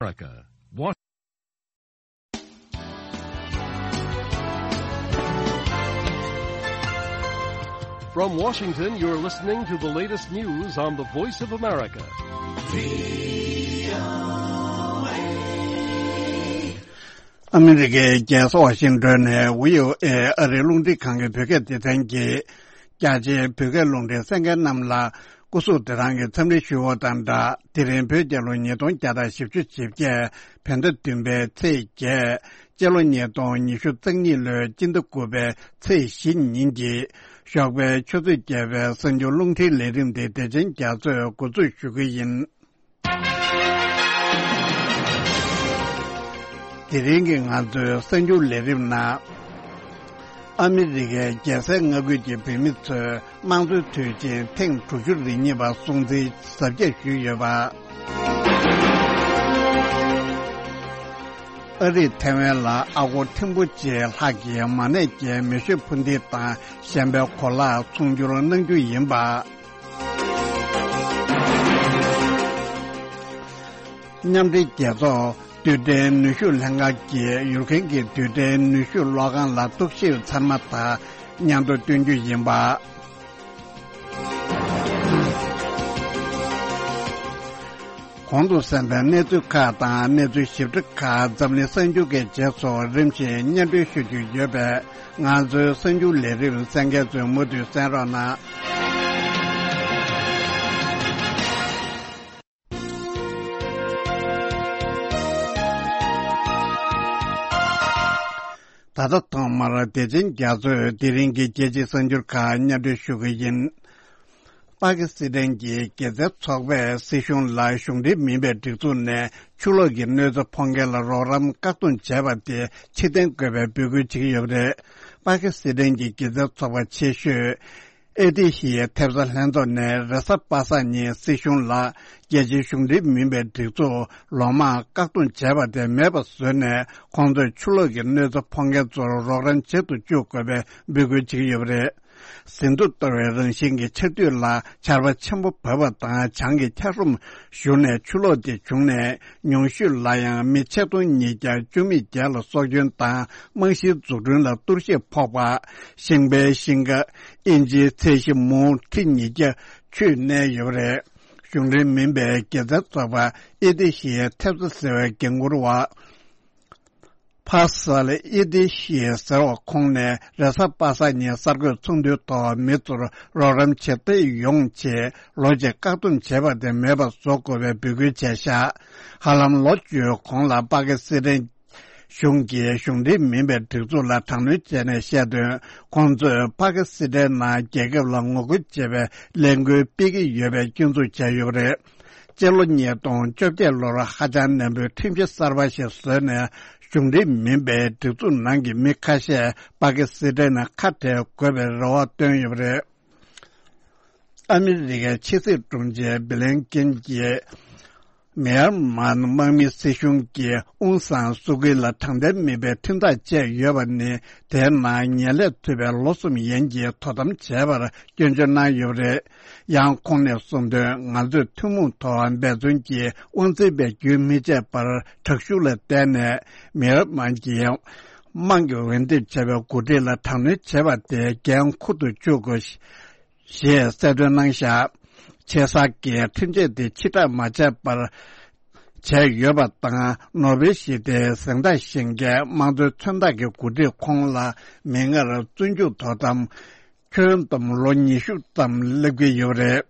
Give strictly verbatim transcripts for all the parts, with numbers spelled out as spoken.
America. Wa- From Washington, you're listening to the latest news on the Voice of America. ཨ་མི་རི་ཀའི་རྒྱལ་ས་ཝ་ཤིང་ཏོན་ནས་བྷི་ཨོ་ཨེ་ཨ་རིའི་རླུང་འཕྲིན་ཁང་གི་བོད་སྐད་སྡེ་ཚན་གྱིས། རྒྱ་ཆེའི་བོད་སྐད་རླུང་འཕྲིན་གསན་མཁན་རྣམས་ལ་སྐུ་གཟུགས་བདེ་ཐང་གི་འཚམས་འདྲི་ཞུ་བ་དང་སྦྲགས། དེ་རིང་བོད་རྒྱལ་ལོ་ཉིས་སྟོང་བརྒྱ་དང་བཞི་བཅུ་ཞེ་བརྒྱད། བོད་ཟླ་བདུན་པའི་ཚེས་བརྒྱད། སྤྱི་ལོ་ཉིས་སྟོང་ཉི་ཤུ་རྩ་གཉིས་ལོའི་སྤྱི་ཟླ་དགུ་པའི་ཚེས་བཞི་ཉིན་གྱི་ཞོགས་པའི་ཆུ་ཚོད་བརྒྱད་པའི་གསར་འགྱུར་རླུང་འཕྲིན་ལས་རིམ་དེ་བདེ་ཆེན་རྒྱ་མཚོས་འགོ་འཛུགས་ཞུ་གི་ཡིན། དེ་རིང་གི་ང་ཚོའི་གསར་འགྱུར་ལས་རིམ་ནང་། ཨ་མི་རི་ཀའི་རྒྱལ་སའི་མངའ་ཁུལ་གྱི་བོད་མི་ཚོས་དམངས་གཙོའི་དུས་ཆེན་ཐེངས་དྲུག་ཅུ་རེ་གཉིས་པ་སྲུང་བརྩིའི་གཟབ་རྒྱས་ཞུས་ཡོད་པ། ཨ་རིས་ཐའེ་ཝན་ལ་ཨ་སྒོར་ཐེར་འབུམ་གཅིག་ལྷག་གི་མ་གནས་ཀྱི་མེ་ཤོད་འཕུར་མདེལ་དང་གཞན་པའི་གོ་ལག་ཚོང་སྒྱུར་གནང་རྒྱུ་ཡིན་པ། མཉམ་འབྲེལ་རྒྱལ་ཚོགས་རྡུལ་ཕྲན་ནུས་ཤུགས་ལྷན་ཁང་གིས་ཡུཀ་རེན་གྱི་རྡུལ་ཕྲན་ནུས་ཤུགས་གློག་ཁང་ལ་གཏོར་བཤིག་ཚར་མ་ཐག་སྙན་ཐོ་བཏོན་རྒྱུ་ཡིན་པ། གོང་དུ་གསན་པའི་གནས་ཚུལ་ཁག་དང་གནས་ཚུལ་ཞིབ་ཕྲ་ཁག་འཛམ་གླིང་གསར་འགྱུར་གྱི་རྗེས་སུ་རིམ་བཞིན་སྙན་སྒྲོན་ཞུ་རྒྱུ་ཡོད་པས། ང་ཚོའི་གསར་འགྱུར་ལས་རིམ་གསན་མཁན་ཚོས་མུ་མཐུད་གསན་རོགས་གནང་། ད་ལྟ་ཐོག་མར་བདེ་ཆེན་རྒྱ་མཚོས་དེ་རིང་གི་རྒྱལ་སྤྱིའི་གསར་འགྱུར་ཁག་སྙན་སྒྲོན་ཞུ་གི་ཡིན། པ་ཀི་སི་ཐན་གྱི་དགེ་རྩའི་ཚོགས་པས་སྲིད་གཞུང་ལ་གཞུང་འབྲེལ་མིན་པའི་སྒྲིག་འཛུགས་ནས་ཆུ་ལོག་གི་གནོད་འཚེ་ཕོག་མཁན་ལ་རོགས་རམ་བཀག་སྡོམ་བྱས་པ་དེ་ཕྱིར་འཐེན་དགོས་པའི་འབོད་སྐུལ་བྱེད་ཀྱི་ཡོད་པ་རེད། པ་ཀི་སི་ཐན་གྱི་དགེ་རྩའི་ཚོགས་པ་ཆེ་ཤོས་ཨེ་ཏི་ཤི་ཡའི་ཐེབས་རྩ་ལྷན་ཚོགས་ནས་རེས་གཟའ་པ་སངས་ཉིན་སྲིད་གཞུང་ལ་རྒྱལ་སྤྱིའི་གཞུང་འབྲེལ་མིན་པའི་སྒྲིག་འཛུགས་ལོ་མང་བཀག་སྡོམ་བྱས་པ་དེ་མེད་པ་བཟོས་ནས། ཁོང་ཚོས་ཆུ་ལོག་གི་གནོད་འཚེ་ཕོག་མཁན་ཚོར་རོགས་རམ་བྱེད་དུ་བཅུག་དགོས་པའི་འབོད་སྐུལ་བྱེད་ཀྱི་ཡོད་པ་རེད། ཟིན་ཐོ་གཏོར་བའི་རང་བཞིན་གྱི་ཆར་དུས་ལ་ཆར་པ་ཆེན་པོ་བབས་པ་དང་། བྱང་གི་འཁྱགས་རོམ་ཞུ་ནས་ཆུ་ལོག་དེ་བྱུང་ནས། ཉུང་ཤོས་ལ་ཡང་མི་ཆིག་སྟོང་ཉིས་བརྒྱ་བཅུ་མེད་བརྒྱད་ལ་སྲོག་སྐྱོན་དང་། རྨང་གཞིའི་འཛུགས་སྐྲུན་ལ་གཏོར་བཤིག་ཕོག་པ། ཤིང་པའི་ཤིང་ཁ་ཨིན་ཇིའི་ཚད་གཞི་མུའུ་ཁྲི་ཉིས་བརྒྱ་ཆུས་གནས་ཡོད་པ་རེད། གཞུང་འབྲེལ་མིན་པའི་དགེ་རྩའི་ཚོགས་པ་ཨེ་ཏི་ཤི་ཡའི་ཐེབས་རྩ་ཟེར་བའི་འགན་འཁུར་བ། ཕ་སལ་ཨེ་ཏི་ཤི་ཡ་ཟེར་བ་ཁོང་ནས་རེས་གཟའ་པ་སངས་ཉིན་གསར་འགོད་ཚོགས་འདུའི་ཐོག་མི་ཚོར་རོགས་རམ་བྱེད་ཐབས་ཡོང་ཆེད་ལོ་གཅིག་བཀག་སྡོམ་བྱས་པ་དེ་མེད་པ་བཟོ་དགོས་པའི་འབོད་སྐུལ་བྱས་ཤག་ཧ་ལམ་ལོ་བཅུའི་གོང་ལ་པ་ཀི་སི་ཐན་གཞུང་གིས་གཞུང་འབྲེལ་མིན་པའི་སྒྲིག་འཛུགས་ལ་དྲག་གནོན་བྱས་ནས་བཤད་དོན། ཁོང་ཚོས་པ་ཀི་སི་ཐན་ནང་རྒྱལ་ཁབ་ལ་ངོ་རྒོལ་བྱེད་པའི་ལས་འགུལ་སྤེལ་གྱི་ཡོད་པའི་སྐྱོན་འཛུགས་བྱས་ཡོད་པ་རེད། སྤྱི་ལོ་ཉིས་སྟོང་བཅོ་བརྒྱད་ལོར་ཧ་ཅང་ནན་པོའི་ཁྲིམས་གཞི་གསར་པ་ཞིག་བཟོས་ནས། གཞུང་འབྲེལ་མིན་པའི་སྒྲིག་འཛུགས་ནང་གི་མི་ཁ་ཤས་པ་ཀི་སི་ཐན་ནང་ཁ་བྲལ་དགོས་པའི་རེ་བ་བཏོན་ཡོད་པ་རེད། ཨ་མི་རི་ཀའི་ཕྱི་སྲིད་དྲུང་ཆེ་སྦི་ལན་ཀིན་གྱིས། མེན་མར་དམག་མི་སྲིད་གཞུང་གིས་ཨུང་སང་སུ་ཀི་ལ་དྲང་བདེན་མེད་པའི་ཁྲིམས་ཐག་བཅད་ཡོད་པ་ནི། དེའི་ནང་ཉེས་ལས་ཐུབ་པའི་ལོ་གསུམ་ཡན་གྱི་དོ་དམ་བྱས་པར་སྐྱོན་བརྗོད་གནང་ཡོད་པ་རེད། ཡང་ཁོང་ནས་གསུངས་དོན། ང་ཚོས་ཐུན་མོང་ཐོག་འབད་བརྩོན་གྱིས་དབང་འཛིན་པའི་རྒྱུན་མི་ཆད་པར་དྲག་ཤུགས་ལ་བརྟེན་ནས། མེན་མར་གྱི་དམག་གི་འོས་འདེམས་བྱས་པའི་འགོ་ཁྲིད་ལ་དྲག་གནོན་བྱས་པ་དེ་འགན་འཁུར་དུ་བཅུག་དགོས། ཞེས་གསལ་སྟོན་གནང་བཞག་ཆེ་ས་གིས་ཁྲིམས་ཆད་དེ་ཕྱིར་བསྒྲགས་མ་བྱས་པར་བྱས་ཡོད་པ་དང་། ནོ་བེལ་ཞི་བདེའི་གཟེངས་རྟགས་བཞེས་མཁན་དམངས་གཙོའི་མཚོན་རྟགས་ཀྱི་འགོ་ཁྲིད་ཁོང་ལ་མིག་སྔར་བཙོན་འཇུག་དོ་དམ་ཁྱོན་བསྡོམས་ལོ་ཉི་ཤུ་ཙམ་སླེབས་ཀྱི་ཡོད་པ་རེད།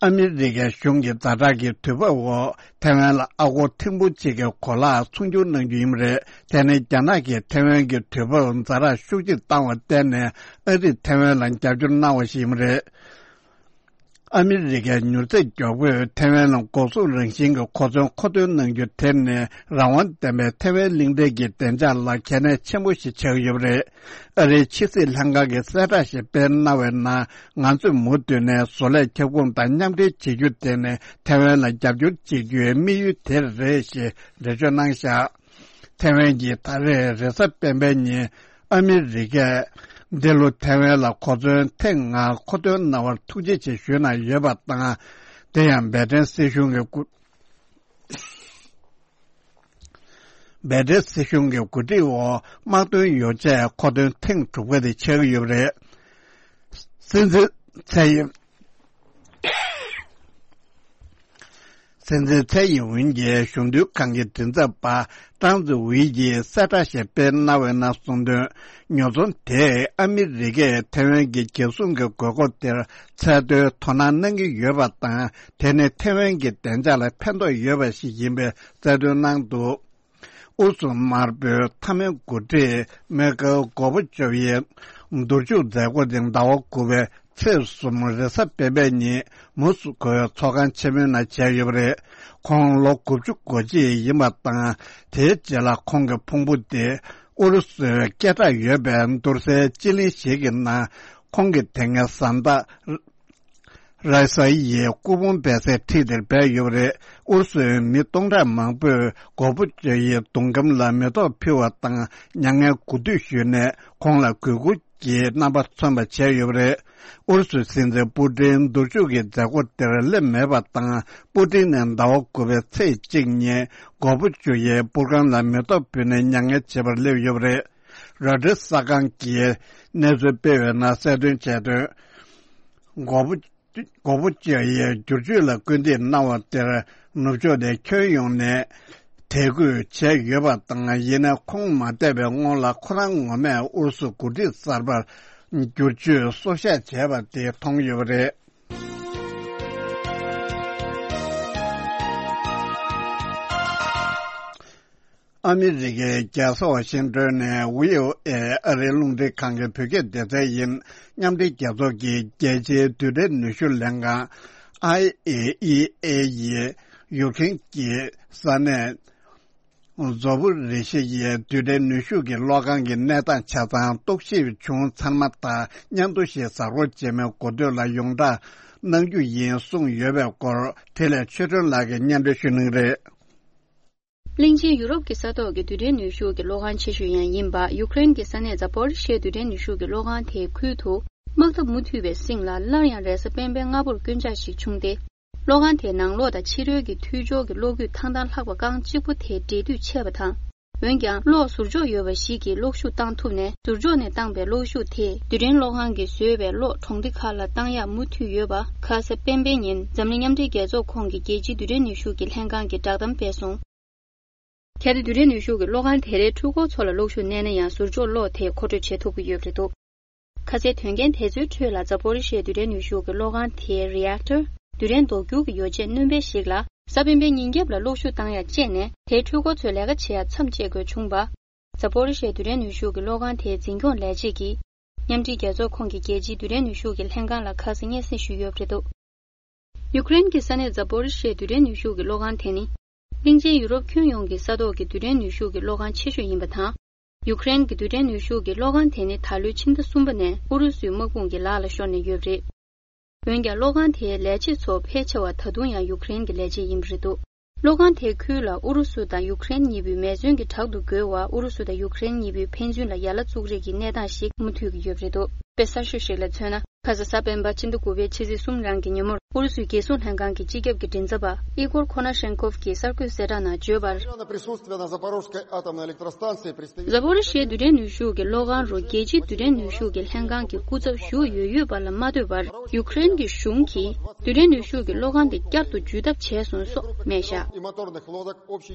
ཨ་མི་རི་ཀའི་གཞུང་གི་ཛ་དྲག་གི་དུས་བབ་འོག་ཐའེ་ཝན་ལ་ཨ་སྒོར་ཐེར་འབུམ་གཅིག་གི་གོ་ལག་ཚོང་སྒྱུར་གནང་རྒྱུ་ཡིན་པ་རེད། དེ་ནི་རྒྱ་ནག་གིས་ཐའེ་ཝན་གྱི་དུས་བབ་ཛ་དྲག་ཤུགས་ཆེ་བཏང་བར་བརྟེན་ནས། ཨ་རིས་ཐའེ་ཝན་ལ་རྒྱབ་སྐྱོར་གནང་བ་ཞིག་ཡིན་པ་རེད། ཨ་མི་རི་ཀའི་མྱུར་ཚད་མགྱོགས་པོས་ཐའེ་ཝན་ལ་འགོག་སྲུང་རང་བཞིན་གྱི་གོ་མཚོན་མཁོ་འདོན་གནང་རྒྱུ་དེ་ནི། རང་དབང་ལྡན་པའི་ཐའེ་ཝན་གླིང་ཕྲན་གྱི་བདེ་འཇགས་ལ་གལ་གནད་ཆེན་པོ་ཞིག་ཆགས་ཀྱི་ཡོད་པ་རེད། ཨ་རིའི་ཕྱི་སྲིད་ལྷན་ཁང་གིས་གསལ་བསྒྲགས་ཤིག་སྤེལ་གནང་བའི་ནང་། ང་ཚོས་མུ་མཐུད་ནས་བཟོ་ལས་ཁྱབ་ཁོངས་དང་མཉམ་འབྲེལ་བྱེད་རྒྱུ་དེ་ནི་ཐའེ་ཝན་ལ་རྒྱབ་སྐྱོར་བྱེད་རྒྱུའི་དམིགས་ཡུལ་དེ་རེད་ཞེས་འགྲེལ་བརྗོད་གནང་བཞག་ཐའེ་ཝན་གྱིས་ད་རེས་རེས་གཟའ་སྤེན་པའི་ཉིན་ཨ་མི་རི་ཀས་འདི་ལོ་ཐའེ་ཝན་ལ་གོ་མཚོན་ཐེངས་ལྔ་མཁོ་འདོན་གནང་བར་ཐུགས་རྗེ་ཆེ་ཞུས་གནང་ཡོད་པ་དང་། དེ་ཡང་འབད་བརྩོན་སྲིད་གཞུང་གི་སྐུ། འབད་བྲལ་སྲིད་གཞུང་གི་འགོ་ཁྲིད་འོག་དམག་དོན་ཡོ་བྱད་མཁོ་འདོན་ཐེངས་དྲུག་པ་དེ་ཆགས་ཀྱི་ཡོད་པ་རེད། སྲིད་འཛིན་ཚའེ་ཡིན། སྲིད་འཛིན་ཚའེ་ཡིན་ཝིན་གྱིས་གཞུང་དོན་ཁང་གི་མགྲིན་ཚབ་པ་ཀྲང་ཙི་ཝེ་ཡིས་གསལ་བསྒྲགས་ཤིག་སྤེལ་གནང་བའི་ནང་གསུངས་དོན། ཉོ་ཚོང་དེས་ཨ་མི་རི་ཀས་ཐེ་ཝན་གྱི་རྒྱལ་སྲུང་གི་དགོས་མཁོ་དེར་ཚད་མཐོའི་དོ་སྣང་གནང་གི་ཡོད་པ་དང་། དེ་ནི་ཐེ་ཝན་གྱི་བདེ་འཇགས་ལ་ཕན་ཐོགས་ཡོད་པ་ཞིག་ཡིན་པའི་གསལ་སྟོན་གནང་འདུག་ཨུ་རུ་སུ་དམར་པོའི་མཐའ་མའི་འགོ་ཁྲིད་མེ་ཁལ་གོ་བུ་ཅོབ་ཡི་འདུར་འཇུག་མཛད་སྒོ་དེ་ཟླ་བ་དགུ་པའི་ཚེས་གསུམ་རེས་གཟའ་སྤེན་པའི་ཉིན་མོ་སི་ཁོའི་ཚོགས་ཁང་ཆེན་མོའི་ནང་བྱས་ཡོད་པ་རེད། ཁོང་ལོ་དགུ་བཅུ་གོ་གཅིག་ཡིན་པ་དང་། དེའི་རྗེས་ལ་ཁོང་གི་ཕུང་པོ་དེ་ཨུ་རུ་སུའི་སྐད་གྲགས་ཡོད་པའི་འདུར་སའི་སྤྱི་གླིང་ཞིག་གི་ནང་ཁོང་གི་དེ་སྔའི་བཟའ་ཟླ་ར་ས་ཡིས་སྐུ་ཕུང་སྦས་སའི་འཁྲིས་དེར་སྦས་ཡོད་པ་རེད། ཨུ་རུ་སུའི་མི་སྟོང་ཕྲག་མང་པོས་གོ་བུ་ཅོ་ཡི་གདུང་སྒམ་ལ་མེ་ཏོག་ཕུལ་བ་དང་། མྱ་ངན་གུས་འདུད་ཞུས་ནས་ཁོང་ལ་གུས་བཀུར་གྱི་རྣམ་པ་མཚོན་པ་བྱས་ཡོད་པ་རེད། ཨུ་རུ་སུའི་སྲིད་འཛིན་པུ་ཏིན་འདུར་འཇུག་གི་མཛད་སྒོ་དེར་སླེབས་མེད་པ་དང་། པུ་ཏིན་ནི་ཟླ་བ་དགུ་པའི་ཚེས་གཅིག་ཉིན་གོ་བུ་ཅོ་ཡི་པུར་ཁང་ལ་མེ་ཏོག་ཕུལ་ནས་མྱ་ངན་བྱེད་པར་སླེབས་ཡོད་པ་རེད། རོའི་ཊར་གསར་ཁང་གིས་གནས་ཚུལ་སྤེལ་བའི་ནང་གསལ་སྟོན་བྱས་དོན། གོ་བུ་གོ་བུ་ཅོ་ཡིས་བསྒྱུར་བཅོས་ལ་སྐུལ་འདེད་གནང་བ་དེར་ནུབ་ཕྱོགས་ནས་ཁྱོན་ཡོངས་ནས་དད་གུས་བྱས་ཡོད་པ་དང་། ཡིན་ན་ཁོང་མ་འདས་པའི་སྔོན་ལ་ཁོ་རང་ངོ་མས་ཨུ་རུ་སུ་འགོ་ཁྲིད་གསར་པར་བསྒྱུར་བཅོས་སྲོག་ཤག་བྱས་པ་དེ་མཐོང་ཡོད་པ་རེད། ཨ་མི་རི་ཀའི་རྒྱལ་ས་ཝ་ཤིང་ཏོན་ནས་ཝི་ཨོ་ཨེ་ཨ་རིའི་རླུང་འཕྲིན་ཁང་གི་བོད་སྐད་སྡེ་ཚན་ཡིན། མཉམ་འབྲེལ་རྒྱལ་ཚོགས་ཀྱི་རྒྱལ་སྤྱིའི་རྡུལ་ཕྲན་ནུས་ཤུགས་ལྷན་ཁང་ཨའི་ཨེ་ཨི་ཨེ་ཡིས་ཡུཀ་རེན་གྱི་ས་གནས་ཛོ་པོ་རི་ཤི་ཡའི་རྡུལ་ཕྲན་ནུས་ཤུགས་ཀྱི་གློག་ཁང་གི་གནས་སྟངས་ཆ་ཚང་རྟོག་ཞིབ་བྱུང་ཚར་མ་ཐག་སྙན་ཐོ་ཞིག་གཟའ་འཁོར་རྗེས་མའི་འགོ་སྟོད་ལ་ཡོངས་བསྒྲགས་གནང་རྒྱུ་ཡིན་གསུངས་ཡོད་པའི་སྐོར་དེ་ལས་ཆོས་སྒྲོན་ལགས་ཀྱིས་སྙན་སྒྲོན་ཞུ་གནང་གི་རེད། གླིང་ཆེན་ཡུ་རོབ་ཀྱི་ས་ཐོག་གི་རྡུལ་ཕྲན་ནུས་ཤུགས་ཀྱི་གློག་ཁང་ཆེ་ཤོས་ཡང་ཡིན་པ་ཡུཀ་རེན་གྱི་ས་གནས་ཛ་པོ་རི་ཤི་ཡའི་རྡུལ་ཕྲན་ནུས་ཤུགས་ཀྱི་གློག་ཁང་དེའི་ཁུལ་དུ། དམག་འཐབ་མུ་མཐུད་པའི་རྩིང་ལ་སླར་ཡང་རེས་གཟའ་སྤེན་པའི་སྔ་པོར་རྐུན་ཇག་ཞིག་བྱུང་སྟེ། གློག་ཁང་དེའི་ནང་ལོགས་དང་ཕྱི་རོལ་གྱི་མཐུད་སྦྱོར་གྱི་གློག་སྐུད་ཐང་ཐང་ལྷག་པ་རྐང་གཅིག་པོ་དེ་འབྲེལ་མཐུད་ཆད་པ་དང་། འོན་ཀྱང་གློག་ཟུར་འཇོག་ཡོད་པ་ཞིག་གིས་གློག་ཤུགས་བཏང་ཐུབ་ནས། ཟུར་འཇོག་ནས་བཏང་པའི་གློག་ཤུགས་དེས་རྡུལ་ཕྲན་གློག་ཁང་གིས་བཟོས་པའི་གློག་གྲོང་སྡེ་ཁག་ལ་བཏང་ཡག་མུ་མཐུད་ཡོད་པ། ཁ་ས་སྤེན་པའི་ཉིན་འཛམ་གླིང་མཉམ་འབྲེལ་རྒྱལ་ཚོགས་ཁོངས་ཀྱི་རྒྱལ་སྤྱིའི་རྡུལ་ཕྲན་ནུས་ཤུགས་ཀྱི་ལྷན་ཁང་གིས་བསྒྲགས་གཏམ་སྤེལ་སོང་། གལ་ཏེ་རྡུལ་ཕྲན་ནུས་ཤུགས་ཀྱི་གློག་ཁང་དེ་རའི་འཕྲུལ་འཁོར་ཚོ་ལ་གློག་ཤུགས་མནན་ན་ཡང་ཟུར་འཇོག་གློག་དེས་མཁོ་སྤྲོད་བྱེད་ཐུབ་ཀྱི་ཡོད་པ་རེད་འདུག་ཁ་སའི་དོན་རྐྱེན་དེ་ཚོའི་ཁྲོད་ལ་ཛ་པོ་རི་ཤི་ཡའི་རྡུལ་ཕྲན་ནུས་ཤུགས་ཀྱི་གློག་ཁང་དེའི་རི་ཨེག་ཊར། རྡུལ་ཕྲན་ལྡོག་འགྱུར་གྱི་ཡོ་བྱད་སྣོན་པ་ཞིག་ལ་གཟའ་སྤེན་པའི་ཉིན་རྒྱབ་ལ་གློག་ཤུགས་བཏང་ཡག་བཅད་ནས། དེའི་འཕྲུལ་འཁོར་ཚོས་ལས་ཀ་བྱེད་ཡག་མཚམས་བཅད་དགོས་བྱུང་བ། ཛ་པོ་རི་ཤི་ཡའི་རྡུལ་ཕྲན་ནུས་ཤུགས་ཀྱི་གློག་ཁང་དེའི་འཛིན་སྐྱོང་ལས་བྱེད་ཀྱིས། མཉམ་འབྲེལ་རྒྱལ་ཚོགས་ཁོངས་ཀྱི་རྒྱལ་སྤྱིའི་རྡུལ་ཕྲན་ནུས་ཤུགས་ཀྱི་ལྷན་ཁང་ལ་ཁ་སང་སྙན་སེང་ཞུས་ཡོད་པ་རེད་འདུག་ཡུཀ་རེན་གྱི་ས་གནས་ཛ་པོ་རི་ཤི་ཡའི་རྡུལ་ཕྲན་ནུས་ཤུགས་ཀྱི་གློག་ཁང་དེ་ནི། གླིང་ཆེན་ཡུ་རོབ་ཁྱོན་ཡོངས་ཀྱི་ས་ཐོག་གི་རྡུལ་ཕྲན་ནུས་ཤུགས་ཀྱི་གློག་ཁང་ཆེ་ཤོས་ཡིན་པ་དང་། ཡུཀ་རེན་གྱི་རྡུལ་ཕྲན་ནུས་ཤུགས་ཀྱི་གློག་ཁང་དེ་ནི་ད་ལོའི་ཕྱི་ཟླ་གསུམ་པ་ནས་ཨུ་རུ་སུའི་དམག་དཔུང་གི་ལག་ལ་ཤོར་ནས་ཡོད་པ་རེད། འོན་ཀྱང་གློག་ཁང་དེའི་ལས་བྱེད་ཚོ་ཕལ་ཆེ་བ་ད་དུང་ཡང་ཡུཀ་རེན་གྱི་ལས་བྱེད་ཡིན་པ་རེད་འདུག་གློག་ཁང་དེའི་ཁུལ་ལ་ཨུ་རུ་སུ་དང་ཡུཀ་རེན་གཉིས་པོའི་མེ་ཟོན་གྱི་བྲག་ཏུ་རྒོལ་བ། ཨུ་རུ་སུ་དང་ཡུཀ་རེན་གཉིས་པོའི་ཕན་ཚུན་ལ་ཡ་ལ་བཙུགས་རེས་ཀྱི་གནས་སྟངས་ཤིག་མུ་མཐུད་ཀྱི་ཡོད་པ་རེད་འདུག་དཔེ་གསར་ཤོས་ཤིག་ལ་མཚོན་ན། ཁ་ས་གཟའ་སྤེན་པ་ཕྱི་ཟླ་དགུ་པའི་ཕྱི་ཚེས་གསུམ་རང་གི་ཉིན་མོར་ཨུ་རུ་སུའི་རྒྱལ་སྲུང་ལྷན་ཁང་གི་སྤྱི་ཁྱབ་ཀྱི་མགྲིན་ཚབ་པ་ཨི་གོར་ཁོ་ན་ཤེན་ཀོབ་ཀྱིས་གསར་འགོད་གསལ་བསྒྲགས་ནང་བརྗོད་པར། Присутствие на Запорожской атомной электростанции представитель Запорожье་རྡུལ་ཕྲན་ནུས་ཤུགས་ཀྱི་གློག་ཁང་རུ་རྒྱལ་སྤྱིའི་རྡུལ་ཕྲན་ནུས་ཤུགས་ཀྱི་ལྷན་ཁང་གི་སྐུ་ཚབ་ཞུགས་ཡོད་ཡོད་པ་ལ་མ་ལྟོས་པར། ཡུཀ་རེན་གྱི་གཞུང་གིས་རྡུལ་ཕྲན་ནུས་ཤུགས་ཀྱི་གློག་ཁང་དེ་བསྐྱར་དུ་འཇུས་ཐབས་བྱས་སོང་སོགས་སྨྲས་བཞག་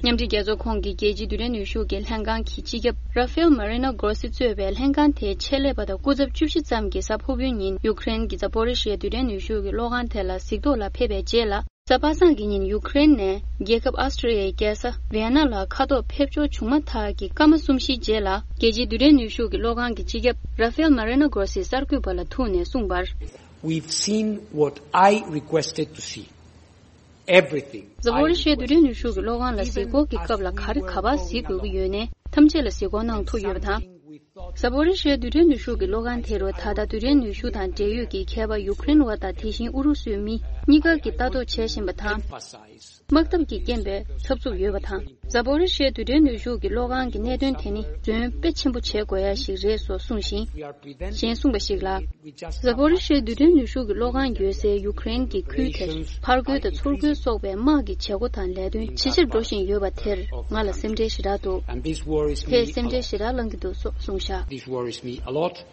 མཉམ་འབྲེལ་རྒྱལ་ཚོགས་ཁོངས་ཀྱི་རྒྱལ་སྤྱིའི་རྡུལ་ཕྲན་ནུས་ཤུགས་ཀྱི་ལྷན་ཁང་གི་སྤྱི་ཁྱབ་Rafael Marino Grossi་གཙོས་པའི་ལྷན་ཁང་དེའི་ཆེད་ལས་པ་དང་སྐུ་ཚབ་བཅུ་བཞི་ཙམ་གྱིས་གཟའ་ཕུར་བུའི་ཉིན་ཡུཀ་རེན་གྱི་Zaporizhzhia་རྡུལ་ཕྲན་ནུས་ཤུགས་ཀྱི་གློག་ཁང་དེ་ལ་གཟིགས་རྟོག་ལ་ཕེབས་པའི་རྗེས་ལ། གཟའ་པ་སངས་ཀྱི་ཉིན་ཡུཀ་རེན་ནས་རྒྱལ་ཁབ་ཨ་སི་ཊྲི་ཡའི་རྒྱལ་ས་ཝི་ཡེ་ན་ལ་མཁའ་ཐོག་ཕེབས་འབྱོར་བྱུང་མ་ཐག་གི་སྐར་མ་གསུམ་བཞིའི་རྗེས་ལ། རྒྱལ་སྤྱིའི་རྡུལ་ཕྲན་ནུས་ཤུགས་ཀྱི་གློག་ཁང་གི་སྤྱི་ཁྱབ་Rafael Marino Grossi་གསར་འགོད་པ་ལ་ཐུག་ནས་གསུངས་པར། We've seen what I requested to see. Everything. Zaporizhzhia་རྡུལ་ཕྲན་ནུས་ཤུགས་ཀྱི་གློག་ཁང་ལ་གཟིགས་སྐོར་གྱི་སྐབས་ལ་ག་རེ་ག་པར་གཟིགས་དགོས་ཀྱི་ཡོད་ནའི་ཐམས་ཅད་ལ་གཟིགས་སྐོར་གནང་ཐུབ་ཡོད་པ་དང་། ཟ་པོ་རི་ཤི་ཡ་རྡུལ་ཕྲན་ནུས་ཤུགས་ཀྱི་གློག་ཁང་དེ་རུ་ད་ལྟ་རྡུལ་ཕྲན་ནུས་ཤུགས་དང་འབྲེལ་ཡོད་ཀྱི་མཁས་པ་ཡུཀ་རེན་བ་དང་དེ་བཞིན་ཨུ་རུ་སུའི་མི་གཉིས་ཀ་གིས་ལྟ་རྟོག་བྱེད་བཞིན་པ་དང་། དམག་འཐབ་ཀྱི་རྐྱེན་པས་འཚབ་འཚུབ་ཡོད་པ་དང་། ཟ་པོ་རི་ཤི་ཡའི་རྡུལ་ཕྲན་ནུས་ཤུགས་ཀྱི་གློག་ཁང་གི་གནད་དོན་དེ་ནི་བརྩོན་དཔེ་ཆེན་པོ་བྱེད་དགོས་ཡ་ཞིག་རེད་སོགས་གསུངས་ཤིང་། གཞན་གསུངས་པ་ཞིག་ལ། ཟ་པོ་རི་ཤི་ཡའི་རྡུལ་ཕྲན་ནུས་ཤུགས་ཀྱི་གློག་ཁང་ཡོད་སའི་ཡུ་ཀེ་རེན་གྱི་ཁུལ་དེར་ཕར་རྒོལ་དང་ཚུར་རྒོལ་སོགས་པའི་དམག་གི་བྱེད་སྒོ་དང་ལས་དོན་ཇེ་ཆེར་འགྲོ་བཞིན་ཡོད་པ་དེར་ང་ལ་སེམས་ཁྲལ་ཞེ་དྲག་འདུག་དེས་སེམས་ཁྲལ་ཞེ་དྲག་བསླང་གི་འདུག་སོགས་གསུངས་བཞག This worries me a lot.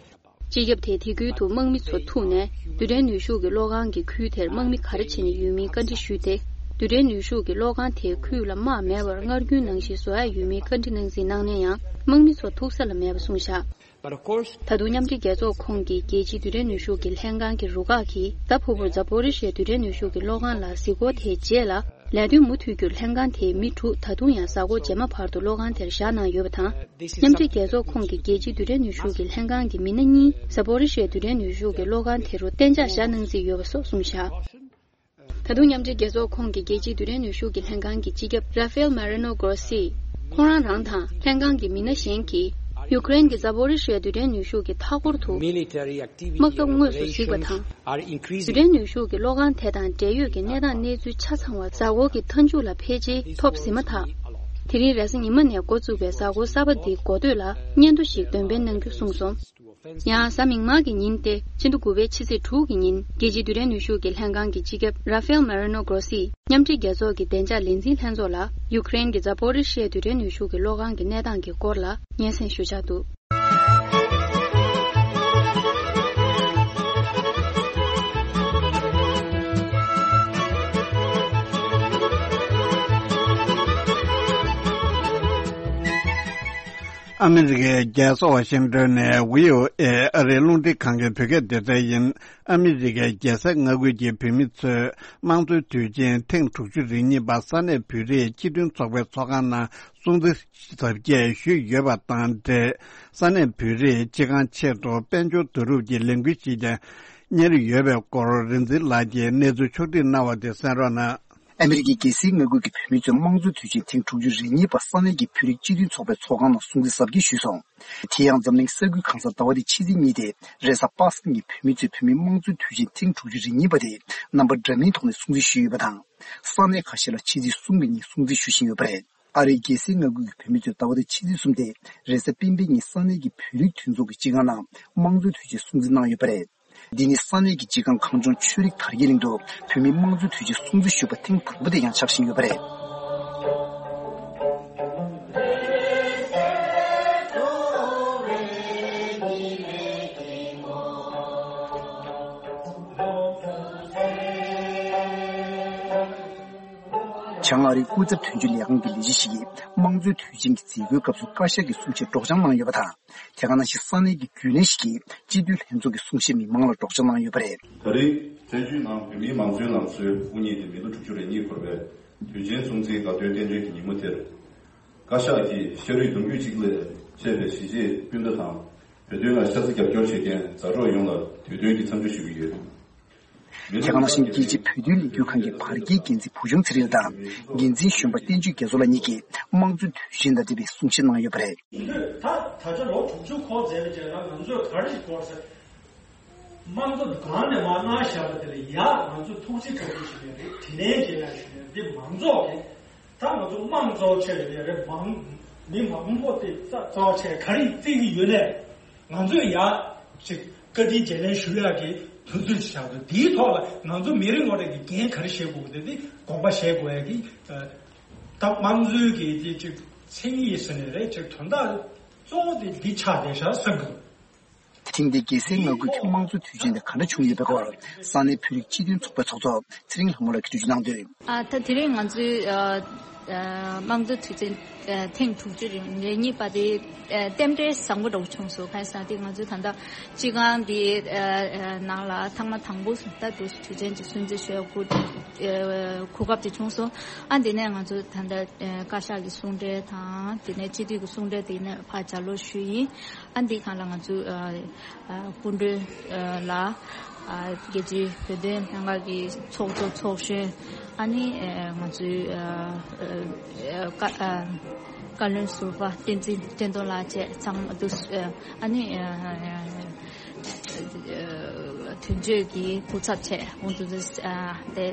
སྤྱི་ཁྱབ་དེས་དེ་ཁུལ་དུ་དམག་མི་ཚོ་ཐུག་ནས་རྡུལ་ཕྲན་ནུས་ཤུགས་ཀྱི་གློག་ཁང་གི་ཁུལ་དེར་དམག་མི་ག་རེ་བྱས་ནས་ཡོད་མིན་བཀའ་འདྲི་ཞུས་ཏེ། རྡུལ་ཕྲན་ནུས་ཤུགས་ཀྱི་གློག་ཁང་དེའི་ཁུལ་ལ་དམག་མེད་པར་སྔར་རྒྱུན་ནང་བཞིན་བཟོ་ཡ་ཡོད་མིན་བཀའ་འདྲི་གནང་གཟིགས་གནང་ན་ཡང་། དམག་མི་ཚོ་ཐུག་ས་ལ་མེད་པ་གསུངས་བཞག But of course, ད་དུང་མཉམ་འབྲེལ་རྒྱལ་ཚོགས་ཁོངས་ཀྱི་རྒྱལ་སྤྱིའི་རྡུལ་ཕྲན་ནུས་ཤུགས་ཀྱི་ལྷན་ཁང་གི་རུ་ཁག་གིས་ད་ཕུ་བུར་ཛ་པོ་རི་ཤི་ཡའི་རྡུལ་ཕྲན་ནུས་ཤུགས་ཀྱི་གློག་ཁང་ལ་གཟིགས་སྐོར་དེའི་རྗེས་ལ། ལས་དོན་མུ་མཐུད་རྒྱུར་ལྷན་ཁང་དེའི་མི་དྲུག་ད་དུང་ཡང་གཟའ་འཁོར་རྗེས་མ་བར་དུ་གློག་ཁང་དེར་བཞག་གནང་ཡོད་པ་དང་། མཉམ་འབྲེལ་རྒྱལ་ཚོགས་ཁོངས་ཀྱི་རྒྱལ་སྤྱིའི་རྡུལ་ཕྲན་ནུས་ཤུགས་ཀྱི་ལྷན་ཁང་གི་མི་སྣ་གཉིས་ཟ་པོ་རི་ཤི་ཡའི་རྡུལ་ཕྲན་ནུས་ཤུགས་ཀྱི་གློག་ཁང་དེ་རུ་གཏན་འཇགས་བཞག་གནང་རྩིས་ཡོད་པ་སོགས་གསུངས་བཞག་ད་དུང་མཉམ་འབྲེལ་རྒྱལ་ཚོགས་ཁོངས་ཀྱི་རྒྱལ་སྤྱིའི་རྡུལ་ཕྲན་ནུས་ཤུགས་ཀྱི་ལྷན་ཁང་གི་སྤྱི་ཁྱབ་ར་ཧྥེལ་མ་རི་ནོ་གོ་སི། ཁོང་རང་རང་དང་ལྷན་ཁང་གི་མི་སྣ་གཞན་གྱིས་ཡུ་ཀེ་རེན་གྱི་ཛ་པོ་རི་ཤི་ཡ་རྡུལ་ཕྲན་ནུས་ཤུགས་ཀྱི་མཐའ་འཁོར་དུ། དམག་འཐབ་དངོས་སུ་གཟིགས་པ་དང་། རྡུལ་ཕྲན་ནུས་ཤུགས་ཀྱི་གློག་ཁང་དེ་དང་འབྲེལ་ཡོད་ཀྱི་གནས་སྟངས་གནས་ཚུལ་ཆ་ཚང་བ་གཟའ་འཁོར་གྱི་མཐའ་མཇུག་ལ་ཕལ་ཆེར་ཐོབ་ཟིན་མ་ཐག་དེ་རིང་རེས་གཟའ་ཉི་མ་ནས་འགོ་བཙུགས་པའི་གཟའ་འཁོར་གསར་པ་འདིའི་འགོ་སྟོད་ལ་སྙན་ཐོ་ཞིག་འདོན་སྤེལ་གནང་རྒྱུ་གསུངས་སོང་། ཡང་གཟའ་མིག་དམར་གྱི་ཉིན་ཏེ་སྤྱི་ཟླ་དགུ་པའི་ཕྱི་ཚེས་དྲུག་གི་ཉིན་རྒྱལ་སྤྱིའི་རྡུལ་ཕྲན་ནུས་ཤུགས་ཀྱི་ལྷན་ཁང་གི་སྤྱི་ཁྱབ་ར་ཧྥེལ་མ་རི་ནོ་གོ་སི་མཉམ་འབྲེལ་རྒྱལ་ཚོགས་ཀྱི་བདེ་འཇགས་ལས་འཛིན་ལྷན་ཚོགས་ལ་ཡུ་ཀེ་རེན་གྱི་ཛ་པོ་རི་ཤི་ཡའི་རྡུལ་ཕྲན་ནུས་ཤུགས་ཀྱི་གློག་ཁང་གི་གནས་སྟངས་ཀྱི་སྐོར་ལ་སྙན་སེང་ཞུ་འཆར་འདུག་ཨ་མི་རི་ཀའི་རྒྱལ་ས་ཝ་ཤིང་ཏོན་ནས་བྷི་ཨོ་ཨེ་ཨ་རིའི་རླུང་འཕྲིན་ཁང་གི་བོད་སྐད་སྡེ་ཚན་ཡིན། ཨ་མི་རི་ཀའི་རྒྱལ་སའི་མངའ་ཁུལ་གྱི་བོད་མི་ཚོས་དམངས་གཙོའི་དུས་ཆེན་ཐེངས་དྲུག་ཅུ་རེ་གཉིས་པ་ས་གནས་བོད་རིགས་སྤྱི་མཐུན་ཚོགས་པའི་ཚོགས་ཁང་ནང་སྲུང་བརྩི་གཟབ་རྒྱས་ཞུས་ཡོད་པ་དང་འབྲེལ། ས་གནས་བོད་རིགས་སྤྱི་ཁང་ཆེད་དུ་དཔལ་འབྱོར་བསྡུ་རུབ་ཀྱི་ལས་འགུལ་ཞིག་ཀྱང་གཉེར་ཡོད་པའི་སྐོར་རིག་འཛིན་ལགས་ཀྱིས་གནས་ཚུལ་ཕྱོགས་སྒྲིག་གནང་བ་དེ་གསན་རོགས་གནང་། ཨ་མི་རི་ཀའི་རྒྱལ་སའི་མངའ་ཁུལ་གྱི་བོད་མི་ཚོས་དམངས་གཙོའི་དུས་ཆེན་ཐེངས་དྲུག་ཅུ་རེ་གཉིས་པ་ས་གནས་ཀྱི་བོད་རིགས་སྤྱི་མཐུན་ཚོགས་པའི་ཚོགས་ཁང་ནང་སྲུང་བརྩི་གཟབ་རྒྱས་ཞུས་སོང་། དེ་ཡང་འཛམ་གླིང་ས་ཁུལ་གང་སར་ཟླ་བ་འདིའི་ཕྱི་ཚེས་གཉིས་ཏེ་རེས་གཟའ་པ་སངས་ཀྱི་བོད་མི་ཚོས་བོད་མིའི་དམངས་གཙོའི་དུས་ཆེན་ཐེངས་དྲུག་ཅུ་རེ་གཉིས་པ་དེ་རྣམ་པ་འདྲ་མིན་ཐོག་ནས་སྲུང་བརྩི་ཞུས་ཡོད་པ་དང་། ས་གནས་ཁ་ཤས་ལ་ཕྱི་ཚེས་གསུམ་གྱི་ཉིན་སྲུང་བརྩི་ཞུ་བཞིན་ཡོད་པ་རེད། ཨ་རིའི་རྒྱལ་སའི་མངའ་ཁུལ་གྱི་བོད་མི་ཚོས་ཟླ་བ་འདིའི་ཕྱི་ཚེས་གསུམ་སྟེ་རེས་གཟའ་སྤེན་པའི་ཉིན་ས་གནས་ཀྱི་བོད་རིགས་མཐུན་ཚོགས་ཀྱི་སྤྱི་ཁང་ནང་དམངས་གཙོའི་དུས་ཆེན་སྲུང་བརྩི་གནང་ཡོད་པ་རེད། འདི་ནི་ས་གནས་ཀྱི་སྤྱི་ཁང་གངས་ལྗོངས་ཆོས་རིག་དར་རྒྱས་གླིང་དུ་བོད་མིའི་དམངས་གཙོའི་དུས་ཆེན་སྲུང་བརྩི་ཞུས་པ་ཐེངས་དང་པོ་དེ་ཡང་ཆགས་བཞིན་ཡོད་པ་རེད། བྱང་ཨ་རིའི་སྐུ་ཚབ་དོན་གཅོད་ལས་ཁང་གི་ལས་བྱེད་ཞིག་གིས་དམངས་གཙོའི་དུས་ཆེན་གྱི་མཛད་སྒོའི་སྐབས་སུ་བཀའ་ཤག་གི་གསུང་བཤད་སྒྲོག་སྦྱང་གནང་ཡོད་པ་དང་། དེ་ག་ནང་བཞིན་ས་གནས་ཀྱི་རྒྱུན་ལས་ཞིག་གིས་སྤྱི་འཐུས་ལྷན་ཚོགས་ཀྱི་གསུང་བཤད་མི་མང་ལ་སྒྲོག་སྦྱང་གནང་ཡོད་པ་རེད། ད་རེས་བཙན་བྱོལ་ནང་བོད་མིའི་མང་གཙོའི་ལམ་སྲོལ་དབུ་བརྙེས་ཏེ་མི་ལོ་དྲུག་ཅུ་རེ་གཉིས་འཁོར་བའི་དུས་ཆེན་སྲུང་བརྩིའི་དགའ་སྟོན་རྟེན་འབྲེལ་གྱི་ཉིན་མོ་དེར། བཀའ་ཤག་གིས་ཤ་རུས་གདུང་རྒྱུད་གཅིག་ལས་མཆེད་པའི་གཞིས་བྱེས་སྤུན་ཟླ་དང་། བོད་དོན་ལ་ཤ་ཚ་རྒྱབ་སྐྱོར་བྱེད་མཁན་མཛའ་གྲོགས་ཡོངས་ལ་དུས་སྟོན་གྱི་འཚམས་འདྲི་ཞུ་གི་ཡོད། དེ་ག་ནང་བཞིན་རྒྱལ་སྤྱིའི་བོད་དོན་ལས་འགུལ་ཁང་གི་བར་བརྒལ་འགན་འཛིན་བུ་ཆུང་ཚེ་རིང་དང་། འགན་འཛིན་གཞོན་པ་བསྟན་ཆོས་རྒྱ་མཚོ་ལགས་གཉིས་ཀྱིས་དམངས་གཙོའི་དུས་ཆེན་དང་འབྲེལ་བའི་གསུང་བཤད་གནང་ཡོད་པ་རེད། ད་ད་ཆ་ལོ་དྲུག་ཅུ་འཁོར་མཛད་པའི་རྗེས་ལ་ང་ཚོས་ག་རེ་ཞིག་དགོས་ཟེར། དམངས་གཙོ་གང་ནས་མར་གནང་བཞག་པ་དེ་ལ་ཡ་ང་ཚོས་ཐུགས་རྗེ་ཆེ་ཞུ་ཡ་རེད། དྲིན་ལན་འཇལ་ཡ་ཞུ་ཡ་རེད། འདི་མང་ཚོགས་ཀྱི་ད་ང་ཚོ་དམངས་གཙོ་ཆེ་ཡོད་རེད། མང་མི་མང་པོ་དེ་རྩ་རྩ་བ་ཆེ་ག་རེ་བརྩི་གི་ཡོད་ནས་ང་ཚོས་ཡ་ཅིག་བཀའ་དྲིན་རྗེས་ལན་ཞུ་ཡག་གི་དུས་ཚོད་ཆགས་འདུག་དེའི་ཐོག་ལ་ང་ཚོ་མི་རེ་ངོ་རེ་གི་འགན་ག་རེ་བཞེས་དགོས་དེ་དེ་དགོངས་པ་བཞེས་དགོས་ཡག་གི་ད་དམངས་གཙོའི་གི་དེ་ཅིག་མཚན་ཉིད་ཟེར་ནས་རེད། ཅིག་དོན་དག་གཙོ་བོ་དེ་འདི་ཆགས་བསྡད་ཤག་བསམ་གི་འདུག་ཐེངས་འདིའི་རྒྱལ་སའི་མངའ་ཁུལ་གྱི་དམངས་གཙོ་དུས་ཆེན་དེ་ག་འདྲ་བྱུང་ཡོད་པའི་སྐོར་ས་གནས་བོད་རིགས་སྤྱི་མཐུན་ཚོགས་པའི་ཚོགས་གཙོ་ཚེ་རིང་ལྷ་མོ་ལགས་ཀྱིས་འགྲེལ་བརྗོད་གནང་དོན། ཨ་ད་དེ་རིང་ང་ཚོའི་ཨ་ཨ་དམངས་གཙོ་དུས་ཆེན་ཨ་ཐེངས་དྲུག་ཅུ་རེ་གཉིས་པ་དེ་ཨ་རྟེན་འབྲེལ་བཟང་པོ་འདྲ་བོ་བྱུང་སོང་། གང་ཡིན་ཟེར་ན་དེ་ང་ཚོའི་ད་ལྟ་སྤྱི་ཁང་འདི་ཨ་ཨ་ནང་ལ་ཐེངས་མ་དང་པོ་ད་དུས་ཆེན་གྱི་སྲུང་བརྩི་ཞུ་ཡག་གོ་ཨ་གོ་སྐབས་དེ་བྱུང་སོང་། ཨ་དེ་ནས་ང་ཚོ་ད་ལྟ་ཨ་བཀའ་ཤག་གི་གསུང་གྲོས་དང་དེ་ནས་སྤྱི་འཐུས་ཀྱི་གསུང་གྲོས་དེ་ནས་ཕར་ལྗགས་ཀློག་ཞུས་ཡིན། ཨ་འདི་སྒང་ལ་ང་ཚོས་ཨ་ཨ་སྐུ་མགྲོན་ཨ་ལ་ཨ་རྒྱལ་སྤྱིའི་བོད་དོན་ལྷན་ཁང་གི་ཚོགས་གཙོ་ཚོགས་གཞོན། ཨ་ནི་ཨ་ང་ཚོའི་ཨ་ བཀའ་བཀའ་བློན་ཟུར་པ་བསྟན་འཛིན་བསྟན་རྡོར་ལགས་བཅས་ཚང་མ་འདུ། ཨ་ནི་དོན་གཅོད་ཀྱི་སྐུ་ཚབ་བཅས་འོང་དུ་དེ་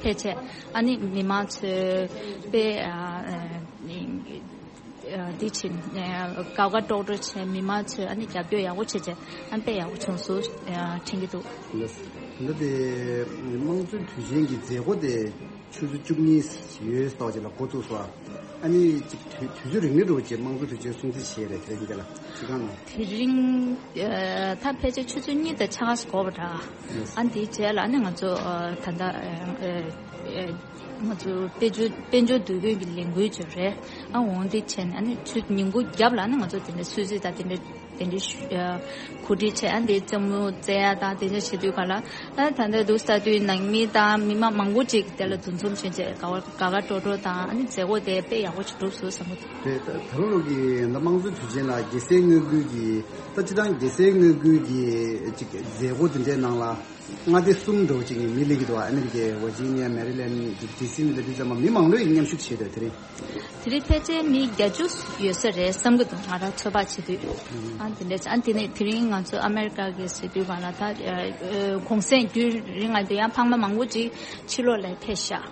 ཕལ་ཆེར་ཨ་ནི་མི་མང་ཚོས་དཔེ་འདི་བྱིན་དགའ་དགའ་སྤྲོ་སྤྲོ་བྱས། མི་མང་ཚོས་ཨ་ནི་རྒྱབ་སྐྱོར་ཡག་པོ་བྱས་བྱས་ཨ་ནི་དཔེ་ཡག་པོ་བྱུང་སོང་དྲན་གྱི་འདུག། ད་ལྟ་དེ་དམངས་གཙོའི་དུས་ཆེན་གྱི་མཛད་སྒོ་དེ་ཆུ་ཚོད་བཅུ་གཉིས་ཡོལ་ཙམ་ཅིག་ལ་འགོ་བཙུགས་སོང་། ཨ་ནི་ཅིག་དུས་དུས་ཚོད་རིང་མོ་འགྲོ་བྱས་དམངས་གཙོའི་དུས་ཆེན་སྲུང་བརྩི་བྱས་རེད། དེ་རིང་འདི་ལ་ཅི་གང་ན། དེ་རིང་ད་ཕལ་ཆེར་ཆུ་ཚོད་གཉིས་དང་ཕྱེད་ཀ་ཙམ་འགོར་བ་འདྲ། ཨ་འདིའི་རྗེས་ལ་ཨ་ནི་ང་ཚོ་ད་ལྟ་ང་ཚོ་དཔལ་འབྱོར་དཔལ་འབྱོར་འདུ་འགོད་ཀྱི་ལས་འགུལ་ཅིག་རེད། ཨ་འོང་འདི་བྱས་ནས་ཨ་ནི་ཆུ་ཉིན་གུང་རྒྱབ་ལ་ཨ་ནི་ང་ཚོ་དེ་འདྲའི་གསོལ་ཚིགས་དང་དེ་འདྲའི་དེ་འདྲའི་ཞུ་ཨ་གོ་སྒྲིག་བྱས། ཨ་འདི་རྩེད་མོ་རྩེ་ཡ་དང་དེ་འདྲ་བྱེད་དུས་ག་ལ་ཨ་ད་ལྟ་འདུག་ས་དུས་ནང་མི་དང་མི་མང་མང་པོ་ཅིག་དེ་ལ་འདུ་འཛོམས་བྱས་བྱས་དགའ་བ་དགའ་དགའ་སྤྲོ་སྤྲོ་དང་ཨ་ནི་མཛད་སྒོ་དེ་དཔེ་ཡག་པོ་ཅིག་གྲུབ་སོང་བསམ་གྱི་འདུག། དེ་ད་ད་རུང་ལོ་གི་ད་དམངས་གཙོའི་དུས་ཆེན་ལ་རྒྱལ་སའི་དངོས་ཁུལ་གྱི་ད་སྤྱི་བཏང་རྒྱལ་སའི་དངོས་ཁུལ་གྱི་ཅིག་མཛད་སྒོ་དེ་འདྲའི་ནང་ལ། མངའ་སྡེ་གསུམ་འདྲ་བོ་ཅིག་ནས་མི་སླེབས་ཀྱི་འདུག། ཨ་མེ་རི་ཀའི་ཝར་ཇི་ནི་ཡ། མེ་རི་ལེན་ཌི་སི་ནས་སླེབས་དུས་ཙམ་པ་མི་མང་ལོས་མཉམ་ཞུགས་བྱས་འདུག། དེ་རིང་དེ་རིང་ཕལ་ཆེར་མི་བརྒྱད་ཅུ་ཡོད་ས་རེད་བསམ་གྱི་འདུག། ང་རང་ཚོད་དཔག་བྱེད་དུས། ཨ་དེ་འདྲ་ཨ་དེ་ནས་དེ་རིང་ང་ཚོ་ཨ་མེ་རི་ཀ་གི་ཟེར་དུས་གང་ལ་ད་གུང་སེང་རྒྱུན་རིང་ང་དེ་ཡང་ཕ་མ་མང་པོ་ཅིག་ཕྱི་ལོགས་ལ་ཕེབས་ཤག།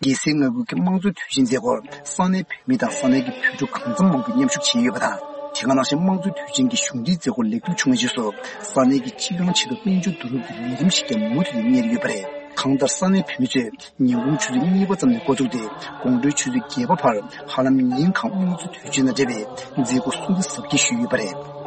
རྒྱལ་སའི་དངོས་ཁུལ་གྱི་དམངས་གཙོ་དུས་ཆེན་མཛད་སྒོར་ས་གནས་བོད་མི་དང་ས་གནས་ཀྱི་བོད་ཕྲུག་གང་འཚམ་མང་པོས་མཉམ་ཞུགས་བྱས་ཡོད་པ་དང་། དེ་ག་ནང་བཞིན་དམངས་གཙོའི་དུས་ཆེན་གྱི་གཞུང་འབྲེལ་མཛད་སྒོ་ལེགས་གྲུབ་བྱུང་བའི་རྗེས་སུ། ས་གནས་ཀྱི་སྤྱི་ཡོངས་ཆེད་དུ་དཔལ་འབྱོར་བསྡུ་རུབ་ཀྱི་ལས་རིམ་ཞིག་ཀྱང་མུ་མཐུད་དུ་གཉེར་ཡོད་པ་རེད། གང་ལྟར་ས་གནས་བོད་མི་ཚོས་ཉིན་གུང་ཆུ་ཚོད་གཉིས་པ་ཙམ་ནས་འགོ་བཙུགས་ཏེ། དགོང་དྲོའི་ཆུ་ཚོད་བརྒྱད་པ་བར་ཧ་ལམ་ཉིན་གང་དམངས་གཙོའི་དུས་ཆེན་དང་འབྲེལ་བའི་མཛད་སྒོ་སྲུང་བརྩི་གཟབ་རྒྱས་ཞུས་ཡོད་པ་རེད།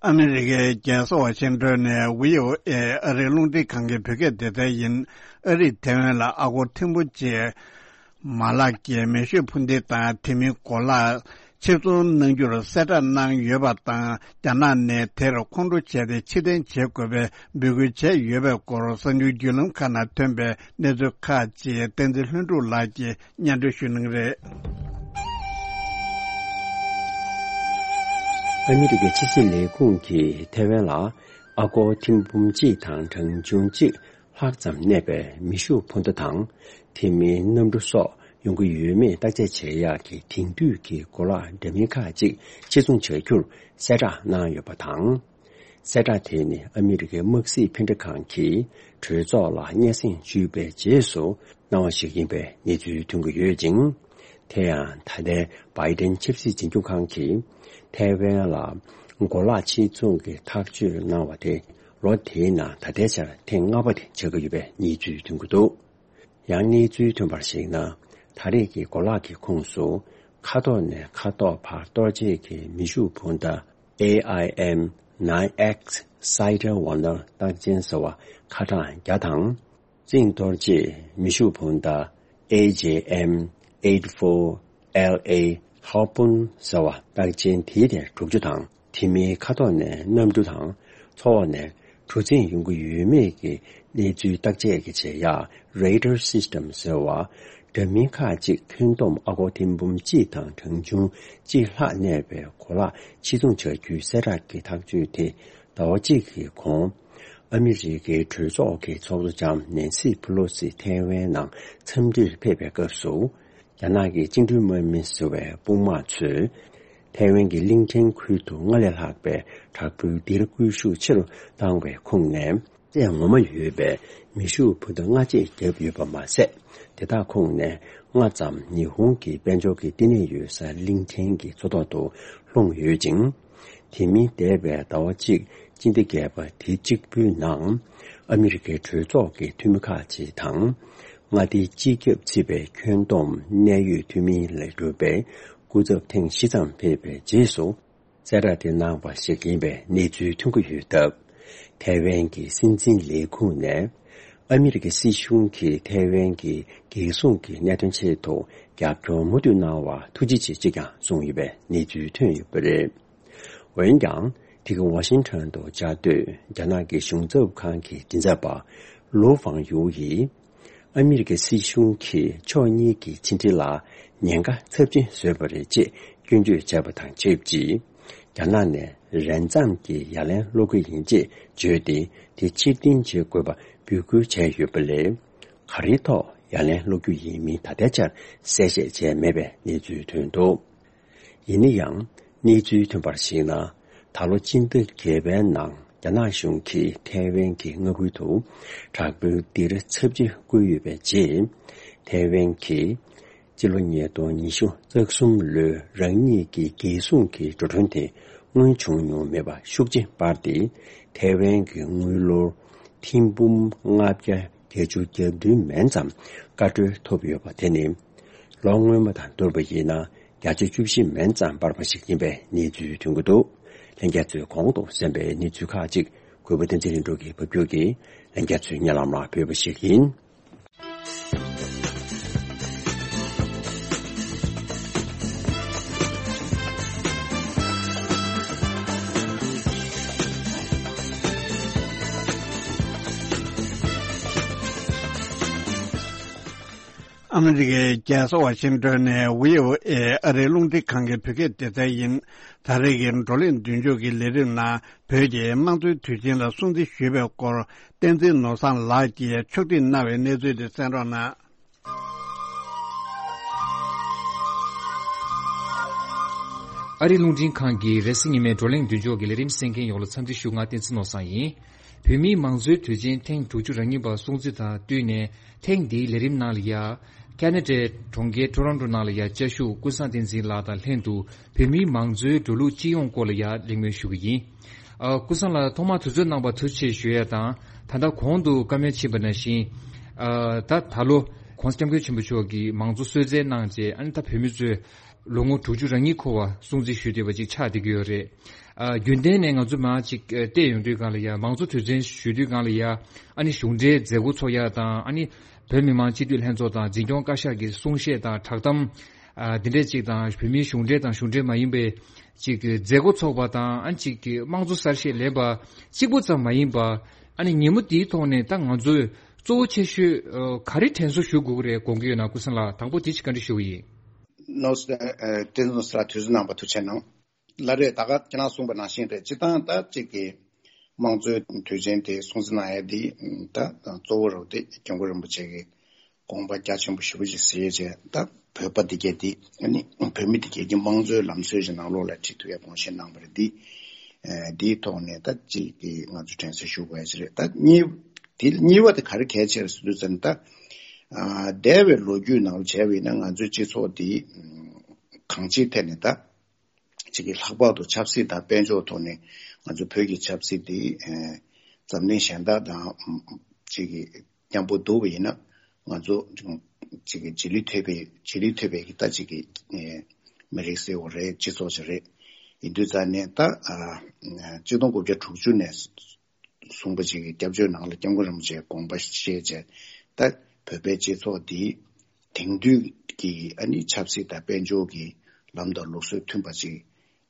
ཨ་མི་རི་ཀའི་རྒྱལ་ས་ཝ་ཤིང་ཏོན་ནས་བྷི་ཨོ་ཨེ་ཨ་རིའི་རླུང་འཕྲིན་ཁང་གི་བོད་སྐད་སྡེ་ཚན་ཡིན། ཨ་རིས་ཐེ་ཝན་ལ་ཨ་སྒོར་ཐེར་འབུམ་གཅིག་མ་ལག་གི་མེ་ཤུགས་འཕུར་མདེལ་དང་དེ་མིན་གོ་ལག་ཕྱིར་ཚོང་གནང་རྒྱུར་གསལ་བསྒྲགས་གནང་ཡོད་པ་དང་། རྒྱ་ནག་ནས་དེར་ཁོང་ཁྲོ་བྱས་ཏེ་ཕྱིར་འཐེན་བྱེད་དགོས་པའི་འབོད་སྐུལ་བྱས་ཡོད་པའི་སྐོར་གསར་འགྱུར་བརྒྱུད་ལམ་ཁག་ནང་ཐོན་པའི་གནས་ཚུལ་ཁག་ཅིག་བསྟན་འཛིན་ལྷུན་གྲུབ་ལགས་ཀྱིས་སྙན་སྒྲོན་ཞུ་གནང་གི་རེད། ཨ་མི་རི་ཀའི་ཕྱི་སྲིད་ལས་ཁུངས་ཀྱིས་ཐེ་ཝན་ལ་ཨ་སྒོར་ཐེར་འབུམ་གཅིག་དང་གྲངས་ཆུང་གཅིག་ལྷག་ཙམ་གནས་པའི་མེ་ཤུགས་འཕུར་མདའ་དང་། དེ་མིན་གནམ་གྲུ་སོགས་ཡོང་གི་ཡོད་མེད་བརྟག་དཔྱད་བྱེད་ཡག་གི་དེང་དུས་ཀྱི་གོ་ལག་འདྲ་མིན་ཁག་ཅིག་ཕྱིར་ཚོང་བྱ་རྒྱུར་གསལ་བསྒྲགས་གནང་ཡོད་པ་དང་། གསལ་བསྒྲགས་དེ་ནི་ཨ་མི་རི་ཀའི་དམག་སྲིད་འཕེན་འགྲན་ཁང་གིས་གྲོས་ཚོགས་ལ་སྙན་སེང་ཞུས་པའི་རྗེས་སུ་གནང་བ་ཞིག་ཡིན་པའི་གནས་ཚུལ་ཐོན་གྱི་ཡོད་ཅིང་། དེ་ཡང་ད་ལྟའི་བྷའི་ཏན་ཆབ་སྲིད་འཛིན་སྐྱོང་ཁང་གིས་ཐའེ་ཝན་ལ་གོ་ལག་ཕྱིར་ཚོང་གི་ཐག་གཅོད་གནང་བ་དེ་ལོ་དེའི་ནང་ད་ལྟའི་ཆར་ཐེངས་ལྔ་པ་དེ་ཆགས་ཀྱི་ཡོད་པའི་གནས་ཚུལ་ཐོན་གྱི་འདུག། ཡང་གནས་ཚུལ་ཐོན་པར་གཞིགས་ན། ད་རེས་ཀྱི་གོ་ལག་གི་ཁོངས་སུ་མཁའ་ཐོག་ནས་མཁའ་ཐོག་བར་གཏོར་བྱེད་ཀྱི་མེ་ཤུགས་འཕུར་མདའ་ཨེ་ཨའི་ཨེམ་ནའིན་ཨེག་སི་སའི་ཌར་ཝན་ནར་རྟགས་ཅན་ཟེར་བ་ཁ་གྲངས་བརྒྱ་དང་། རྩིང་གཏོར་བྱེད་མེ་ཤུགས་འཕུར་མདའ་ཨེ་ཇེ་ཨེམ་ཨེཊ་ཕོར་ཨེལ་ཨེ་ཧར་པུན་ཟེར་བ་རྟགས་ཅན་དེའི་དེ་དྲུག་ཅུ་དང་། དེ་མིན་མཁའ་ཐོག་ནས་གནམ་གྲུ་དང་ཚོགས་ནས་གྲུ་གཟིངས་ཡོང་གི་ཡོད་མེད་ཀྱི་གནས་ཚུལ་བརྟག་དཔྱད་ཀྱི་བྱེད་ཡག་རེ་ཌར་སིས་ཊམ་ཟེར་བ། འདྲ་མིན་ཁག་ཅིག་ཁྱོན་བསྡོམས་ཨ་སྒོར་ཐེར་འབུམ་གཅིག་དང་གྲངས་ཆུང་གཅིག་ལྷག་གནས་པའི་གོ་ལག་ཕྱིར་ཚོང་བྱ་རྒྱུའི་གསལ་བསྒྲགས་ཀྱི་ཐག་གཅོད་དེ་ཟླ་བ་གཅིག་གི་གོང་ཨ་མི་རི་ཀའི་གྲོས་ཚོགས་ཀྱི་ཚོགས་གཙོ་ལྕམ་ནན་སི་ཕུ་ལོ་སི་ཐའེ་ཝན་ནང་འཚམས་འདྲིར་ཕེབས་པའི་སྐབས་སུ། རྒྱ་ནག་གི་བཅིངས་འགྲོལ་དམག་མི་ཟེར་བའི་དཔུང་དམག་ཚོས་ཐའེ་ཝན་གྱི་གླིང་ཕྲན་ཁུལ་དུ་སྔར་ལས་ལྷག་པའི་དྲག་པོའི་སྡེར་སྐུལ་ཤུགས་ཆེ་རུ་བཏང་བའི་ཁོངས་ནས། རྩེ་ངོ་མ་ཡོད་པའི་མེ་ཤུགས་འཕུར་མདའ་ལྔ་ཅིག་བརྒྱབ་ཡོད་པ་མ་ཟད། དེ་དག་ཁོངས་ནས་ལྔ་ཙམ་ཉི་ཧོང་གི་དཔལ་འབྱོར་གྱི་བསྟི་གནས་ཡོད་ས་གླིང་ཕྲན་གྱི་མཚོ་ཐོག་ཏུ་ལྷུང་ཡོད་ཅིང་། དེ་མིན་འདས་པའི་ཟླ་བ་གཅིག་སྤྱི་ཟླ་བརྒྱད་པ་དེ་གཅིག་པུའི་ནང་ཨ་མི་རི་ཀའི་གྲོས་ཚོགས་ཀྱི་འཐུས་མི་ཁག་ཅིག་དང་། མངའ་སྡེའི་སྤྱི་ཁྱབ་ཚུད་པའི་ཁྱོན་བསྡོམས་གནད་ཡོད་འཐུས་མི་ལས་གྲུབ་པའི་སྐུ་ཚབ་ཐེངས་བཞི་ཙམ་ཕེབས་པའི་རྗེས་སུ། གསལ་བསྒྲགས་དེ་གནང་བ་ཞིག་ཡིན་པའི་གནས་ཚུལ་ཐོན་གྱི་ཡོད་སྟབས། ཐའེ་ཝན་གྱི་སྲིད་འཛིན་ལས་ཁུངས་ནས། ཨ་མི་རི་ཀའི་སྲིད་གཞུང་གིས་ཐའེ་ཝན་གྱི་རྒྱལ་སྲུང་གི་གནད་དོན་ཆེད་དུ་རྒྱབ་སྐྱོར་མུ་མཐུད་གནང་བར་ཐུགས་རྗེ་ཆེ་ཅེས་ཀྱང་གསུངས་ཡོད་པའི་གནས་ཚུལ་ཐོན་ཡོད་པ་རེད། འོན་ཀྱང་། དེ་གའི་ཝ་ཤིང་ཊོན་དུ་བཅའ་སྡོད་རྒྱ་ནག་གི་གཞུང་ཚབ་ཁང་གི་མགྲིན་ཚབ་པ་ལོ་ཧྥང་ཡུའུ་ཡིས། ཨ་མི་རི་ཀའི་སྲིད་གཞུང་གིས་ཕྱོགས་གཉིས་ཀྱི་ཕྱི་འབྲེལ་ལ་ཉེན་ཁ་ཚབས་ཆེན་བཟོས་པ་རེད་ཅེས་སྐྱོན་བརྗོད་བྱས་པ་དང་ཆབས་ཅིག་རྒྱ་ནག་ནས་རན་ཙམ་གྱི་ཡ་ལན་སློག་གི་ཡིན་ཅེས་བརྗོད་དེ། དེ་ཕྱིར་འཐེན་བྱེད་དགོས་པ་འབོད་སྐུལ་བྱས་ཡོད་པ་ལས། ག་རེའི་ཐོག་ཡ་ལན་སློག་རྒྱུ་ཡིན་མིན་ད་ལྟའི་ཆར་གསལ་བཤད་བྱས་མེད་པའི་གནས་ཚུལ་ཐོན་འདུག་ཡིན་ན་ཡང་། གནས་ཚུལ་ཐོན་པར་གཞིགས་ན། ད་ལོ་སྤྱི་ཟླ་བརྒྱད་པའི་ནང་རྒྱ་ནག་གཞུང་གིས་ཐའེ་ཝན་གྱི་མངའ་ཁུལ་དུ་དྲག་པོའི་སྡིགས་ར་ཚབས་ཆེ་བསྐུལ་ཡོད་པའི་རྗེས། ཐའེ་ཝན་གྱིས་སྤྱི་ལོ་ཉིས་སྟོང་ཉི་ཤུ་རྩ་གསུམ་ལོའི་རང་ཉིད་ཀྱི་རྒྱལ་སྲུང་གི་འགྲོ་གྲོན་དེ་སྔོན་བྱུང་མྱོང་མེད་པ་ཤུགས་ཆེ་སྤར་ཏེ། ཐའེ་ཝན་གྱི་དངུལ་ལོར་ཐེར་འབུམ་ལྔ་བརྒྱ་བརྒྱད་ཅུ་གྱ་བདུན་མན་ཙམ་བཀའ་འཁྲོལ་ཐོབ་ཡོད་པ་དེ་ནི། ལོ་སྔོན་མ་དང་བསྡུར་བ་ཡིན་ན། བརྒྱ་ཆ་བཅུ་བཞི་མན་ཙམ་སྤར་བ་ཞིག་ཡིན་པའི་གནས་ཚུལ་ཐོན་གྱི་འདུག་ལྷན་རྒྱས་ཚོས་གོང་དུ་གསན་པའི་གནས་ཚུལ་ཁག་ཅིག་གུས་པ་བསྟན་འཛིན་ལྷུན་གྲུབ་ཀྱིས་ཕབ་སྒྱུར་གྱིས་ལྷན་རྒྱས་ཚོའི་སྙན་ལམ་ལ་ཕུལ་བ་ཞིག་ཡིན། ཨ་མི་རི་ཀའི་རྒྱལ་ས་ཝ་ཤིང་ཏོན་ནས་བྷི་ཨོ་ཨེ་ཨ་རིའི་རླུང་འཕྲིན་ཁང་གི་བོད་སྐད་སྡེ་ཚན་ཡིན། ད་རེས་ཀྱི་བགྲོ་གླེང་མདུན་ལྕོག་གི་ལས་རིམ་ནང་བོད་ཀྱི་དམངས་གཙོའི་དུས་ཆེན་ལ་སྲུང་བརྩི་ཞུས་པའི་སྐོར་བསྟན་འཛིན་ནོར་བཟང་ལགས་ཀྱིས་ཕྱོགས་སྒྲིག་གནང་བའི་གནས་ཚུལ་དེ་གསན་རོགས་གནང་། ཨ་རིའི་རླུང་འཕྲིན་ཁང་གི་རེས་གཟའ་ཉི་མའི་བགྲོ་གླེང་མདུན་ལྕོག་གི་ལས་རིམ་གསན་མཁན་ཡོངས་ལ་འཚམས་འདྲི་ཞུ། ང་བསྟན་འཛིན་ནོར་བཟང་ཡིན། བོད་མིའི་མང་གཙོའི་དུས་ཆེན་ཐེངས་དྲུག་ཅུ་རེ་གཉིས་པ་སྲུང་བརྩི་དང་བསྟུན་ནས། ཐེངས་འདིའི་ལས་རིམ་ནང་ལ་ཡ། ཁ་ན་ཌའི་གྲོང་ཁྱེར་ཊོ་རོན་ཊོ་ནང་ལ་ཡ་བཅའ་བཞུགས་ཀུན་བཟང་བསྟན་འཛིན་ལགས་དང་ལྷན་དུ་བོད་མིའི་མང་གཙོའི་འགྲོ་ལུགས་སྤྱི་ཡོངས་སྐོར་ལ་ཡ་གླེང་མོལ་ཞུ་གི་ཡིན། ཨ། ཀུན་བཟང་ལགས་ཐོག་མར་དུས་ཚོད་གནང་བར་ཐུགས་རྗེ་ཆེ་ཞུ་ཡ་དང་། ད་ལྟ་གོང་དུ་བཀའ་མོལ་ཕྱིན་པ་ནང་བཞིན། ཨ། ད་ད་ལོ་༸གོང་ས་༸སྐྱབས་མགོན་ཆེན་པོ་མཆོག་གིས་མང་གཙོ་གསོལ་སྩལ་གནང་རྗེས། ཨ་ནི་ད་བོད་མི་ཚོས་ལོ་ངོ་དྲུག་ཅུ་རེ་གཉིས་འཁོར་བ་སྲུང་བརྩི་ཞུས་བསྡད་པ་ཅིག་ཆགས་བསྡད་ཀྱི་ཡོད་རེད། ཨ། རྒྱུན་ལྡན་ནས་ང་ཚོ་མར་ཅིག་ཨ། བལྟས་ཡོང་དུས་སྒང་ལ་ཡ། མང་གཙོ་དུས་ཆེན་ཞུ་དུས་སྒང་ལ་ཡ། ཨ་ནི་གཞུང་འབྲེལ་མཛད་སྒོ་ཚོགས་ཡ་དང་། ཨ་ནི་བོད་མི་མང་སྤྱི་འཐུས་ལྷན་ཚོགས་དང་འཛིན་སྐྱོང་བཀའ་ཤག་གི་གསུང་བཤད་དང་བསྒྲགས་གཏམ། ཨ། འདི་འདྲས་ཅིག་དང་། བོད་མིའི་གཞུང་འབྲེལ་དང་གཞུང་འབྲེལ་མ་ཡིན་པའི་ཅིག་མཛད་སྒོ་ཚོགས་པ་དང་། ཨ་ནི་ཅིག་དམངས་གཙོ་གསར་བཤད་ལེན་པ་གཅིག་པུ་ཙམ་མ་ཡིན་པ། ཨ་ནི་ཉིན་མོ་འདིའི་ཐོག་ནས་ད་ང་ཚོས་གཙོ་བོ་ཆེ་ཤོས་ཨ། ག་རེ་དྲན་གསོ་ཞུ་དགོས་ཀྱི་རེད་དགོངས་ཀྱི་ཡོད་ན། ཀུན་བཟང་ལགས། དང་པོ་དེ་ཅིག་བཀའ་འདྲི་ཞུ་གི་ཡིན། ནོར་བཟང་། ཨ། བསྟན་འཛིན་ནོར་བཟང་ལགས། དུས་ཚོད་གནང་བར་ཐུགས་རྗེ་གནང་། ལགས་རེད། ད་ག་ཁྱེད་རང་གསུངས་པ་ནང་བཞིན་རེད། སྤྱིར་བཏང་ད་ཅིག་གི་དམངས་གཙོའི་དུས་ཆེན་དེ་སྲུང་བརྩི་གནང་ཡ་དེ་ད་གཙོ་བོ་རུ་དེ་སྐྱབས་མགོན་རིན་པོ་ཆེ་གི་དགོངས་པ་རྒྱ་ཆེན་པོ་ཞེ་པོ་ཅིག་གསལ་བྱས། ད་བོད་པ་དེ་གས་དེ། ཨ་ནི་བོད་མི་དེ་གས་ཀྱི་དམངས་གཙོའི་ལམ་སྲོལ་ཞིག་ནང་ལོགས་ལ་ཁྲིད་ཐུབ་ཡ་དགོངས་བཞེས་གནང་བ་རེད། དེ་ཨ་དེའི་ཐོག་ནས་ད་ཅིག་གི་ང་ཚོ་དྲན་གསོ་ཞུ་དགོས་ཡ་ཅིག་རེད། ད་གཉིས། དེ་གཉིས་པ་དེ་ག་རེ་གལ་ཆེ་རེད་ཟེར་དུས་ཙམ། ད་ཨ་འདས་པའི་ལོ་རྒྱུས་ནང་ལ་བྱས་པ་ཡིན་ན། ང་ཚོའི་སྤྱི་ཚོགས་འདི་གང་ཅིའི་ཐད་ནས་ད་ཅིག་གི་ལྷག་པར་དུ་ཆབ་སྲིད་དང་དཔལ་འབྱོར་ཐོག་ནས་ང་ཚོ་བོད་ཀྱི་ཆབ་སྲིད་འདི་ཨེ་འཛམ་གླིང་གཞན་དག་དང་ཅིག་གི་མཉམ་པོ་བསྡུར་བ་ཡིན་ན། ང་ཚོ་ཅིག་གི་རྗེས་ལུས་ཐེབས་པའི་རྗེས་ལུས་ཐེབས་པའི་གི་ད་ཅིག་གི་ཨེ་མི་རིགས་ཟེར་བ་རེད། སྤྱི་ཚོགས་ཅིག་རེད། ཡིན་དུས་ཙང་ནས་ད་ཨ་གཅིག་སྟོང་དགུ་བརྒྱ་དྲུག་ཅུ་ནས་གསུངས་པ་ཅིག་གི་སྐྱབས་བཅོལ་ནང་ལ་སྐྱབས་མགོན་རིན་པོ་ཆེའི་དགོངས་པ་བཞེས་བྱས། ད་བོད་པའི་སྤྱི་ཚོགས་འདི་དེང་དུས་ཀྱི་ཨ་ནི་ཆབ་སྲིད་དང་དཔལ་འབྱོར་གྱི་ལམ་དང་ལུགས་སྲོལ་མཐུན་པ་ཅིག་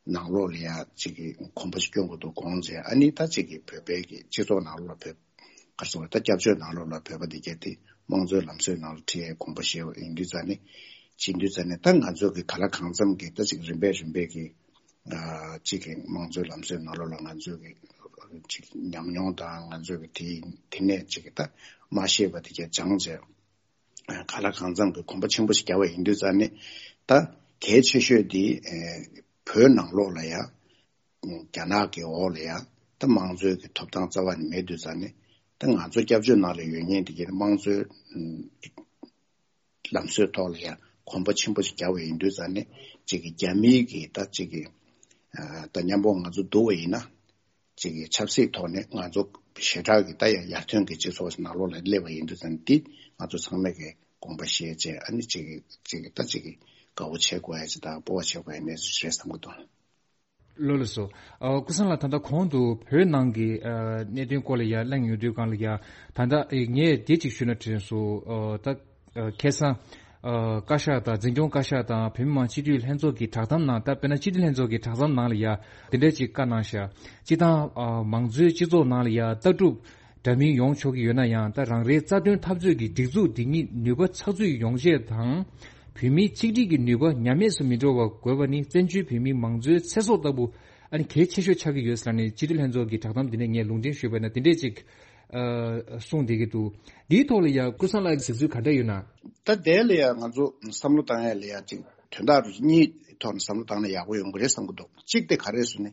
ནང་ལོགས་ལ་ཡ་ཅིག་གི་གོམ་པ་ཅིག་སྐྱོང་དགོས་འདུག་དགོངས་བྱས། ཨ་ནི་ད་ཅིག་གི་བོད་པའི་གི་སྤྱི་ཚོགས་ནང་ལོགས་ལ་བོད། ག་རེ་ཟེར་དགོས་རེད། ད་སྐྱབས་བཅོལ་ནང་ལོགས་ལ་བོད་པ་དེ་གས་དེ་དམངས་གཙོའི་ལམ་སྲོལ་ནང་ལ་ཁྲིད་ཡའི་དགོངས་པ་བཞེས་པ་ཡིན་དུས་ཙང་ནས། བྱེད་དུས་ཙང་ནས་ད་ང་ཚོ་གི་གང་ལ་གང་འཚམ་གྱི་ད་ཅིག་རིམ་པས་རིམ་པས་ཀྱི་ཨ་ཅིག་གི་དམངས་གཙོའི་ལམ་སྲོལ་ནང་ལོགས་ལ་ང་ཚོ་གི་ཅིག་ཉམས་མྱོང་དང་། ང་ཚོ་གི་དེ་དེ་ནས་ཅིག་གི་ད་མ་ཤེས་པ་དེ་གས་སྦྱངས་བྱས། གང་ལ་གང་འཚམ་གྱི་གོམ་པ་ཆེན་པོ་ཞིག་བརྒྱབ་པ་ཡིན་དུས་ཙང་ནས། ད་གལ་ཆེ་ཤོས་དེ་ཨེ་བོད་ནང་ལོགས་ལ་ཡ། རྒྱ་ནག་གི་འོག་ལ་ཡ་ད་དམངས་གཙོའི་གི་ཐོབ་ཐང་རྩ་བ་ནས་མེད་དུས་ཙང་ནས། ད་ང་ཚོ་སྐྱབས་བཅོལ་ནང་ལ་ཡོད་མཁན་དེ་གའི་དམངས་གཙོའི་ལམ་སྲོལ་ཐོག་ལ་ཡ་གོམ་པ་ཆེན་པོ་ཞིག་བརྒྱབ་པ་ཡིན་དུས་ཙང་ནས། ཅིག་གི་རྒྱ་མིའི་གི་ད་ཅིག་གི་ཨ་ད་མཉམ་པོ་ང་ཚོ་འདུ་བ་ཡིན་ན། ཅིག་གི་ཆབ་སྲིད་ཐོག་ནས་ང་ཚོ་ཞེ་དྲག་གི་ད་ཡ་ཡར་ཐོན་གྱི་སྤྱི་ཚོགས་ནང་ལོགས་ལ་སླེབས་པ་ཡིན་དུས་ཙང་ནས། འདི་ ང་ཚོ་ཚང་མས་ཀྱི་དགོངས་པ་བཞེས་བྱས། ཨ་ནི་ཅིག་གི་ཅིག་གི་ད་ཅིག་གི་དགའ་བོ་བྱེད་དགོས་ཡ་ཅིག་དང་སྤོབས་པ་བྱེད་དགོས་ཡ་གནས་ཚུལ་ཞིག་རེད་བསམ་གྱི་འདུག། ལགས་སོ། ཨ། ཀུན་བཟང་ལགས། ད་ལྟ་གོང་དུ་བོད་ནང་གི་ཨ་གནད་དོན་སྐོར་ལ་ཡ་གླེང་ཡོང་དུས་སྒང་ལ་ཡ། ད་ལྟ་ཨེ་ངས་དེ་གཅིག་ཞུས་ན་དྲན་སོང་། ཨ། ད་ཨ་ཁ་སང་ཨ་བཀའ་ཤག་དང་འཛིན་སྐྱོང་བཀའ་ཤག་དང་བོད་མི་མང་སྤྱི་འཐུས་ལྷན་ཚོགས་ཀྱི་བསྒྲགས་གཏམ་ནང་། ད་དཔེར་ན་སྤྱི་འཐུས་ལྷན་ཚོགས་ཀྱི་བསྒྲགས་གཏམ་ནང་ལ་ཡ་དེ་འདྲ་ཅིག་བཀའ་གནང་ཤག། སྤྱིར་བཏང་ཨ་མང་གཙོའི་སྤྱི་ཚོགས་ནང་ལ་ཡ་ལྟ་གྲུབ་འདྲ་མིན་ཡོང་ཆོག་གི་ཡོད་ན་ཡང་། ད་རང་རེའི་རྩ་དོན་འཐབ་རྩོད་ཀྱི་སྒྲིག་འཛུགས་འདི་ཉིད་ནུས་པ་ཚགས་ཚུད་ཡོང་ཆེད་དང་། བོད་མིའི་གཅིག་སྒྲིལ་གྱི་ནུས་པ་ཉམས་དམས་སུ་མི་འགྲོ་བ་དགོས་པ་ནི་བཙན་བྱོལ་བོད་མིའི་མང་གཙོའི་ཚེ་སྲོག་ལྟ་བུ་ཨ་ནི་གལ་ཆེ་ཤོས་ཆགས་ཀྱི་ཡོད་ཟེར་ནས་སྤྱི་འཐུས་ལྷན་ཚོགས་ཀྱི་བསྒྲགས་གཏམ་འདི་ནས་ངས་ལུང་འདྲེན་ཞུས་པ་ཡིན་ན་དེ་འདྲས་ཅིག་ཨ་གསུངས་བསྡད་ཀྱི་འདུག། འདིའི་ཐོག་ལ་ཡང་ཀུན་བཟང་ལགས་ཀྱི་གཟིགས་ཚུལ་ག་འདྲ་ཡོད་ན། ད་དེ་ལ་ཡང་ང་ཚོ་བསམ་བློ་བཏང་ཡ་ལ་ཡང་ཅིག་དོན་དག་རུ་གཉིས་ཐོག་ནས་བསམ་བློ་བཏང་ན་ཡག་པོ་ཡོང་གི་རེད་བསམ་གྱི་འདུག། གཅིག་དེ་ག་རེ་ཟེར་ན།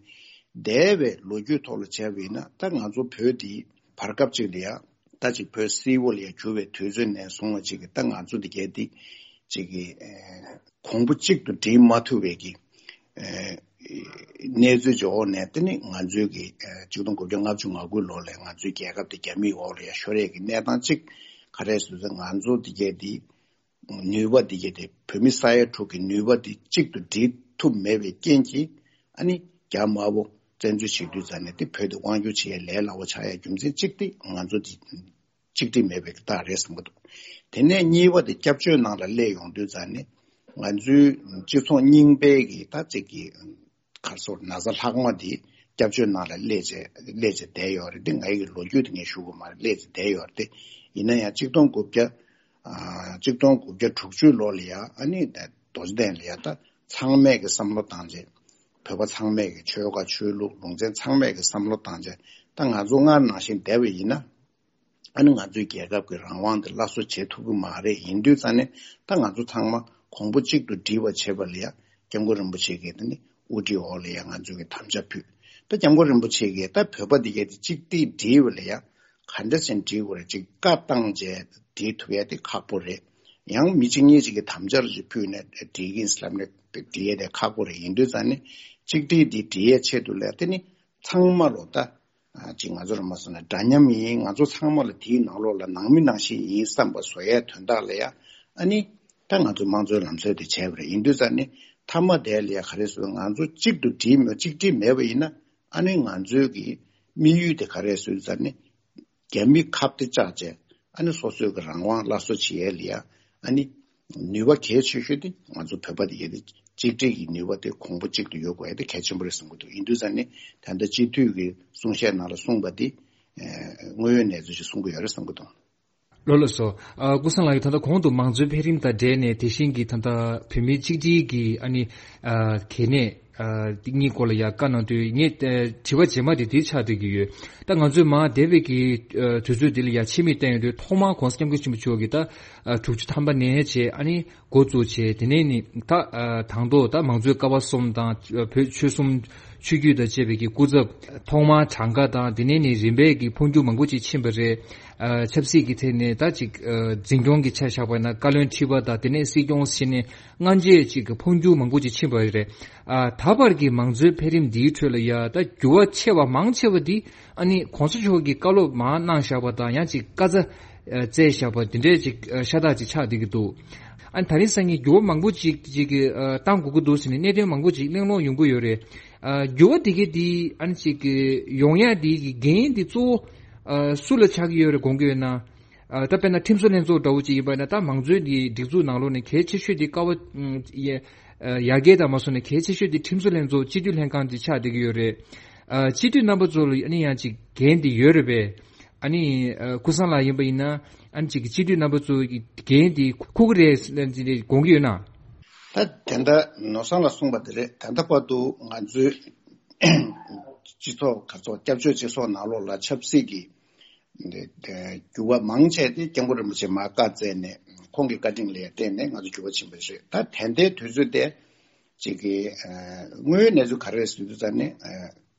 འདས་པའི་ལོ་རྒྱུས་ཐོག་ལ་བྱས་པ་ཡིན་ན། ད་ང་ཚོ་བོད་འདི་བར་སྐབས་ཅིག་ལ་ཡང་ད་ཅིག་བོད་སིལ་བུར་ལ་ཡང་གྱུར་བའི་དུས་ཚོད་ནས་བཟུང་བ་ཅིག་གི་ད་ང་ཚོ་འདི་གའི་འདི་ཅིག་གི་ཨེ་གོང་བུ་གཅིག་ཏུ་སྒྲིལ་མ་ཐུབ་པའི་གི་ཨེ་གནས་ཚུལ་གྱི་འོག་ནས། དེ་ནི་ང་ཚོའི་གི་ཨེ་ཆིག་སྟོང་དགུ་བརྒྱ་ལྔ་བཅུ་ང་དགུ་ལོ་ལ་ང་ཚོའི་རྒྱལ་ཁབ་དེ་རྒྱ་མིའི་འོག་ལ་ཡང་ཤོར་ཡས་ཀྱི་གནས་སྟངས་ཅིག་ག་རེ་ཟེར་ན། ང་ཚོ་འདི་གའི་འདི་ནུས་པ་འདི་གའི་དེ་བོད་མི་ས་ཡ་དྲུག་གི་ནུས་པ་འདི་གཅིག་ཏུ་སྒྲིལ་ཐུབ་མེད་པའི་རྐྱེན་གྱིས། ཨ་ནི་རྒྱ་དམར་པོ་བཙན་འཛུལ་བྱེད་དུས་ཙ་ནས་དེ་བོད་དེ་དབང་སྒྱུར་བྱེད་ཡའི་ལས་སླ་བོ་ཆགས་ཡའི་རྒྱུ་མཚན་གཅིག་དེ་ང་ཚོ་འདི་གཅིག་སྒྲིལ་མེད་པའི་རྟགས་རེད་བསམ་གྱི་འདུག། དེ་ནས་གཉིས་པ་དེ་སྐྱབས་བཅོལ་ནང་ལ་སླེབས་ཡོང་དུས་ཙ་ནས་ང་ཚོའི་སྤྱི་ཚོགས་རྙིང་པའི་གི་ད་ཅིག་གི་ག་རེ་ཟེར། ན་ཚ་ལྷག་མ་དེ་སྐྱབས་བཅོལ་ནང་ལ་སླེབས་བྱས་སླེབས་བྱས་བསྡད་ཡོད་རེད། དེ་ང་ཡི་ལོ་རྒྱུས་དེ་ངས་ཞུ་དགོས་མ་རེད། སླེབས་བྱས་བསྡད་ཡོད་རེད། དེ་ཡིན་ན་ཡང་ཆིག་སྟོང་དགུ་བརྒྱ་ཨ་ཆིག་སྟོང་དགུ་བརྒྱ་དྲུག་ཅུ་ལོ་ལ་ཡ། ཨ་ནི་ད་རྡོ་རྗེ་གདན་ལ་ཡ་ད་ཚང་མས་ཀྱི་བསམ་བློ་བཏང་བྱས། བོད་པ་ཚང་མས་ཀྱི་ཆོལ་ཁ་ཆོས་ལུགས་ལུང་ཚན་ཚང་མས་ཀྱི་བསམ་བློ་བཏང་བྱས། ད་ང་ཚོ་སྔར་ནང་བཞིན་བསྡད་པ་ཡིན་ན། ཨ་ནི་ང་ཚོའི་རྒྱལ་ཁབ་ཀྱི་རང་དབང་དེ་སླར་གསོ་བྱེད་ཐུབ་ཀྱི་མ་རེད། ཡིན་དུས་ཙ་ནས་ད་ང་ཚོ་ཚང་མ་གོང་བུ་གཅིག་ཏུ་སྒྲིལ་བ་བྱེད་པ་ལ་ཡ་སྐྱབས་མགོན་རིན་པོ་ཆེ་གིས་དེ་ནི་དབུ་ཁྲིད་འོག་ལ་ཡ་ང་ཚོ་གི་དམ་བཅའ་ཕུལ། ད་སྐྱབས་མགོན་རིན་པོ་ཆེ་གིས་ད་བོད་པ་འདི་གས་དེ་གཅིག་སྒྲིལ་སྒྲིལ་བ་ལ་ཡ་ག་འདྲ་ཞིག་སྒྲིལ་དགོས་རེད། ཅིག་བཀའ་བཏང་བྱས་སྒྲིལ་ཐུབ་ཡ་དེ་ཁག་པོ་རེད། ཡང་མི་གཅིག་གཉིས་ཅིག་གིས་དམ་བཅའ་རུ་ཅིག་ཕུལ་ནས་སྒྲིལ་གྱིན་ལབ་ནས་སྒྲིལ་ཡ་དེ་ཁག་པོ་རེད། ཡིན་དུས་ཙ་ནས་གཅིག་སྒྲིལ་འདི་སྒྲིལ་ཡའི་ཆེད་དུ་ལ་ཡ་དེ་ནི་ཚང་མ་ལོ་ད། ཨ་ཅིག་ང་ཚོ་ར་མ་སོང་ན་འདྲ་མཉམ་ཡིན། ང་ཚོ་ཚང་མ་ལ་དེའི་ནང་ལོགས་ལ་ནང་མི་ནང་བཞིན་ཡིན་བསམ་པ་བཟོ་ཡའི་དོན་དག་ལ་ཡ། ཨ་ནི་ད་ང་ཚོ་དམངས་གཙོའི་ལམ་སྲོལ་དེ་བྱས་པ་རེད། ཡིན་དུས་ཙ་ནི་མཐའ་མ་དེ་ལ་ཡ་ག་རེ་ཟེར། ང་ཚོ་གཅིག་ཏུ་སྒྲིལ་མེད། གཅིག་སྒྲིལ་མེད་པ་ཡིན་ན། ཨ་ནི་ང་ཚོའི་གི་དམིགས་ཡུལ་དེ་ག་རེ་ཟེར་ཙ་ནི། རྒྱ་མི་ཁ་གཏད་བཅག་བྱས། ཨ་ནི་སོ་སོའི་གི་རང་དབང་སླར་གསོ་བྱེད་ཡས་ལ་ཡ། ཨ་ནི་ནུས་པ་གལ་ཆེ་ཤོས་དེ་ང་ཚོ་བོད་པ་དེ་གས་དེ་གཅིག་སྒྲིལ་གྱི་ནུས་པ་དེ་གོང་བུ་གཅིག་ཏུ་ཡོད་དགོས་ཡ་དེ་གལ་ཆེན་པོ་རེད་བསམ་གྱི་འདུག། ཡིན་དུས་ཙ་ནི་ད་ལྟ་སྤྱི་འཐུས་ཀྱི་གསུང་བཤད་ནང་ལ་གསུངས་པ་དེ་ཨ་དངོས་ཡོད་གནས་ཚུལ་ཞིག་གསུང་གི་ཡོད་རེད་བསམ་གྱི་འདུག། ལགས་ལགས་སོ། ཨ་ཀུན་བཟང་ལགས་ཀྱིས་ད་ལྟ་གོང་དུ་མང་གཙོའི་འཕེལ་རིམ་དང་འབྲེལ་ནས་དེ་བཞིན་གྱི་ད་ལྟ་བོད་མིའི་གཅིག་སྒྲིལ་གྱི་ཨ་ནི་ཨ་གལ་གནད་ཨ་དེ་གཉིས་སྐོར་ལ་ཡང་བཀའ་གནང་དུས། ངས་ཨ་དྲི་བ་རྗེས་མ་དེ་འདི་ཆགས་བསྡད་ཀྱི་ཡོད། ད་ང་ཚོས་མར་འདས་པའི་གི་ཨ་དུས་ཚོད་འདི་ལ་ཡང་ཕྱི་མིག་བལྟས་ཡོང་དུས། ཐོག་མར་༸གོང་ས་༸སྐྱབས་མགོན་ཆེན་པོ་མཆོག་གིས་ད་ཨ་དྲུག་ཅུ་ཐམ་པ་ནས་བྱས་ཨ་ནི་འགོ་བཙུགས་བྱས། དེ་ནས་ནི་ད་ཨ་དང་ཐོག་ད་མང་གཙོའི་ཀ་བ་གསུམ་དང་། ཨ་བོད་ཆོལ་གསུམ་ཆོས་བརྒྱུད་དང་བཅས་པའི་གི་སྐུ་ཚབ། ཐོག་མར་གྲངས་ཀ་དང་། དེ་ནས་ནི་རིམ་པས་ཀྱི་འཕོ་འགྱུར་མང་པོ་ཅིག་ཕྱིན་པ་རེད། ཨ་ཆབ་སྲིད་ཀྱི་ཐད་ནས་ད་ཅིག་ཨ་འཛིན་སྐྱོང་གི་ཆ་བཞག་པ་ན་བཀའ་བློན་ཁྲི་པ་དང་། དེ་ནས་སྲིད་སྐྱོང་བྱས་ནས་སྔ་རྗེས་ཅིག་གི་འཕོ་འགྱུར་མང་པོ་ཅིག་ཕྱིན་པ་རེད། ཨ་ད་བར་གྱི་མང་གཙོའི་འཕེལ་རིམ་འདིའི་ཁྲོད་ལ་ཡ་ད་འགྱུར་བ་ཆེ་བ་མང་ཆེ་བ་འདི་ཨ་ནི་གོང་ས་མཆོག་གིས་བཀའ་སློབ་མར་གནང་བཞག་པ་དང་། ཡང་ཅིག་བཀའ་རྩ་ཨ་བསྩལ་བཞག་པ་འདི་འདྲའི་ཅིག་ཨ་ཤ་སྟག་ཅིག་ཆགས་བསྡད་ཀྱི་འདུག། ཨ་ནི་ད་རིང་སང་ཉིན་འགྱུར་བ་མང་པོ་ཅིག་ཅིག་གི་ཨ་བཏང་དགོས་ཀྱི་འདུག་ཟེར་ནས་གནད་དོན་མང་པོ་ཅིག་གླེང་སློང་ཡོང་གི་ཡོད་རེད། ཨ་འགྱུར་བ་དེ་གའི་དེ་ཨ་ནི་ཅིག་གི་ཡོང་ཡ་དེ་གི་འགན་དེ་གཙོ་བོ་ཨ་སུ་ལ་ཆགས་ཀྱི་ཡོད་རེད་དགོངས་ཀྱི་ཡོད་ན། ཨ་ད་དཔེར་ན་ཁྲིམས་བཟོ་ལྷན་ཚོགས་འདྲ་བོ་ཅིག་ཡིན་པ་ན། ད་མང་གཙོའི་དེ་སྒྲིག་འཛུགས་ནང་ལོགས་ནས་གལ་ཆེ་ཤོས་དེ་ཀ་བ་ཨ་ཡར་རྒྱས་དང་མ་སོང་ནས་གལ་ཆེ་ཤོས་དེ་ཁྲིམས་བཟོ་ལྷན་ཚོགས་སྤྱི་འཐུས་ལྷན་ཁང་དེ་ཆགས་བསྡད་ཀྱི་ཡོད་རེད། ཨ་སྤྱི་འཐུས་རྣམ་པ་ཚོ་ལ་ཨ་ནི་ཡང་ཅིག་འགན་དེ་ཡོད་རེད་པས། ཨ་ནི་ཨ་ཀུན་བཟང་ལགས་ཡིན་པ་ཡིན་ན། ཨ་ནི་ཅིག་གི་སྤྱི་འཐུས་རྣམ་པ་ཚོ་གི་འགན་དེ་འཁུར་གི་རེད་ཟེར་ནས་དགོངས་ཀྱི་ཡོད་ན། ད་དེ་འདྲ་ནོར་བཟང་ལགས་གསུངས་པ་དེ་རེད། ད་ལྟ་བར་དུ་ང་ཚོའི་སྤྱི་ཚོགས་ག་ཚོགས་སྐྱབས་བཅོལ་སྤྱི་ཚོགས་ནང་ལོགས་ལ་ཆབ་སྲིད་ཀྱི་འགྱུར་བ་མང་ཆེ་དེ་སྐྱབས་མགོན་རིན་པོ་ཆེ་མར་བཀའ་སྩལ་ནས། ཁོང་གི་བཀའ་དྲིན་ལ་བརྟེན་ནས་ང་ཚོ་འགྱུར་བ་ཕྱིན་པ་རེད། ད་ད་ལྟའི་དུས་ཚོད་དེ་ཅིག་གི་ཨ་དངོས་ཡོད་གནས་ཚུལ་ག་རེ་རེད་ཟེར་དུས་ཙ་ནས། ཨ་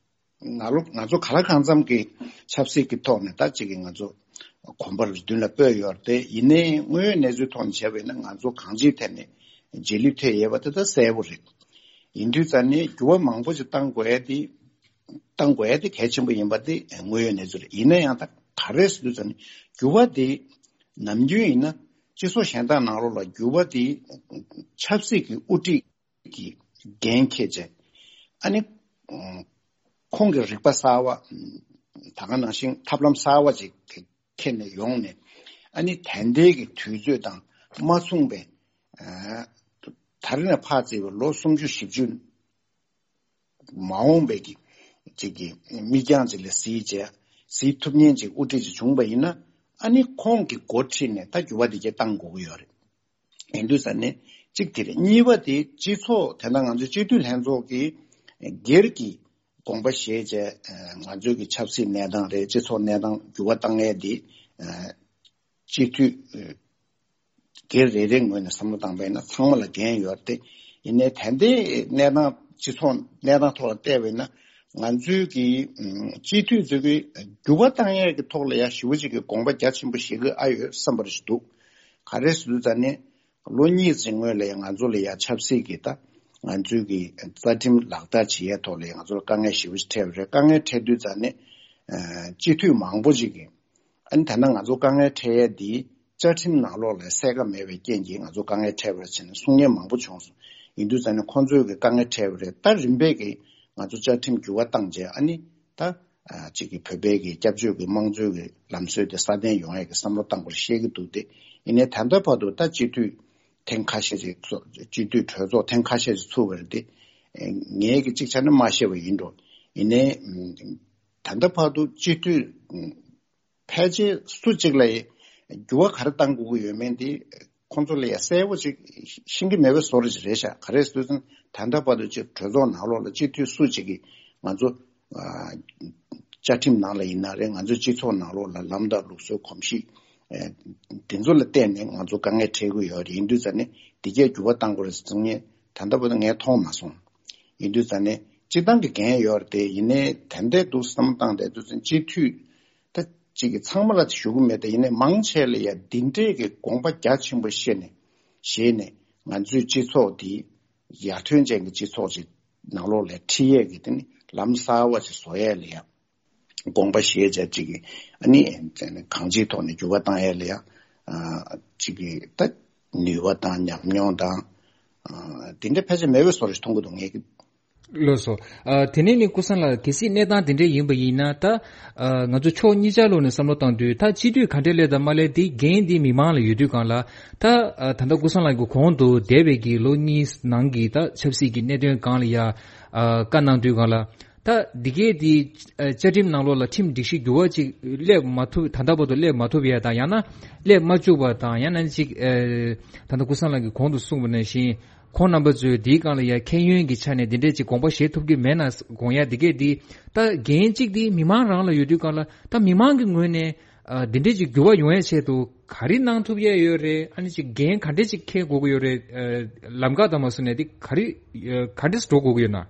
ང་ལོ་ང་ཚོ་ག་ལ་གང་འཚམ་གྱི་ཆབ་སྲིད་ཀྱི་ཐོག་ནས་ད་ཅིག་གི་ང་ཚོ་གོམ་པ་རུ་མདུན་ལ་སྤོས་ཡོད་རེད་དེ། ཡིན་ནའི་དངོས་ཡོད་གནས་ཚུལ་ཐོག་ནས་བྱས་པ་ཡིན་ན། ང་ཚོ་གང་ཅིའི་ཐད་ནས་རྗེས་ལུས་ཐེབས་ཡོད་པ་དེ་ད་གསལ་པོ་རེད། ཡིན་དུས་ཙ་ནས་འགྱུར་བ་མང་པོ་ཞིག་བཏང་དགོས་ཡ་དེ་བཏང་དགོས་ཡ་དེ་གལ་ཆེན་པོ་ཡིན་པ་དེ་དངོས་ཡོད་གནས་ཚུལ་རེད། ཡིན་ན་ཡང་ད་ག་རེ་ཟེར་དུས་ཙ་ནས་འགྱུར་བ་དེ་ ནམ་རྒྱུན་ཡིན་ན་སྤྱི་ཚོགས་གཞན་དག་ནང་ལོགས་ལ་འགྱུར་བ་དེ་ཆབ་སྲིད་ཀྱི་དབུ་ཁྲིད་ཀྱི་འགན་འཁྱེར་བྱས། ཨ་ནི་ཁོང་གི་རིག་པ་གསར་བ། ད་ག་ནང་བཞིན་ཐབས་ལམ་གསར་བ་ཅིག་འཁྱེར་ནས་ཡོང་ནས། ཨ་ནི་ད་ལྟའི་གི་དུས་ཚོད་དང་མ་མཚུངས་པའི། ད་རེས་ནས་ཕར་བརྩིས་པའི་ལོ་སུམ་ཅུ་བཞི་བཅུ་མ་འོངས་པའི་གི་ཅིག་གི་མིག་རྒྱང་ཅིག་ལ་གཟིགས་བྱས། གཟིགས་ཐུབ་མཁན་ཅིག་དབུ་ཁྲིད་ཅིག་བྱུང་པ་ཡིན་ན། ཨ་ནི་ཁོང་གི་འགོ་ཁྲིད་ནས་ད་འགྱུར་བ་དེ་གྱད་བཏང་དགོས་ཀྱི་ཡོད་རེད། ཡིན་དུས་ཙང་ནས་གཅིག་དེ་རེད། གཉིས་པ་དེ་སྤྱི་ཚོགས་དེ་འདྲ་ང་ཚོའི་སྤྱི་འཐུས་ལྷན་ཚོགས་ཀྱི་སྒེར་གྱི་དགོངས་པ་བཞེས་བྱས། ང་ཚོའི་གི་ཆབ་སྲིད་གནས་སྟངས་རེད། སྤྱི་ཚོགས་གནས་སྟངས་འགྱུར་བ་བཏང་ཡས་དེ་སྤྱི་འཐུས་སྒེར་རེ་རེའི་ངོས་ནས་བསམ་བློ་བཏང་པ་ཡིན་ན་ཚང་མ་ལ་འགན་ཡོད་རེད་དེ། ཡིན་ནའི་ད་ལྟའི་གནས་སྟངས་སྤྱི་ཚོགས་གནས་སྟངས་ཐོག་ལ་བལྟས་པ་ཡིན་ན། ང་ཚོའི་གི་སྤྱི་འཐུས་ཚོ་གི་འགྱུར་བ་བཏང་ཡས་ཀྱི་ཐོག་ལ་ཡང་ཞེ་པོ་ཅིག་གི་དགོངས་པ་རྒྱ་ཆེན་པོ་བཞེས་ཀྱི་ཨ་ཡོད་བསམ་པ་རེ་ཞིག་འདུག་ག་རེ་ཟེར་དུས་ཙང་ནས། ལོ་གཉིས་ཙམ་སྔོན་ལ་ཡང་ང་ཚོ་ལ་ཡང་ཆབ་སྲིད་ཀྱི་ད་ང་ཚོའི་གི་རྩ་ཁྲིམས་ལག་བསྟར་བྱེད་ཡས་ཐོག་ལ་ཡང་ང་ཚོ་ལ་དཀའ་ངལ་ཞེ་པོ་ཅིག་འཕྲད་པ་རེད། དཀའ་ངལ་འཕྲད་དུས་ཙང་ནས། ཨ་སྤྱི་འཐུས་མང་པོ་ཅིག་གིས། ཨ་ནི་ད་ལྟ་ང་ཚོ་དཀའ་ངལ་འཕྲད་ཡས་འདི་བཅའ་ཁྲིམས་ནང་ལོགས་ལ་གསལ་ཁ་མེད་པའི་རྐྱེན་གྱིས་ང་ཚོ་དཀའ་ངལ་འཕྲད་པ་རེད་ཟེར་ནས་གསུང་མཁན་མང་པོ་བྱུང་སོང་། ཡིན་དུས་ཙང་ནས་ཁོང་ཚོས་གི་དཀའ་ངལ་འཕྲད་པ་རེད། ད་རིམ་པས་གི་ང་ཚོ་བཅའ་ཁྲིམས་འགྱུར་བ་བཏང་རྗེས། ཨ་ནི་ད་ཨ་གཅིག་གི་བོད་པའི་གི་སྐྱབས་བཅོལ་གི་དམངས་གཙོའི་གི་ལམ་སྲོལ་དེ་སྲ་བརྟན་ཡོང་ཡས་གི་བསམ་བློ་བཏང་དགོས་རེད་བཤད་གི་འདུག་སྟེ། ཡིན་ནའི་ད་ལྟ་བར་དུ་ད་སྤྱི་འཐུས་ཐེངས་ཁ་ཤས་ཤིག་ཚོགས། སྤྱི་འཐུས་གྲོས་ཚོགས་ཐེངས་ཁ་ཤས་ཤིག་ཚུགས་པ་རེད་དེ། ངས་གི་གཅིག་ཆ་ནས་མ་ཤེས་པ་ཡིན་འགྲོ། ཡིན་ནའི་ད་ལྟ་བར་དུ་སྤྱི་འཐུས་ཕལ་ཆེར་སུ་གཅིག་ལ་འགྱུར་བ་ག་རེ་བཏང་དགོས་ཀྱི་ཡོད་མེད་དེ་ཁོང་ཚོ་ལ་ཡ་གསལ་པོ་ཅིག་ཤེས་ཀྱི་མེད་པའི་བཟོ་འདྲ་ཅིག་རེད་ཤག་ག་རེ་ཟེར་དུས་ད་ལྟ་བར་དུ་ཅིག་གྲོས་ཚོགས་ནང་ལོགས་ལ་སྤྱི་འཐུས་སུ་གཅིག་གིས་ང་ཚོ་ཨ་བཅའ་ཁྲིམས་ནང་ལ་ཡིན་ན་རེད། ང་ཚོའི་སྤྱི་ཚོགས་ནང་ལོགས་ལ་ལམ་དང་ལུགས་སྲོལ་གོམས་གཤིས་ཨ་དེ་ཚོ་ལ་བརྟེན་ནས་ང་ཚོ་དཀའ་ངལ་འཕྲད་ཀྱི་ཡོད་རེད། ཡིན་དུས་ཙང་ནས་འདི་གས་འགྱུར་བ་གཏང་དགོས་རེད་ཟེར་མཁན་ད་ལྟ་བར་དུ་ངས་མཐོང་མ་སོང་། ཡིན་དུས་ཙང་ནས་སྤྱིར་བཏང་གི་འགན་ཡོད་རེད་དེ། ཡིན་ནའི་ད་ལྟའི་འདུག་བསམ་བློ་བཏང་བསྡད་དུས་ཙང་སྤྱི་འཐུས་ད་གཅིག་གི་ཚང་མ་ལ་ཞུ་གི་མེད་དེ། ཡིན་ནའི་མང་ཆེ་ལ་ཡ་འདི་འདྲས་ཀྱི་དགོངས་པ་རྒྱ་ཆེན་པོ་བཞེས་ནས་བཞེས་ནས་ང་ཚོའི་སྤྱི་ཚོགས་འདི་ཡར་ཐོན་ཅན་གྱི་སྤྱི་ཚོགས་ཅིག་ནང་ལོགས་ལ་ཁྲིད་ཡས་ཀྱི་དེ་ནི་ལམ་གསར་བ་ཅིག་བཟོ་ཡས་ལ་ཡ་དགོངས་པ་བཞེས་བྱས་ཅིག་གི་ཨ་ནི་གང་ཅིའི་ཐོག་ནས་འགྱུར་བ་བཏང་ཡས་ལ་ཡ་ཨ་ཅིག་གི་ད་ནུས་པ་དང་ཉམས་མྱོང་དང་ཨ་དེ་འདྲ་ཕལ་ཆེར་མེད་པའི་བཟོ་འདྲ་ཞིག་མཐོང་གི་འདུག་ངས་ཀྱི། ལགས་སོ། ཨ་དེ་ནས་ནི་ཀུན་བཟང་ལགས། གལ་སྲིད་གནས་སྟངས་དེ་འདྲ་ཡིན་པ་ཡིན་ན། ད་ཨ་ང་ཚོ་ཕྱོགས་གཉིས་ཆ་ལོག་ནས་བསམ་བློ་བཏང་དུས། ད་སྤྱི་འཐུས་ག་འདྲ་སླེབས་དང་མ་སླེབས་དེ་འགན་དེ་མི་མང་ལ་ཡོད་དུས་སྒང་ལ། ད་ཨ་ད་ལྟ་ཀུན་བཟང་ལགས་ཀྱི་གོང་དུ་འདས་པའི་གི་ལོ་གཉིས་ནང་གི་ད་ཆབ་སྲིད་ཀྱི་གནད་དོན་སྒང་ལ་ཡ་ཨ་བཀའ་གནང་དུས་སྒང་ལ། ད་འདི་གས་དེ་ཨ་བཅའ་ཁྲིམས་ནང་ལོགས་ལ་ཁྲིམས་སྒྲིག་གཞི་འགྱུར་བ་ཅིག་སླེབས་མ་ཐུབ། ད་ལྟ་བར་དུ་སླེབས་མ་ཐུབ་ཡ་དང་། ཡང་ན་སླེབས་མ་བཅུག་པ་དང་། ཡང་ན་ཅིག་ཨ་ད་ལྟ་ཀུན་བཟང་ལགས་ཀྱིས་གོང་དུ་གསུངས་པ་ནང་བཞིན། ཁོང་རྣམ་པ་ཚོས་འདིའི་སྒང་ལ་ཡ་ཁྱད་ཡོན་གྱི་ཆ་ནས་འདི་འདྲས་ཅིག་དགོངས་པ་བཞེས་ཐུབ་ཀྱི་མེད་ན་དགོངས་ཡ། འདི་གས་འདི་ད་འགན་གཅིག་འདི་མི་མང་རང་ལ་ཡོད་དུས་སྒང་ལ། ད་མི་མང་གི་ངོས་ནས་ཨ་འདི་འདྲས་ཅིག་འགྱུར་བ་ཡོང་ཡའི་ཆེད་དུ་ག་རེ་གནང་ཐུབ་ཡ་ཡོད་རེད། ཨ་ནི་ཅིག་འགན་ག་འདྲས་ཅིག་འཁྱེར་དགོས་ཀྱི་ཡོད་རེད། ཨ་ལམ་ཁ་དང་མ་སོ་ནས་འདི་ག་རེ་ཨ་ག་འདྲས་འགྲོ་དགོས་ཀྱི་ཡོད་ན།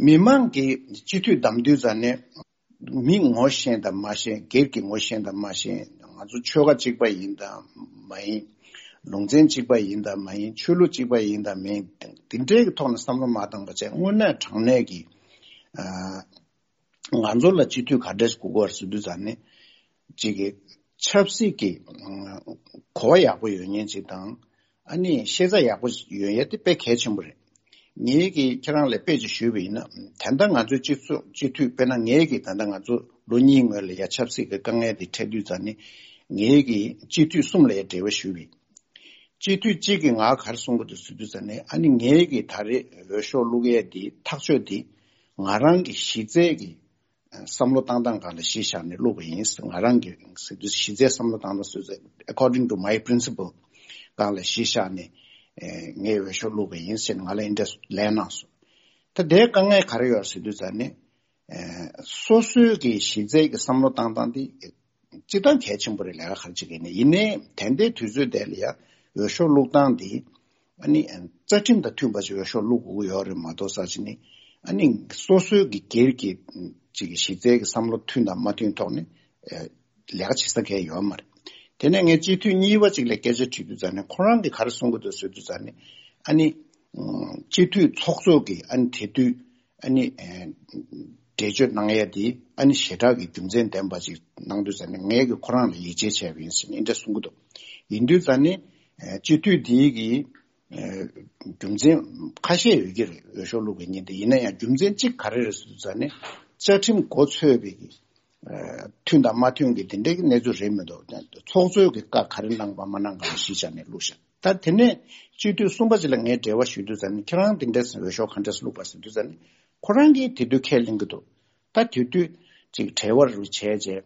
མི་མང་གིས་སྤྱི་འཐུས་བདམས་དུས་ཙང་ནས། མི་ངོ་ཤེས་དང་མ་ཤེས། སྒེར་གྱི་ངོ་ཤེས་དང་མ་ཤེས། ང་ཚོ་ཆོལ་ཁ་གཅིག་པ་ཡིན་དང་མ་ཡིན། ལུང་ཚན་གཅིག་པ་ཡིན་དང་མ་ཡིན། ཆོས་ལུགས་གཅིག་པ་ཡིན་དང་མ་ཡིན། དེ་འདྲའི་གི་ཐོག་ནས་བསམ་བློ་མ་བཏང་པ་བྱས། དངོས་གནས་དྲང་གནས་ཀྱི་ཨ་ང་ཚོ་ལ་སྤྱི་འཐུས་ག་འདྲས་དགོས་ཀྱི་ཡོད་རེད་ཟེར་དུས་ཙང་ནས། གཅིག་གི་ཆབ་སྲིད་ཀྱི་ཨ་གོ་བ་ཡག་པོ་ཡོད་མཁན་ཅིག་དང་། ཨ་ནི་ཤེས་ཚད་ཡག་པོ་ཡོད་ཡ་དེ་དཔེ་གལ་ཆེན་པོ་རེད། ངེད་ཀྱིས་ཁྱེད་རང་ལ་དཔེ་ཅིག་ཞུས་པ་ཡིན་ན། ད་ལྟ་ང་ཚོའི་སྤྱི་ཚོགས་སྤྱི་འཐུས། དཔེར་ན་ངེད་ཀྱིས་ད་ལྟ་ང་ཚོ་ལོ་གཉིས་སྔོན་ལ་ཡ་ཆབ་སྲིད་ཀྱི་དཀའ་ངལ་དེ་འཕྲད་དུས་ཙང་ནས། ངེད་ཀྱིས་སྤྱི་འཐུས་གསུམ་ལ་ཡ་འབྲེལ་བ་ཞུས་པ་ཡིན། སྤྱི་འཐུས་གཅིག་གིས་ང་ག་རེ་གསུང་གི་འདུག་ཟེར་དུས་ཙང་ནས། ཨ་ནི་ངེད་ཀྱིས་ད་རེས་འོས་ཤོག་བླུག་ཡས་དེ་ཐག་གཅོད་དེ་ང་རང་གི་གཞི་རྩའི་གི་བསམ་བློ་བཏང་སྟངས་སྒང་ལ་གཞི་བཞག་ནས་བླུགས་པ་ཡིན། ང་རང་གི་གཞི་རྩའི་བསམ་བློ་བཏང་སྟངས་སུ། according to my principle སྒང་ལ་གཞི་བཞག་ནས་ངས་འོས་ཤོག་བླུགས་པ་ཡིན་ཟེར་ནས་ང་ལ་འདི་འདྲ་ལན་གནང་སོང་། ད་དེའི་དཀའ་ངལ་ག་རེ་ཡོད་ཟེར་དུས་ཙང་ནས། སོ་སོའི་གི་གཞི་རྩའི་གི་བསམ་བློ་བཏང་སྟངས་དེ་སྤྱིར་བཏང་གལ་ཆེན་པོ་རེད། ལས་ཀ་ག་རེ་བྱེད་ཀྱི་ནས། ཡིན་ནའི་ད་ལྟའི་དུས་ཚོད་དེ་ལ་ཡ་འོས་ཤོག་བླུགས་སྟངས་དེ། ཨ་ནི་རྩ་ཁྲིམས་དང་མཐུན་པ་ཞིག་འོས་ཤོག་བླུག་དགོས་ཀྱི་ཡོད་རེད་མ་གཏོགས་ས་ཆ་ནི། ཨ་ནི་སོ་སོའི་གི་སྒེར་གྱི་ཅིག་གི་གཞི་རྩའི་གི་བསམ་བློ་མཐུན་དང་མ་མཐུན་ཐོག་ནས་ལས་ཀ་བྱེད་ས་གང་ཡང་ཡོད་མ་རེད། དེ་ནས་ངས་སྤྱི་འཐུས་གཉིས་པ་ཅིག་ལ་སྐད་ཆ་དྲིས་དུས་ཙང་ནས། ཁོ་རང་གིས་ག་རེ་གསུང་གི་འདུག་ཟེར་དུས་ཙང་ནས། ཨ་ནི་སྤྱི་འཐུས་ཚོགས་གཙོ་གིས་ཨ་ནི་དེ་དུས་ཨ་ནི་ འགྲེལ་བརྗོད་གནང་ཡས་དེ་ཨ་ནི་ཞེ་དྲག་གི་རྒྱུ་མཚན་ལྡན་པ་ཅིག་གནང་དུས་ཙ་ནས་ངས་ཀྱི་ཁོ་རང་ལ་ཡིད་ཆེས་བྱས་པ་ཡིན་ཟེར་ནས་འདི་འདྲ་གསུང་གི་འདུག་ཡིན་དུས་ཙ་ནས་སྤྱི་འཐུས་འདིའི་གི་རྒྱུ་མཚན་ཁ་ཤས་ཡོད་ཀྱི་རེད། འོས་ཤོག་བླུགས་པའི་ཉིན་དེ་ཡིན་ན་ཡང་རྒྱུ་མཚན་གཅིག་ག་རེ་རེད་ཟེར་དུས་ཙ་ནས་བཅའ་ཁྲིམས་མགོ་ཚོས་པའི་གི་མཐུན་དང་མ་མཐུན་གྱི་དེ་འདྲའི་གནས་ཚུལ་རེད་མི་འདུག་ཚོགས་གཙོས་ཀྱི་བཀའ་ག་རེ་གནང་པ་མ་གནང་པ་གཞི་བཞག་ནས་བླུགས་ཤག་ད་དེ་ནས་སྤྱི་འཐུས་གསུམ་པ་ཅིག་ལ་ངས་འབྲེལ་བ་ཞུས་དུས་ཙ་ནས་ཁྱེད་རང་དེ་འདྲས་འོས་ཤོག་ག་འདྲས་བླུགས་པ་ཟེར་དུས་ཙ་ནས་ཁོ་རང་གིས་དེ་དུས་ཁས་ལེན་གྱི་འདུག་ད་དེ་དུས་ཅིག་བྲེལ་བ་རུ་བྱས་རྗེས་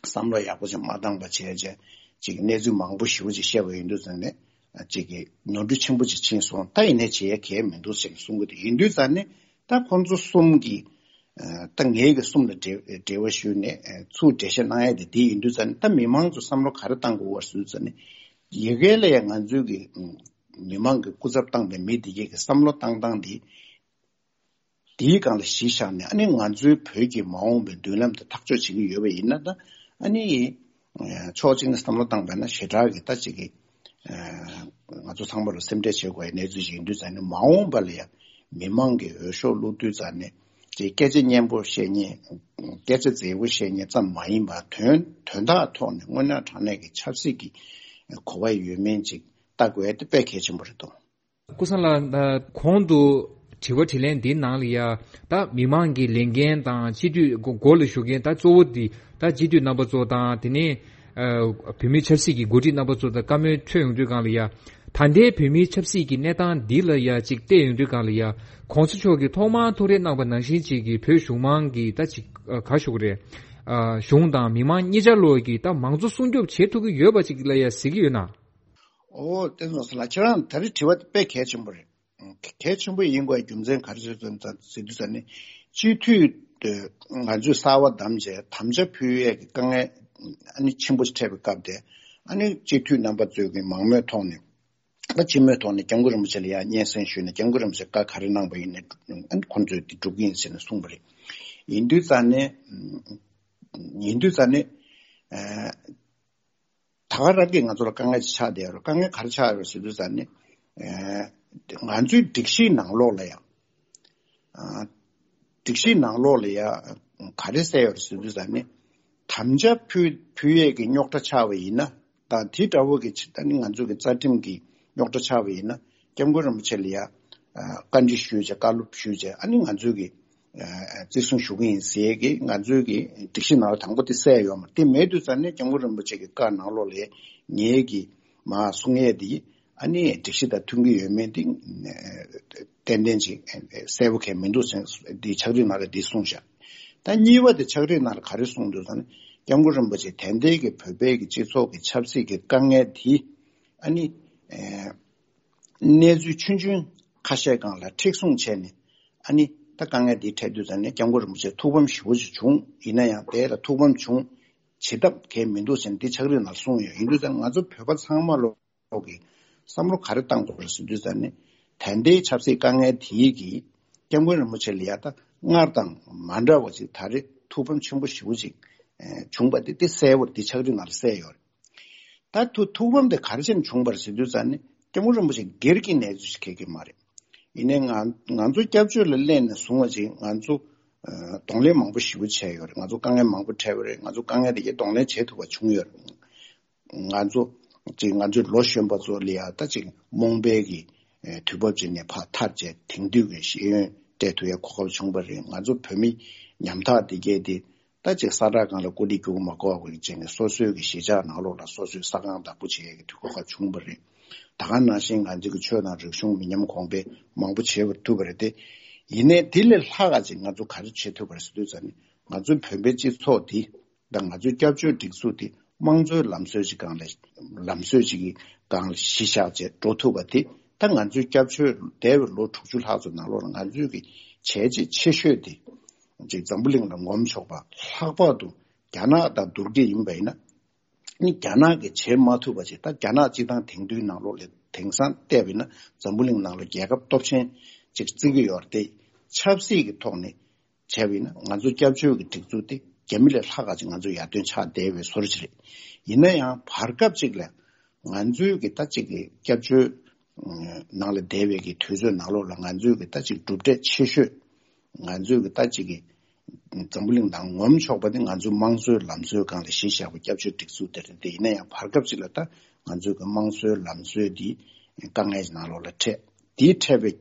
བསམ་བློ་ཡག་པོ་ཅིག་མ་བཏང་པ་བྱས་རྗེས་ཅིག་གནས་ཚུལ་མང་པོ་ཞེ་པོ་ཅིག་བཤད་པ་ཡིན་དུས་ཙ་ནས་ཅིག་གི་ནོར་འཁྲུལ་ཆེན་པོ་ཅིག་ཕྱིན་སོང་། ད་ཡིན་ནའི་བྱེད་ཡ་གལ་མི་འདུག་ཅེས་གསུང་གི་འདུག་ཡིན་དུས་ཙ་ནས་ད་ཁོང་ཚོ་གསུམ་གྱིས་ད་ངས་ཀྱི་གསུམ་ལ་འབྲེལ་འབྲེལ་བ་ཞུས་ནས་ཚུར་འགྲེལ་བཤད་གནང་ཡ་དེ་དེ་ཡིན་དུས་ཙ་ནས་ད་མི་མང་ཚོ་བསམ་བློ་ག་རེ་བཏང་དགོས་པ་ཟེར་དུས་ཙ་ནས་ཡ་གི་ལ་ཡ་ང་ཚོའི་གི་མི་མང་གི་སྐུ་ཚབ་བཏང་པའི་མི་དེ་གས་ཀྱི་བསམ་བློ་བཏང་སྟངས་དེ་དེའི་སྒང་ལ་གཞི་བཞག་ནས་ཨ་ནི་ང་ཚོའི་བོད་ཀྱི་མ་འོངས་པའི་མདུན་ལམ་དེ་ཐག་གཅོད་བྱེད་ཀྱི་ཡོད་པ་ཡིན་ན་ད་ཨ་ནི་ཕྱོགས་གཅིག་ནས་བསམ་བློ་བཏང་པ་ན་ཞེ་དྲག་གི་ད་ཅིག་གི་ང་ཚོ་ཚང་མ་ལ་སེམས་ཁྲལ་བྱེད་དགོས་པའི་གནས་ཚུལ་ཞིག་ཡིན་དུས་ཙ་ནས་མ་འོངས་པ་ལ་ཡང་མི་མང་གི་འོས་ཤོག་བླུགས་དུས་ཙ་ནས་ཅིག་སྐད་ཆ་སྙན་པོ་བཤད་མཁན་སྐད་ཆ་མཛེས་པོ་བཤད་མཁན་ཙམ་མ་ཡིན་པར་དོན་དོན་དག་ཐོག་ནས་དངོས་གནས་དྲང་གནས་ཀྱི་ཆབ་སྲིད་ཀྱི་གོ་བ་ཡོད་མིན་ཅིག་ལྟ་དགོས་ཡ་དེ་དཔེ་གལ་ཆེན་པོ་རེད་འདུག་ཀུན་བཟང་ལགས། ད་གོང་དུ་དྲི་བ་དྲིས་ལན་འདིའི་ནང་ལ་ཡ་ད་མི་མང་གི་ལས་འགན་དང་སྤྱི་འཐུས་སྒོ་སྒོ་ལ་ཞུགས་མཁན་ད་གཙོ་བོ་འདི་ད་སྤྱི་འཐུས་རྣམ་པ་ཚོ་དང་དེ་ནས་ཨ་བོད་མིའི་ཆབ་སྲིད་ཀྱི་འགོ་ཁྲིད་རྣམ་པ་ཚོ་དང་བཀའ་མོལ་འཕྲོད་ཡོང་དུས་སྒང་ལ་ཡ་ད་ལྟའི་བོད་མིའི་ཆབ་སྲིད་ཀྱི་གནས་སྟངས་འདི་ལ་ཡ་ཅིག་བལྟས་ཡོང་དུས་སྒང་ལ་ཡ་གོང་ས་མཆོག་གིས་ཐོག་མར་ཐུག་འཕྲད་གནང་པ་ནང་བཞིན་ཅིག་གི་བོད་གཞུང་མང་གི་ད་ཅིག་ཨ་ག་ཞུ་དགོས་རེད། ཨ་གཞུང་དང་མི་མང་གཉིས་ཆ་ལོག་གི་ད་མང་གཙོ་སྲུང་སྐྱོབ་བྱེད་ཐུབ་ཀྱི་ཡོད་པ་ཅིག་ལ་ཡ་གཟིགས་ཀྱི་ཡོད་ན། ཨོ་བསྟན་འཛིན་ལགས་ཁྱེད་རང་ད་རེས་དྲི་བ་དེ་དཔེ་གལ་ཆེན་པོ་རེད། གལ་ཆེན་པོ་ཡིན་དགོས་རྒྱུ་མཚན་ག་རེ་ཟེར་ཟེར་དུས་ཙ་ནི་སྤྱི་འཐུས་དེ་ང་ཚོས་གསར་བ་བདམས་བྱས་དམ་བཅའ་ཕུལ་ཡས་ཀྱི་དཀའ་ངལ་ཨ་ནི་ཆེན་པོ་ཞིག་འཕྲད་པའི་སྐབས་དེ་ཨ་ནི་སྤྱི་འཐུས་རྣམ་པ་ཚོས་ཀྱི་མང་མོས་ཐོག་ནས་ད་སྤྱི་མོས་ཐོག་ནས་སྐྱབས་མགོན་རིན་པོ་ཆེ་ལ་ཡང་སྙན་སེང་ཞུས་ནས་སྐྱབས་མགོན་རིན་པོ་ཆེ་བཀའ་ག་རེ་གནང་པ་ཡིན་ནའི་ཨ་ནི་ཁོང་ཚོས་དེ་སྒྲུབ་ཀྱི་ཡིན་ཟེར་ནས་གསུངས་པ་རེད། ཡིན་དུས་ཙ་ནི་ཡིན་དུས་ཙ་ནི། ད་ག་རང་གིས་ང་ཚོ་ལ་དཀའ་ངལ་ཅིག་ཆགས་བསྡད་ཡོད་རེད། དཀའ་ངལ་ག་རེ་ཆགས་ཡོད་རེད་ཟེར་དུས་ཙ་ནི། ཨེ། ང་ཚོའི་སྒྲིག་གཞིའི་ནང་ལོགས་ལ་ཡང་། ཨ། སྒྲིག་གཞིའི་ནང་ལོགས་ལ་ཡང་ག་རེ་གསལ་ཡོད་རེད་ཟེར་དུས་ཙ་ནི། དམ་བཅའ་ཕུལ་ཕུལ་ཡས་ཀྱི་རྙོག་དྲ་ཆགས་པ་ཡིན་ན། དང་དེ་འདྲ་བོ་གི་ད་ནི་ང་ཚོ་གི་རྩ་ཁྲིམས་ཀྱི་རྙོག་དྲ་ཆགས་པ་ཡིན་ན། སྐྱབས་མགོན་རིན་པོ་ཆེ་ལ་ཡང་། ཨ། བཀའ་འདྲི་ཞུས་བྱས་བཀའ་སློབ་ཞུས་བྱས་ཨ་ནི་ང་ཚོའི་གི། ཨ། བརྩི་སྲུང་ཞུ་གི་ཡིན་ཟེར་གི་ང་ཚོའི་གི་སྒྲིག་གཞི་ནང་ལ་དང་པོ་དེ་གསལ་ཡོད་མ་རེད། དེ་མེད་དུས་ཙ་ནས་སྐྱབས་མགོན་རིན་པོ་ཆེ་གི་བཀའ་ནང་ལོགས་ལ་ངེད་ཀྱི་མ་གསུང་ཡས་དེ་ཨ་ནི་སྒྲིག་གཞི་དང་མཐུན་གི་ཡོད་མེད་དེ་ཏན་ཏན་ཅིག་གསལ་པོ་གང་མི་འདུག་ཟེར་འདི་ཕྱག་བྲིས་ནང་ལ་འདི་གསུངས་བཞག་ད་གཉིས་པ་དེ་ཕྱག་བྲིས་ནང་ལ་ག་རེ་གསུངས་འདུག་ཟེར་ན་སྐྱབས་མགོན་རིན་པོ་ཆེ་ད་ལྟའི་གི་བོད་པའི་གི་སྤྱི་ཚོགས་ཀྱི་ཆབ་སྲིད་ཀྱི་དཀའ་ངལ་དེ་ཨ་ནི། གནས་ཚུལ་ཆུང་ཆུང་ཁ་ཤས་སྒང་ལ་མཁྲེགས་བཟུང་བྱས་ནས་ཨ་ནི་ད་དཀའ་ངལ་འདི་འཕྲད་དུས་ཙང་ནས་སྐྱབས་མགོན་རིན་པོ་ཆེ་ཐུགས་ཕམ་ཞེ་པོ་ཅིག་བྱུང་། ཡིན་ན་ཡང་དེ་ལ་ཐུགས་ཕམ་བྱུང་བྱེད་ཐབས་གང་མི་འདུག་ཟེར་ནས་འདི་ཕྱག་བྲིས་ནང་ལ་གསུངས་ཡོད། ཡིན་དུས་ཙང་ང་ཚོ་བོད་པ་ཚང་མ་ལོག་གི་བསམ་བློ་ག་རེ་བཏང་དགོས་རེད་ཟེར་དུས་ཙང་ནས་ད་ལྟའི་ཆབ་སྲིད་དཀའ་ངལ་དེའི་གི་སྐྱབས་མགོན་རིན་པོ་ཆེ་ལ་ཡ་ད་སྔར་དང་མ་འདྲ་བ་ཅིག་ད་རེས་ཐུགས་ཕམ་ཆེན་པོ་ཞེ་པོ་ཅིག་བྱུང་པ་དེ་དེ་གསལ་པོར་འདི་ཕྱག་བྲིས་ནང་ལ་གསལ་ཡོད་རེད། ད་ཐུགས་ཐུགས་ཕམ་དེ་ག་རེ་བྱས་ནས་བྱུང་བ་རེད་ཟེར་དུས་ཙང་ནི་སྐྱབས་མགོན་རིན་པོ་ཆེ་སྒེར་གྱི་གནས་ཚུལ་ཞིག་གལ་གྱི་མ་རེད། ཡིན་ནའི་ང་ང་ཚོ་སྐྱབས་བཅོལ་ལ་སླེབས་ནས་བཟུང་བ་ཅིག་ང་ཚོ་ཨ་གདོང་ལེན་མང་པོ་ཞེ་པོ་བྱས་ཡོད་རེད། ང་ཚོ་དཀའ་ངལ་མང་པོ་འཕྲད་པ་རེད། ང་ཚོ་དཀའ་ངལ་དེ་གའི་གདོང་ལེན་བྱེད་ཐུབ་པ་བྱུང་ཡོད་རེད། ང་ཚོ་ཅིག་ང་ཚོའི་ལོ་གཞོན་པ་ཚོ་ལ་ཡ་ད་ཅིག་རྨོངས་པའི་གི་ཨ་དུས་བབ་ཅིག་ནས་ཕར་ཐར་བྱས་དེང་དུས་ཀྱི་ཤེས་ཡོན་སྤྲད་ཐུབ་ཡ་གོ་སྐབས་བྱུང་བ་རེད། ང་ཚོ་བོད་མི་ཉམ་ཐག་དེ་གའི་དེ། ད་ཅིག་ས་བསྒྲགས་སྒང་ལ་ཀོ་ལི་རྒྱུག་མ་དགོས་པ་ཅིག་ནས་སོ་སོའི་གི་གཞིས་ཆགས་ནང་ལོགས་ལ་སོ་སོའི་ས་ཁང་བདག་པོ་བྱེད་ཡས་ཀྱི་དུས་གོ་སྐབས་བྱུང་བ་རེད། ད་ག་ནང་བཞིན་ང་ཚོའི་གི་ཆོས་དང་རིག་གཞུང་མི་ཉམས་གོང་འཕེལ་མང་པོ་བྱེད་པར་ཐུབ་པ་རེད་དེ། ཡིན་ནའི་དེ་ལས་ལྷག་ག་ཅིག་ང་ཚོ་ག་རེ་བྱེད་ཐུབ་པ་རེད་ཟེར་དུས་ཙང་ནི་ང་ཚོའི་བོད་པའི་སྤྱི་ཚོགས་འདི་དང་ང་ཚོའི་སྐྱབས་བཅོལ་སྒྲིག་འཛུགས་འདི་དམངས་གཙོའི་ལམ་སྲོལ་ཅིག་སྒང་ལ་ལམ་སྲོལ་ཅིག་གི་སྒང་ལ་གཞི་བཞག་བྱས་འགྲོ་ཐུབ་པ་དེ་ད་ང་ཚོའི་སྐྱབས་བཅོལ་འདས་པའི་ལོ་དྲུག་ཅུ་ལྷག་ཙམ་ནང་ལོགས་ལ་ང་ཚོའི་གི་བྱས་རྗེས་ཆེ་ཤོས་དེ། ཅིག་འཛམ་བུ་གླིང་ལ་ངོམ་ཆོག་པ། ལྷག་པར་དུ་རྒྱ་ནག་དང་བསྡུར་གྱི་ཡིན་པ་ཡིན་ན། ནི་རྒྱ་ནག་གིས་བྱེད་མ་ཐུབ་པ་ཅིག་ད་རྒྱ་ནག་སྤྱི་བཏང་དེང་དུས་ནང་ལོགས་ལ་དེང་སང་བལྟས་པ་ཡིན་ན་འཛམ་བུ་གླིང་ནང་ལ་རྒྱལ་ཁབ་སྟོབས་ཆེན་ཅིག་བརྩི་གི་ཡོད་རེད་དེ། ཆབ་སྲིད་ཀྱི་ཐོག་ནས་བྱས་པ་ཡིན་ན་ང་ཚོ་སྐྱབས་བཅོལ་གྱི་སྒྲིག་འཛུགས་དེ་རྒྱ་མི་ལས་ལྷག་ག་ཅིག་ང་ཚོ་ཡར་ཐོན་ཆགས་བསྡད་པའི་བཟོ་འདྲ་ཅིག་རེད། ཡིན་ན་ཡང་བར་སྐབས་ཅིག་ལ་ང་ཚོའི་གི་ད་ཅིག་གི་སྐྱབས་བཅོལ་ནང་ལ་བསྡད་པའི་གི་དུས་ཚོད་ནང་ལོགས་ལ་ང་ཚོའི་གི་ད་ཅིག་གྲུབ་འབྲས་ཆེ་ཤོས། ང་ཚོའི་གི་ད་ཅིག་གི་ འཛམ་བུ་གླིང་ནང་ངོམ་ཆོག་པ་དེ་ང་ཚོའི་དམངས་གཙོའི་ལམ་སྲོལ་སྒང་ལ་གཞི་བཞག་པའི་སྐྱབས་བཅོལ་སྒྲིག་འཛུགས་དེ་རེད། དེ་ཡིན་ན་ཡང་བར་སྐབས་ཅིག་ལ་ད་ང་ཚོའི་གི་དམངས་གཙོའི་ལམ་སྲོལ་འདི་དཀའ་ངལ་ནང་ལོགས་ལ་འཕྲད། དེའི་འཕྲད་པའི་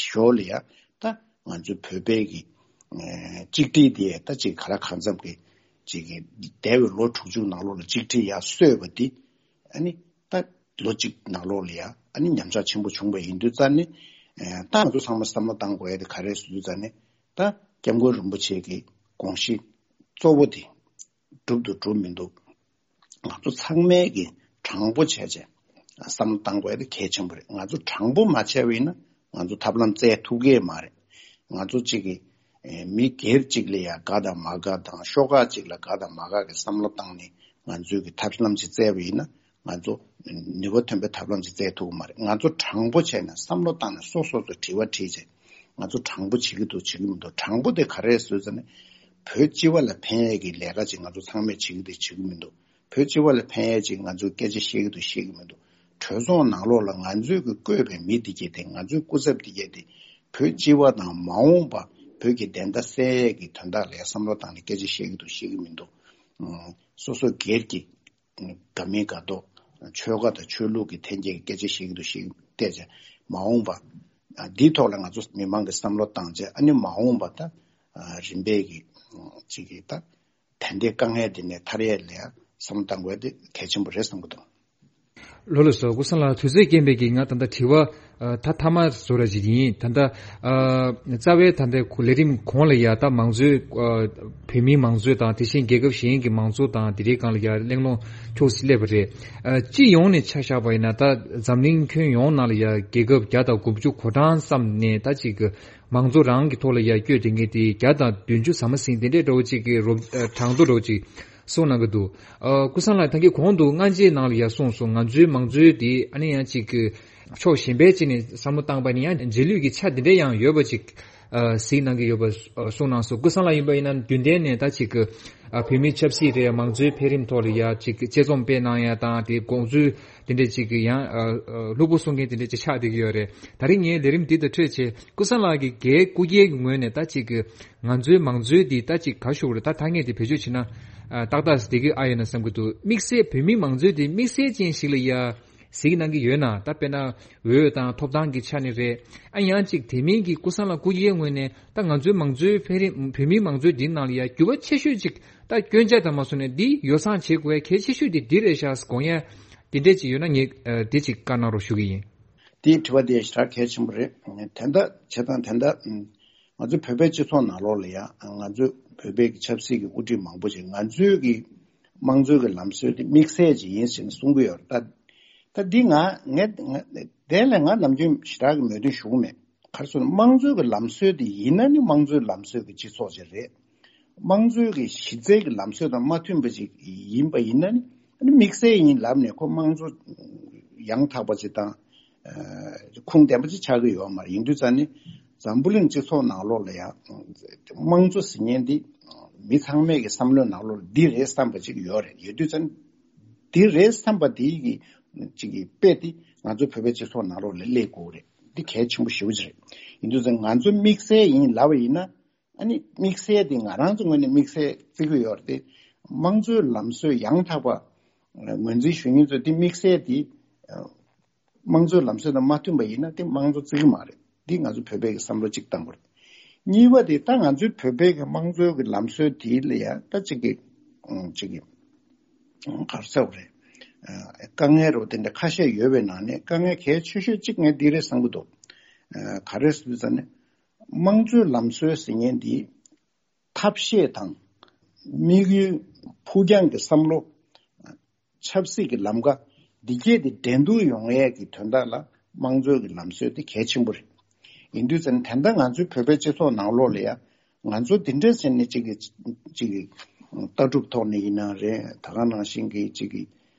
ཞོར་ལ་ཡང་ད་ང་ཚོའི་བོད་པའི་གི་ཨེ་གཅིག་སྒྲིལ་དེ་ད་ཅིག་ག་ལ་གང་འཚམ་གི་ཅིག་གི་འདས་པའི་ལོ་དྲུག་ཅུ་ནང་ལོགས་ལ་གཅིག་སྒྲིལ་ཡར་སོས་པ་འདི་ཨ་ནི་ད་ལོ་གཅིག་ནང་ལོགས་ལ་ཡང་ཨ་ནི་ཉམས་ཆག་ཆེན་པོ་བྱུང་བ་ཡིན་དུས་ཙང་ནི་ཨེ་ད་ང་ཚོ་ཚང་མ་བསམ་བློ་བཏང་དགོས་ཡ་དེ་ག་རེ་ཟེར་དུས་ཙང་ནི། ད་སྐྱབས་མགོན་རིན་པོ་ཆེ་གི་དགོངས་གཞི་གཙོ་བོ་དེ་འགྲུབ་འདུག་འགྲུབ་མི་འདུག་ང་ཚོ་ཚང་མས་ཀྱི་དྲང་པོ་བྱས་བྱས་བསམ་བློ་བཏང་དགོས་ཡ་དེ་གལ་ཆེན་པོ་རེད། ང་ཚོ་དྲང་པོ་མ་བྱས་པ་ཡིན་ན་ང་ཚོ་ཐབས་ལམ་བཙལ་ཐུབ་ཀྱི་མ་རེད། ང་ཚོ་གཅིག་གི་ཨེ་མི་སྒེར་གཅིག་ལ་ཡ་དགའ་དང་མ་དགའ་དང་ཤོག་ཁག་གཅིག་ལ་དགའ་དང་མ་དགའ་གི་བསམ་བློ་བཏང་ནས་ང་ཚོས་ཀྱི་ཐབས་ལམ་ཅིག་བཙལ་བ་ཡིན་ན། ང་ཚོ་ནུས་པ་ཐོན་པའི་ཐབས་ལམ་ཅིག་བཙལ་ཐུབ་ཀྱི་མ་རེད། ང་ཚོ་དྲང་པོ་བྱས་ནས་བསམ་བློ་བཏང་ནས་སོ་སོ་སོ་དྲི་བ་དྲིས་བྱས། ང་ཚོ་དྲང་པོ་བྱེད་ཀྱི་འདུག་བྱེད་ཀྱི་མི་འདུག་དྲང་པོ་དེ་ག་རེ་རེད་ཟེར་ན། བོད་སྤྱི་པ་ལ་ཕན་ཡས་ཀྱི་ལས་ཀ་ཅིག་ང་ཚོ་ཚང་མས་བྱེད་ཀྱི་འདུག་བྱེད་ཀྱི་མི་འདུག་བོད་སྤྱི་པ་ལ་ཕན་ཡས་ཅིག་ང་ཚོས་སྐད་ཆ་བཤད་ཀྱི་འདུག་བཤད་ཀྱི་མི་འདུག་གྲོས་ཚོགས་ནང་ལོགས་ལ་ང་ཚོས་ཀྱི་བསྐོས་པའི་མི་འདི་གས་དེ་ང་ཚོའི་སྐུ་ཚབ་འདི་གས་དེ་བོད་སྤྱི་པ་དང་མ་འོངས་པ་བོད་ཀྱི་བདེན་མཐའ་གསལ་ཡས་ཀྱི་དོན་དག་ལ་བསམ་བློ་བཏང་ནས་སྐད་ཆ་བཤད་ཀྱི་འདུག་བཤད་ཀྱི་མི་འདུག་སོ་སོ་སྒེར་གྱི་དགའ་མིན་དགའ་མདོག་ཆོལ་ཁ་དང་ཆོས་ལུགས་ཀྱི་འཐེན་འཁྱེར་གྱི་སྐད་ཆ་བཤད་ཀྱི་འདུག་བཤད་ཀྱི་བལྟས་བྱས་མ་འོངས་པ་འདིའི་ཐོག་ལ་ང་ཚོ་མི་མང་གི་བསམ་བློ་བཏང་བྱས་ཨ་ནི་མ་འོངས་པ་ད་རིམ་པས་ཀྱི་ཅིག་གི་ད། ད་ལྟའི་དཀའ་ངལ་འདི་ནས་ཐར་ཡས་ལ་བསམ་བློ་བཏང་དགོས་དེ་གལ་ཆེན་པོ་རེད་བསམ་གྱི་འདུག་ལགས་སོ། སྐུ་སངས་ལགས་དུས་ཚོད་རྐྱེན་པས་ཀྱིས་ང་ད་ལྟ་དྲི་བ་ད་མཐའ་མ་བཟོ་ར་ཞིག་ཡིན། ད་ལྟ་རྩ་བའི་ད་ལྟའི་ལས་རིམ་གོང་ལ་ཡ་ད་མང་གཙོའི་བོད་མིའི་མང་གཙོ་དང་དེ་བཞིན་རྒྱལ་ཁབ་གཞན་གྱི་མང་གཙོ་དང་དེ་འདྲའི་སྒང་ལ་ཡ་གླེང་སློང་ཕྱོགས་སུ་སླེབས་པ་རེད། སྤྱི་ཡོངས་ནས་ཆ་བཞག་པ་ཡིན་ན་ད་འཛམ་གླིང་ཁྱོན་ཡོངས་ནང་ལ་ཡ་རྒྱལ་ཁབ་བརྒྱ་དང་དགུ་བཅུ་གོ་གྲངས་ཙམ་ནས་ད་ཅིག་གི་མང་གཙོ་རང་གི་ཐོག་ལ་ཡར་བསྐྱོད་དེ་ངེས་དེ་བརྒྱ་དང་བདུན་ཅུ་ཟ་མ་ཟིན་དེ་འདྲའི་འདྲ་བོ་ཅིག་གི་རོབ་གྲངས་ཐོ་འདྲ་བོ་ཅིག་གསུངས་གནང་གི་འདུག་སྐུ་སངས་ལགས་ད་གིན་གོང་དུ་སྔ་རྗེས་ནང་ལ་ཡར་གསུངས་སོང་། ང་ཚོའི་མང་གཙོའི་དེ་ཨ་ནི་ཡང་ཅིག་གི་ཕྱོགས་གཞན་པའི་ཅིག་ནས་བསམ་བློ་བཏང་པ་ནི་ཡང་རྗེས་ལུས་ཀྱི་ཆ་དེ་འདྲ་ཡང་ཡོད་པ་ཅིག་གཟིགས་གནང་གི་ཡོད་པ་གསུངས་གནང་སོང་། སྐུ་སངས་ལགས་ཡིན་པ་ཡིན་ན་རྒྱུན་ལྡན་ནས་ད་ཅིག་གི་བོད་མིའི་ཆབ་སྲིད་རེད། མང་གཙོའི་འཕེལ་རིམ་ཐོག་ལ་ཡ་ཅིག་དཔྱད་རྩོམ་སྤེལ་གནང་ཡ་དང་དེ་དགོངས་ཚུལ་དེ་འདྲ་ཅིག་གི་ཡང་ལྷུག་པོ་གསུང་མཁན་དེ་འདྲ་ཅིག་ཆགས་བསྡད་ཀྱི་ཡོད་རེད། ད་རིང་ངའི་ལས་རིམ་འདི་དང་འཕྲད་བྱས་སྐུ་སངས་ལགས་ཀྱི་སྒེར་སྐུ་སྒེར་གྱི་ངོས་ནས་ད་ཅིག་གི་ང་ཚོའི་མང་གཙོའི་འདི་ད་ཅིག་ག་ཞུ་རེད། ད་ཐ་སྙད་དེ་བེད་སྤྱོད་བྱས་ན་ཏག་ཏག་བསྡད་ཀྱི་ཨ་ཡོད་ན་བསམ་གྱི་འདུག་དམིགས་བསལ་བོད་མིའི་མང་གཙོའི་འདི་དམིགས་བསལ་ཅན་ཞིག་ལ་ཡ་གཟིགས་གནང་གི་ཡོད་ན། ད་དཔེར་ན་འོས་དང་ཐོབ་ཐང་གི་ཆ་ནས་རེད། ཨ་ཡང་ཅིག་དེ་མིན་གྱི་སྐུ་སངས་ལགས་སྐུ་སྒེར་ངོས་ནས་ད་ང་ཚོའི་མང་གཙོའི་འཕེལ་རིམ་བོད་མིའི་མང་གཙོའི་འདི་ནང་ལ་ཡ་འགྱུར་བ་ཆེ་ཤོས་ཅིག་ད་སྐྱོན་ཆ་དང་མ་སོང་ནས་འདི་ཡོ་བསྲང་བྱེད་དགོས་གལ་ཆེ་ཤོས་དེ་འདི་རེད་ཤག་དགོངས་ཡ་དེ་འདྲས་ཅིག་ཡོད་ན་ངས་དེ་ཅིག་བཀའ་གནང་རོགས་ཞུ་གི་ཡིན། དེའི་དྲི་བ་དེ་ཞེ་དྲག་གལ་ཆེན་པོ་རེད། དེ་འདྲ་བྱེད་སྟངས་དེ་འདྲ་ང་ཚོའི་བོད་པའི་སྤྱི་ཚོགས་ནང་ལོགས་ལ་ཡང་ང་ཚོའི་བོད་པའི་ཆབ་སྲིད་ཀྱི་དབུ་ཁྲིད་མང་པོ་ཞིག་ང་ཚོའི་གི་དམངས་གཙོའི་གི་ལམ་སྲོལ་དེ་དམིགས་བསལ་ཅིག་ཡིན་ཟེར་ནས་གསུང་གི་ཡོད་རེད། ད་ད་འདི་ང་ངས་ང་དེ་ལས་ང་ནམ་རྒྱུན་ཞེ་དྲག་གི་མོས་མཐུན་ཞུ་གི་མེད། ག་རེ་ཟེར་ན་དམངས་གཙོའི་གི་ལམ་སྲོལ་དེ་ཡིན་ན་ནི་དམངས་གཙོའི་ལམ་སྲོལ་གི་སྤྱི་ཚོགས་ཅིག་རེད། དམངས་གཙོའི་གི་གཞི་རྩའི་གི་ལམ་སྲོལ་དང་མ་མཐུན་པ་ཅིག་ཡིན་པ་ཡིན་ན་ནི་ཨ་ནི་དམིགས་བསལ་ཡིན་ལབ་ནས་ཁོ་དམངས་གཙོ་ཡང་དག་པ་ཅིག་དང་ཁུངས་ལྡན་པ་ཅིག་ཆགས་ཀྱི་ཡོད་མ་རེད། ཡིན་དུས་ཙང་ནི་འཛམ་བུ་གླིང་སྤྱི་ཚོགས་ནང་ལོགས་ལ་ཡང་དམངས་གཙོ་ཟེར་མཁན་འདི་མི་ཚང་མའི་གི་བསམ་བློའི་ནང་ལོགས་ལ་འདི་རེད་བསམ་པ་ཅིག་ཡོད་རེད། ཡོད་དུས་ཙང་འདི་རེད་བསམ་པ་དེའི་གི་ཅིག་གི་དཔེ་དེ་ང་ཚོ་བོད་པའི་སྤྱི་ཚོགས་ནང་ལོགས་ལ་སླེབས་དགོས་རེད། འདི་གལ་ཆེན་པོ་ཞེ་པོ་ཅིག་རེད། ཡིན་དུས་ཙང་ང་ཚོ་དམིགས་བསལ་ཡིན་ལབ་པ་ཡིན་ན། ཨ་ནི་དམིགས་བསལ་དེ་ང་རང་ཚོ་ངོས་ནས་དམིགས་བསལ་བརྩི་གི་ཡོད་རེད་དེ། དམངས་གཙོའི་ལམ་སྲོལ་ཡང་དག་པ་ངོས་འཛིན་ཞུ་མཁན་ཚོས་དེ་དམིགས་བསལ་དེ་དམངས་གཙོའི་ལམ་སྲོལ་དང་མ་མཐུན་པ་ཡིན་ན་དེ་དམངས་གཙོ་བརྩི་གི་མ་རེད། འདི་ང་ཚོ་བོད་པའི་གི་བསམ་བློ་གཅིག་བཏང་དགོས་རེད། གཉིས་པ་དེ་ད་ང་ཚོའི་བོད་པའི་གི་དམངས་གཙོའི་གི་ལམ་སྲོལ་དེ་ལ་ཡང་ད་གཅིག་གི་གཅིག་གི་ག་རེ་ཟེར་དགོས་རེད། དཀའ་ངལ་རོ་དེ་འདྲ་ཁ་ཤས་ཡོད་པའི་ནང་ནས་དཀའ་ངལ་གལ་ཆེ་ཤོས་གཅིག་ངས་འདི་རེད་བསམ་གི་འདུག་ག་རེ་ཟེར་ཙང་ནས། དམངས་གཙོའི་ལམ་སྲོལ་ཟེར་མཁན་འདི་ཐབས་ཤེས་དང་དམིགས་ཡུལ་ཕུགས་རྒྱང་གི་བསམ་བློ། ཆབ་སྲིད་ཀྱི་ལམ་ཁ་འདི་གས་དེ་འགྲན་བསྡུར་ཡོང་ཡས་ཀྱི་དོན་དག་ལ་དམངས་གཙོའི་གི་ལམ་སྲོལ་དེ་གལ་ཆེན་པོ་རེད། ཡིན་དུས་ཙང་ད་ལྟ་ང་ཚོའི་བོད་པའི་སྤྱི་ཚོགས་ནང་ལོགས་ལ་ཡང་ང་ཚོ་འདི་འདྲ་ཟེར་ནས་གཅིག་གི་གཅིག་གི་ལྟ་གྲུབ་ཐོག་ནས་ཡིན་ན་རེད། ད་ག་ནང་བཞིན་གྱི་གཅིག་གི་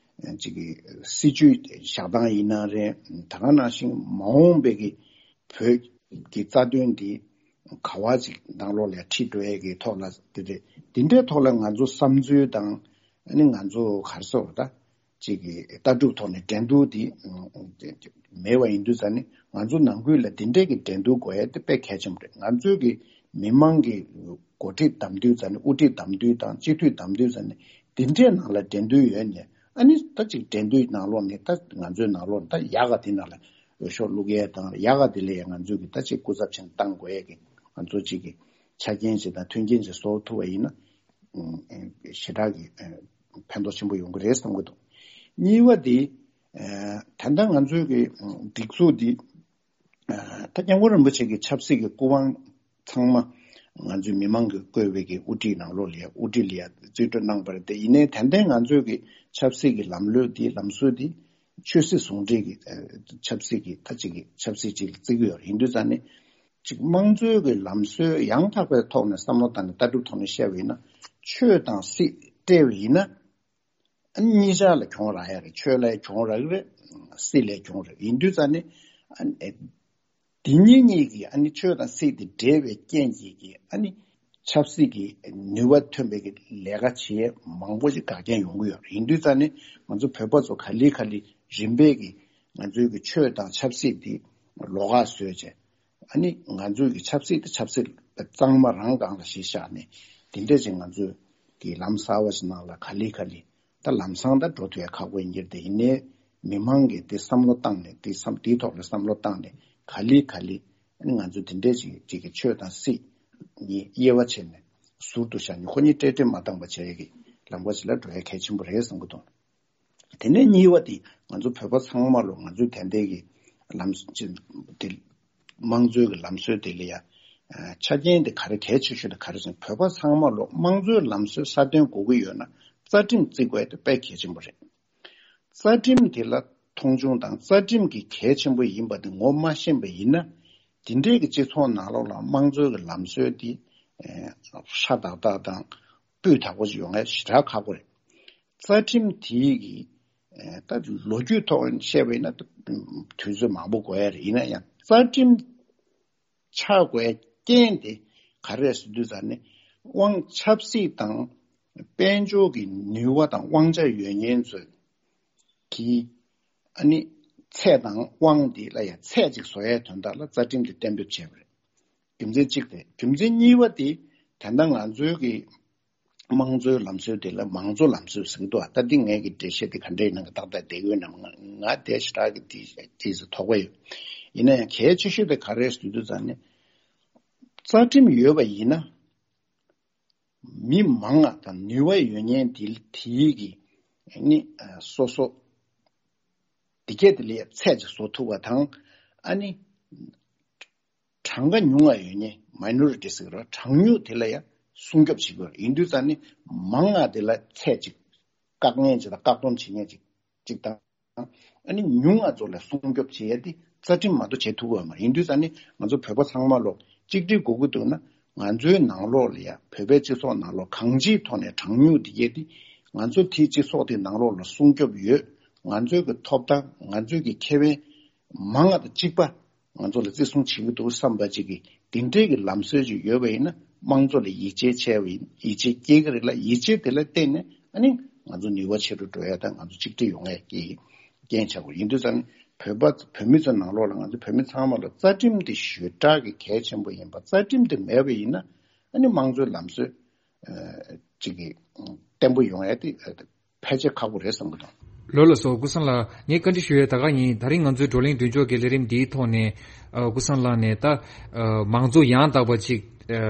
གཅིག་གི་སྲིད་ཇུས་བཞག་སྟངས་ཡིན་ན་རེད། ད་ག་ནང་བཞིན་མ་འོངས་པའི་གི་བོད་ཀྱི་རྩ་དོན་འདི་ག་བ་ཅིག་ནང་ལོགས་ལ་ཁྲིད་འགྲོ་ཡས་ཀྱི་ཐོག་ལ་དེ་རེད། འདི་འདྲའི་ཐོག་ལ་ང་ཚོ་བསམ་ཚུལ་དང་ཨ་ནི་ང་ཚོ་ག་རེ་ཟེར་དགོས་རེད་ད། ཅིག་གི་ལྟ་གྲུབ་ཐོག་ནས་འགྲན་བསྡུར་འདི་མེད་པ་ཡིན་དུས་ཙང་ནི་ང་ཚོ་ནང་ཁུལ་ལ་འདི་འདྲའི་གི་འགྲན་བསྡུར་དགོས་ཡ་དེ་དཔེ་གལ་ཆེན་པོ་རེད། ང་ཚོའི་གི་མི་མང་གི་ འགོ་ཁྲིད་བདམས་དུས་ཙམ་ནས། དབུ་ཁྲིད་བདམས་དུས་དང་སྤྱི་འཐུས་བདམས་དུས་ཙམ་ནས་འདི་འདྲའི་ནང་ལ་འགྲན་བསྡུར་ཡོད་ནས། ཨ་ནི་ད་ཅིག་འགྲན་བསྡུར་ནང་ལོགས་ནས་ད་ང་ཚོའི་ནང་ལོགས་ད་ཡག་ག་དེ་ནང་ལ་འོས་ཤོག་བླུག་ཡས་དང་། ཡག་ག་དེ་ལ་ཡང་ང་ཚོས་ཀྱི་ད་ཅིག་སྐུ་ཚབ་ཆེན་བཏང་དགོས་ཡས་ཀྱི་ང་ཚོ་ཅིག་གི་ཆ་རྐྱེན་ཅིག་དང་མཐུན་རྐྱེན་ཅིག་བཟོ་ཐུབ་པ་ཡིན་ན། ཨ་ཞེ་དྲག་གི་ཨ་ཕན་ཐོགས་ཆེན་པོ་ཡོང་གི་རེད་བསམ་གྱི་འདུག་གཉིས་པ་དེ། ཨ་ད་ལྟ་ང་ཚོའི་གི་སྒྲིག་འཛུགས་འདི། ཨ་ད་སྐྱབས་མགོན་རིན་པོ་ཆེ་གི་ཆབ་སྲིད་ཀྱི་སྐུ་དབང་ཚང་མ་ང་ཚོའི་མི་མང་གིས་བསྐོས་པའི་གི་དབུ་ཁྲིད་ནང་ལོགས་ལ་ཡ། དབུ་ཁྲིད་ལ་ཡ་རྩིས་སྤྲོད་གནང་བ་རེད་དེ། ཡིན་ནའི་ད་ལྟའི་ང་ཚོའི་གི་ཆབ་སྲིད་ཀྱི་ལམ་ལུགས་འདི། ལམ་སྲོལ་འདི་ཆོས་སྲིད་ཟུང་འབྲེལ་གྱི་ཨ་ཆབ་སྲིད་ཀྱི་ད་ཅིག་གི་ཆབ་སྲིད་ཅིག་ལ་བརྩི་གི་ཡོད་རེད། ཡིན་དུས་ཙང་ནས་ཅིག་དམངས་གཙོའི་གི་ལམ་སྲོལ་ཡང་དག་པའི་ཐོག་ནས་བསམ་བློ་བཏང་ནས་ལྟ་གྲུབ་ཐོག་ནས་བཤད་པ་ཡིན་ན། ཆོས་དང་སྲིད་བཀྲལ་བ་ཡིན་ན། ཨ་ནི་གཉིས་ཆར་ལ་གྱོང་རག་ཡ་རེད། ཆོས་ལ་གྱོང་རག་གི་རེད། སྲིད་ལ་གྱོང་རེད། ཡིན་དུས་ཙང་ནས་ཨ་ནི་འདི་གཉིས་གཉིས་ཀྱིས། ཨ་ནི་ཆོས་དང་སྲིད་དེ་འདྲེས་པའི་རྐྱེན་གྱིས་ཀྱིས། ཨ་ནི་ཆབ་སྲིད་ཀྱི་ནུས་པ་ཐོན་པའི་གི་ལས་ཀ་བྱེད་མང་པོ་ཞིག་འགལ་རྐྱེན་ཡོང་གི་ཡོད་རེད། ཡིན་དུས་ཙང་ནས་ང་ཚོ་བོད་པ་ཚོ་ག་ལེ་ག་ལེ་རིམ་པས་ཀྱིས་ང་ཚོའི་གི་ཆོས་དང་ཆབ་སྲིད་འདི་ལོགས་ཀ་བཟོས་བྱས། ཨ་ནི་ང་ཚོའི་གི་ཆབ་སྲིད་དེ་ཆབ་སྲིད་གཙང་མ་རང་སྒང་ལ་གཞི་བཞག་ནས། དེ་འདྲ་ཅིག་ང་ཚོའི་གི་ལམ་གསར་བ་ཞིག་ནང་ལ་ག་ལེ་ག་ལེ་ད་ལམ་སང་ད་འགྲོ་ཐུབ་ཡ་ཁག་པོ་ཡིན་གྱི་རེད། དེ་ཡིན་ནའི་མི་མང་གིས་དེ་བསམ་བློ་བཏང་ནས། དེ་བསམ་དེའི་ཐོག་ལ་བསམ་བློ་བཏང་ནས་ག་ལེ་ག་ལེ་ཨ་ནི་ང་ཚོ་དེ་འདྲ་ཅིག་ཅིག་གི་ཆོས་དང་སྲིད་གཉིས་དབྱེ་བ་ཕྱེ་ནས་ཟུར་དུ་བཞག་ནས། ཁོ་གཉིས་བསྲེས་བསྲེས་མ་བཏང་པ་བྱེད་ཡ་གི་ལམ་ཁ་ཞིག་ལ་འགྲོ་ཡ་གལ་ཆེན་པོ་རེད་བསམ་གྱི་འདུག་དེ་ནས་གཉིས་པ་དེ། ང་ཚོ་བོད་པ་ཚང་མ་ལོ། ང་ཚོའི་དེ་འདྲའི་གི་ལམ་སྲོལ་དེ། དམངས་གཙོའི་གི་ལམ་སྲོལ་དེ་ལ་ཡ་ཨ་ཆ་རྐྱེན་དེ་ག་རེ་གལ་ཆེ་ཤོས་དེ་ག་རེ་ཟེར་ན། བོད་པ་ཚང་མ་ལོ་དམངས་གཙོའི་ལམ་སྲོལ་སྲ་བརྟན་དགོས་ཀྱི་ཡོད་ན། རྩ་ཁྲིམས་བརྩི་དགོས་དེ་དཔེ་གལ་ཆེན་པོ་རེད། རྩ་ཁྲིམས་དེ་ལ་མཐོང་ཆུང་དང་། རྩ་ཁྲིམས་ཀྱི་གལ་ཆེན་པོ་ཡིན་པ་དེ་ངོ་མ་ཤེས་པ་ཡིན་ན། དེ་འདྲའི་གི་སྤྱི་ཚོགས་ནང་ལོགས་ལ་དམངས་གཙོའི་གི་ལམ་སྲོལ་དེ་ཨ་སྲ་ཏག་ཏག་དང་སྤུས་དག་པོ་ཞིག་ཡོང་ཡ་ཞེ་དྲག་ཁག་པོ་རེད། རྩ་ཁྲིམས་དེའི་གི་ཨ་ད་ལོ་རྒྱུས་ཐོག་བཤད་པ་ཡིན་ན། ད་དུས་ཚོད་མང་པོ་འགོར་ཡ་རེད། ཡིན་ན་ཡང་རྩ་ཁྲིམས་ཆགས་དགོས་རྐྱེན་དེ་ག་རེ་རེད་ཟེར་དུས་ཙང་ནས། དབང་ཆབ་སྲིད་དང་དཔལ་འབྱོར་གྱི་ནུས་པ་དང་དབང་ཆ་ཡོད་མཁན་ཚོས་ཀྱིས་ཨ་ནི་ཚད་དང་དབང་དེ་ལ་ཡང་ཚད་ཅིག་བཟོ་ཡའི་དོན་དག་ལ་རྩ་ཁྲིམས་དེ་གཏན་འབེབས་བྱས་པ་རེད། རྒྱུ་མཚན་གཅིག་དེ། རྒྱུ་མཚན་གཉིས་པ་དེ། ད་ལྟ་ང་ཚོའི་གི་དམངས་གཙོའི་ལམ་སྲོལ་དེ་ལ་མང་གཙོ་ལམ་སྲོལ་ཟེར་གྱི་འདུག་ཨ། ད་འདི་ངས་ཀྱི་འགྲེལ་བཤད་དེ་ག་འདྲའི་ནང་གི་ཏག་ཏག་བསྡད་ཡོད་ནམ། ང་ང་དེ་ཞེ་དྲག་གི་དེ་ཅིག་ཙམ་དོགས་པ་ཡོད། ཡིན་ན་ཡང་གལ་ཆེ་ཤོས་དེ་ག་རེ་རེད་ཟེར་དུས་ཙང་ནས། རྩ་ཁྲིམས་ཡོད་པ་ཡིན་ན། མི་མང་ང་དང་ནུས་པ་ཡོད་མཁན་དེ་དེའི་གི་ནི་ཨ་སོ་སོ་དེ་གས་དེ་ལ་ཡ་ཚད་ཅིག་བཟོ་ཐུབ་པ་དང་། ཨ་ནི་གྲངས་ཀ་ཉུང་ང་ཡོད་མཁན། མའི་ནོ་རི་ཊི་ཟེར་གི་རེད་བ། གྲངས་ཉུང་དེ་ལ་ཡ་སྲུང་སྐྱོབ་བྱེད་དགོས་རེད། ཡིན་དུས་ཙང་ནི་མང་ང་དེ་ལ་ཚད་ཅིག་བཀག་ཉེན་ཅིག་དང་བཀག་སྡོམ་བྱེད་མཁན་ཅིག་ཅིག་དང་། ཨ་ནི་ཉུང་ང་ཚོ་ལ་སྲུང་སྐྱོབ་བྱེད་ཡ་དེ་རྩ་ཁྲིམས་མ་གཏོགས་བྱེད་ཐུབ་ཀྱི་ཡོད་མ་རེད། ཡིན་དུས་ཙང་ནི་ང་ཚོ་བོད་པ་ཚང་མ་ལོ་གཅིག་སྒྲིལ་དགོས་ཀྱི་འདུག་ན། ང་ཚོའི་ནང་ལོགས་ལ་ཡ། བོད་པའི་སྤྱི་ཚོགས་ནང་ལོགས་གང་ཅིའི་ཐོག་ནས་གྲངས་ཉུང་དེ་གས་དེ་ང་ཚོ་དེའི་སྤྱི་ཚོགས་དེ་ནང་ལོགས་ལ་སྲུང་སྐྱོབ་ཡོད། ང་ཚོའི་གི་ཐོབ་ཐང་། ང་ཚོའི་གི་ཁེ་ཕན་མང་ང་དང་གཅིག་པ་ང་ཚོ་ལ་བརྩི་སྲུང་བྱེད་ཀྱི་འདུག་བསམ་པ་ཅིག་གི་དེ་འདྲའི་གི་ལམ་སྲོལ་ཅིག་ཡོད་པ་ཡིན་ན། དམངས་གཙོ་ལ་ཡིད་ཆེས་བྱས་པ་ཡིན། ཡིད་ཆེས་སྐྱེ་གི་རེད་ལ། ཡིད་ཆེས་དེ་ལ་བརྟེན་ནས་ཨ་ནི་ང་ཚོ་ནུས་པ་ཆེ་རུ་འགྲོ་ཡ་དང་། ང་ཚོ་གཅིག་སྒྲིལ་ཡོང་ཡ་གི་རྐྱེན་ཆགས་དགོས། ཡིན་དུས་ཙང་ནི་བོད་པ་བོད་མི་ཚོའི་ནང་ལོགས་ལ། ང་ཚོ་བོད་མི་ཚང་མ་ལ་རྩ་ཁྲིམས་དེ་ཞེ་དྲག་གི་གལ་ཆེན་པོ་ཡིན་པ། རྩ་ཁྲིམས་དེ་མེད་པ་ཡིན་ན་ཨ་ནི་དམངས་གཙོའི་ལམ་སྲོལ་ཨ་ཅིག་གི་བརྟན་པོ་ཡོང་ཡ་དེ་ཨ་ཕལ་ཆེར་ཁག་པོ་རེད་བསམ་གྱི་འདུག་ལགས་ལགས་སོ། ཀུན་བཟང་ལགས། ངས་བཀའ་འདྲི་ཞུ་ཡས་ད་ག་ཡིན། ད་རིང་ང་ཚོའི་བགྲོ་གླེང་མདུན་ལྕོག་གི་ལས་རིམ་འདིའི་ཐོག་ནས་ཨ་ཀུན་བཟང་ལགས་ནས་ད་ཨ་མང་གཙོ་ཡང་དག་པ་ཅིག་ཨ་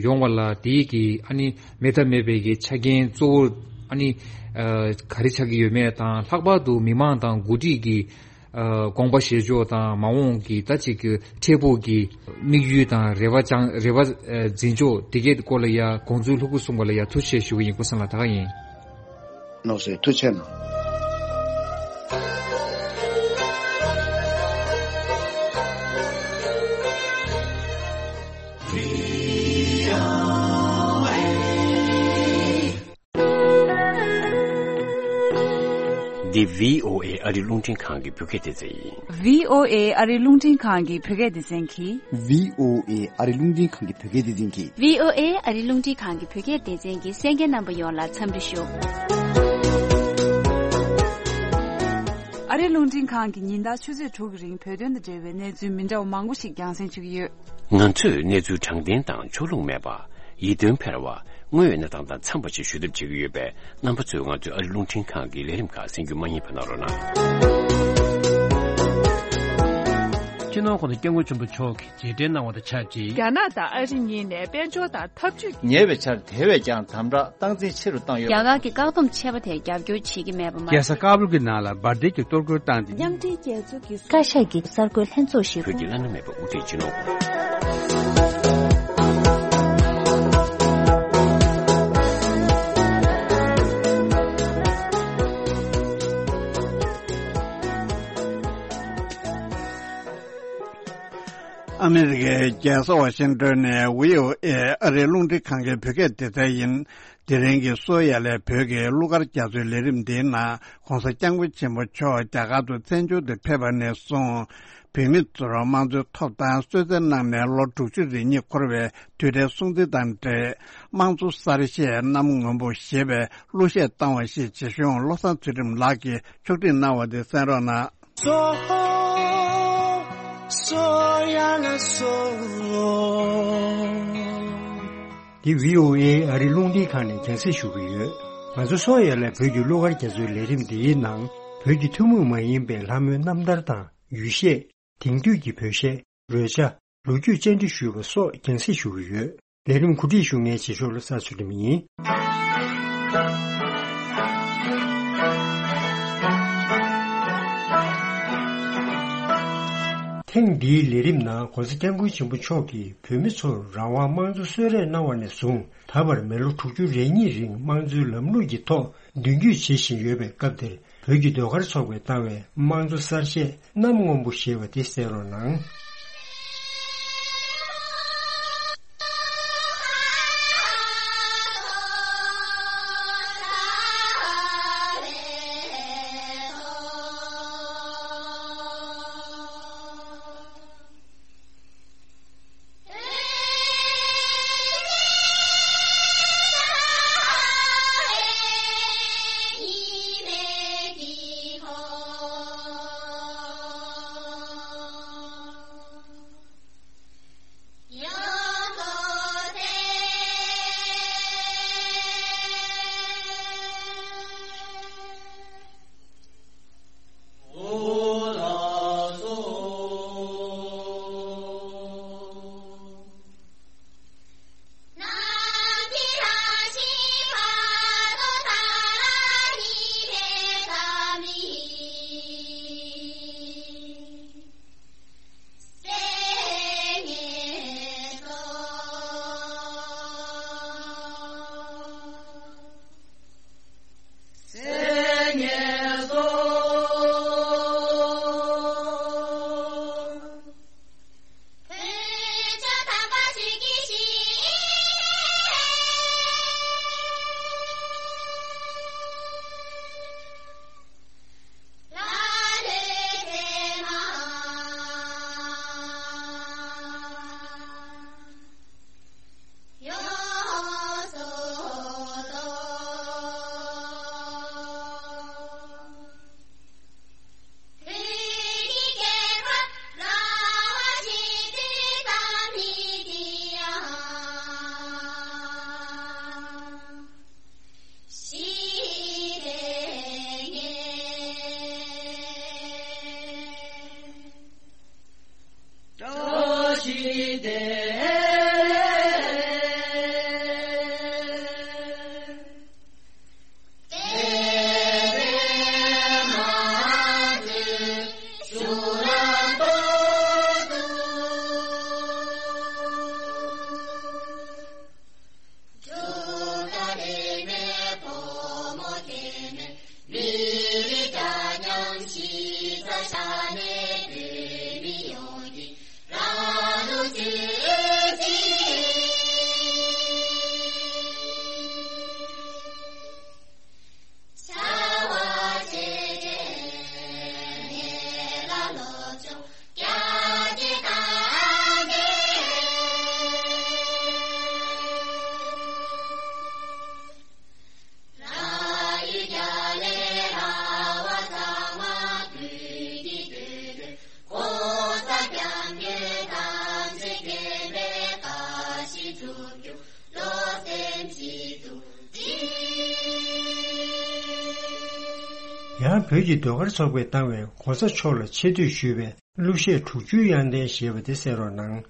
ཡོང་བ་ལ་དེའི་གི་ཨ་ནི་མེད་ཐབས་མེད་པའི་གི་ཆ་རྐྱེན་གཙོ་བོ་ཨ་ནི་ཨ་ག་རེ་ཆགས་ཀྱི་ཡོད་མེད་དང་། ལྷག་པར་དུ་མི་མང་དང་འགོ་ཁྲིད་ཀྱི་ཨ་དགོངས་པ་བཞེས་ཕྱོགས་དང་། མ་འོངས་ཀྱི་ད་ཅིག་གི་འཕྲལ་ཕུགས་ཀྱི་དམིགས་ཡུལ་དང་རེ་བ་བཅང་། རེ་བ་ཨ་འཛིན་ཕྱོགས་དེ་གའི་སྐོར་ལ་ཡ་དགོངས་ཚུལ་ལྷུག་པོ་གསུངས་པ་ལ་ཡ་ཐུགས་རྗེ་ཆེ་ཞུ་གི་ཡིན། ཀུན་བཟང་ལགས། ད་ག་ཡིན། ནོར་སྲིད་ཐུགས་རྗེ་གནང་། འདི་བྷི་ཨོ་ཨེ་ཨ་རི་རླུང་འཕྲིན་ཁང་གི་བོད་སྐད་སྡེ་ཚན་ཡིན། བྷི་ཨོ་ཨེ་ཨ་རི་རླུང་འཕྲིན་ཁང་གི་བོད་སྐད་སྡེ་ཚན་གྱིས། བྷི་ཨོ་ཨེ་ཨ་རི་རླུང་འཕྲིན་ཁང་གི་བོད་སྐད་སྡེ་ཚན་གྱིས། བྷི་ཨོ་ཨེ་ཨ་རི་རླུང་འཕྲིན་ཁང་གི་བོད་སྐད་སྡེ་ཚན་གྱི་གསན་མཁན་རྣམ་པ་ཡོངས་ལ་འཚམས་འདྲི་ཞུ། ཨ་རི་རླུང་འཕྲིན་ཁང་གིས་ཉིན་ལྟར་ཆུ་ཚོད་དྲུག་གི་རིང་བོད་དོན་དང་འབྲེལ་བའི་གནས་ཚུལ་མི་འདྲ་བ་མང་པོ་ཞིག་རྒྱང་སྲིང་ཞུ་གི་ཡོད། ང་ཚོས་གནས་ཚུལ་དྲང་བདེན་དང་ཕྱོགས་ལྷུང་མེད་པ། ཡིད་རྟོན་འཕེར་བ། དངོས་ཡོད་གནས་སྟངས་དང་འཚམས་པ་ཞིག་ཞུ་ཐབས་བྱེད་ཀྱི་ཡོད་པས། རྣམ་པ་ཚོས་ང་ཚོའི་ཨ་རི་རླུང་འཕྲིན་ཁང་གི་ལས་རིམ་ཁག་གསན་རྒྱུ་མ་བསྙེལ་བ་གནང་རོགས་གནང་། སྤྱི་ནོར་༸གོང་ས་༸སྐྱབས་མགོན་ཆེན་པོ་མཆོག་གིས་རྗེས་དྲན་གནང་བ་དང་ཆབས་ཅིག་རྒྱ་ནག་དང་ཨ་རི་གཉིས་ནས་དཔལ་འབྱོར་དང་འཐབ་ཇུས་ཉེ་བའི་ཆར་དེ་བས་ཀྱང་དམ་དྲག་སྟངས་འཛིན་ཆེ་རུ་བཏང་ཡོད་པ། རྒྱ་གར་གྱི་བཀག་སྡོམ་ཆད་པ་དེ་རྒྱབ་སྐྱོར་བྱེད་ཀྱི་མེད་པ་མ། རྒྱལ་ས་ཀ་བུལ་གྱི་ནང་ལ་འབར་མདེལ་གྱི་གཏོར་རྒོལ་བཏང་སྟེ། མཉམ་འབྲེལ་རྒྱལ་ཚོགས་ཀྱི་བཀའ་ཤག་གི་གསར་འགོད་ལྷན་ཚོགས་ཤིག་བོད་ཀྱི་བླ་ན་མེད་པ་དབུ་ཁྲིད་སྤྱི་ནོར་༸གོང་ས། ཨ་མི་རི་ཀའི་རྒྱལ་ས་ཝ་ཤིང་ཏོན་ནས་བྷི་ཨོ་ཨེ་ཨ་རིའི་རླུང་འཕྲིན་ཁང་གི་བོད་སྐད་སྡེ་ཚན་ཡིན། དེ་རིང་གི་གསོ་ཡ་ལས་བོད་ཀྱི་གླུ་གར་རྒྱ་མཚོའི་ལས་རིམ་འདིའི་ནང་༸གོང་ས་༸སྐྱབས་མགོན་ཆེན་པོ་མཆོག་རྒྱ་གར་དུ་བཙན་བྱོལ་དུ་ཕེབས་པ་ནས་བཟུང་། བོད་མི་ཚོར་དམངས་གཙོའི་ཐོབ་ཐང་གསོལ་སྩལ་གནང་ནས་ལོ་དྲུག་ཅུ་རེ་གཉིས་འཁོར་བའི་དུས་དྲན་སྲུང་བརྩི་དང་འབྲེལ། དམངས་གཙོ་གསར་བཞད་གནམ་སྔོན་པོ་ཞེས་པའི་གླུ་གཞས་བཏང་བ་ཞིག་རྗེ་གཞུང་བློ་བཟང་ཚུལ་ཁྲིམས་ལགས་ཀྱིས་ཕྱོགས་སྒྲིག་གནང་བ་དེ་གསན་རོགས་གནང་། སོ། སོ་ཡ་ལ་སོ། འདི་བྷི་ཨོ་ཨེ་ཨ་རི་རླུང་འཕྲིན་ཁང་ནས་རྒྱང་སྲིང་ཞུ་གི་ཡོད། ང་ཚོ་སོ་ཡ་ལ་བོད་ཀྱི་གླུ་གར་རྒྱ་མཚོའི་ལས་རིམ་འདིའི་ནང་བོད་ཀྱི་ཐུན་མོང་མ་ཡིན་པའི་ལྷ་མོའི་རྣམ་ཐར་དང་ཡུལ་གཞས། དེང་དུས་ཀྱི་བོད་གཞས། རོལ་ཆ། ལོ་རྒྱུས་བཅར་འདྲི་ཞུས་པ་སོགས་རྒྱང་སྲིང་ཞུ་གི་ཡོད། ལས་རིམ་གོ་སྒྲིག་ཞུ་མཁན་རྗེས་ཕྱོགས་བློ་བཟང་ཚུལ་ཁྲིམས་ཡིན། ཐེངས་འདིའི་ལས་རིམ་ནང་༸གོང་ས་༸སྐྱབས་མགོན་ཆེན་པོ་མཆོག་གིས་བོད་མི་ཚོར་རང་དབང་དམངས་གཙོ་གསོལ་རས་གནང་བ་ནས་བཟུང་ད་བར་མི་ལོ་དྲུག་ཅུ་རེ་གཉིས་རིང་དམངས་གཙོའི་ལམ་ལུགས་ཀྱི་ཐོག་མདུན་སྐྱོད་བྱེད་བཞིན་ཡོད་པའི་སྐབས་དེར། བོད་ཀྱི་ཟློས་གར་ཚོགས་པས་བཏང་བའི་དམངས་གཙོ་གསར་བཞད་གནམ་སྔོན་པོ་ཞེས་པ་དེ་གསན་རོགས་གནང་། ཡང་བོད་ཀྱི་ཟློས་གར་ཚོགས་པས་བཏང་བའི་༸གོང་ས་མཆོག་ལ་ཆེ་བསྟོད་ཞུས་པའི་གླུ་གཞས་དྲུག་ཅུའི་དབྱངས་ལྡན་ཞེས་པ་དེ་གསན་རོགས་གནང་།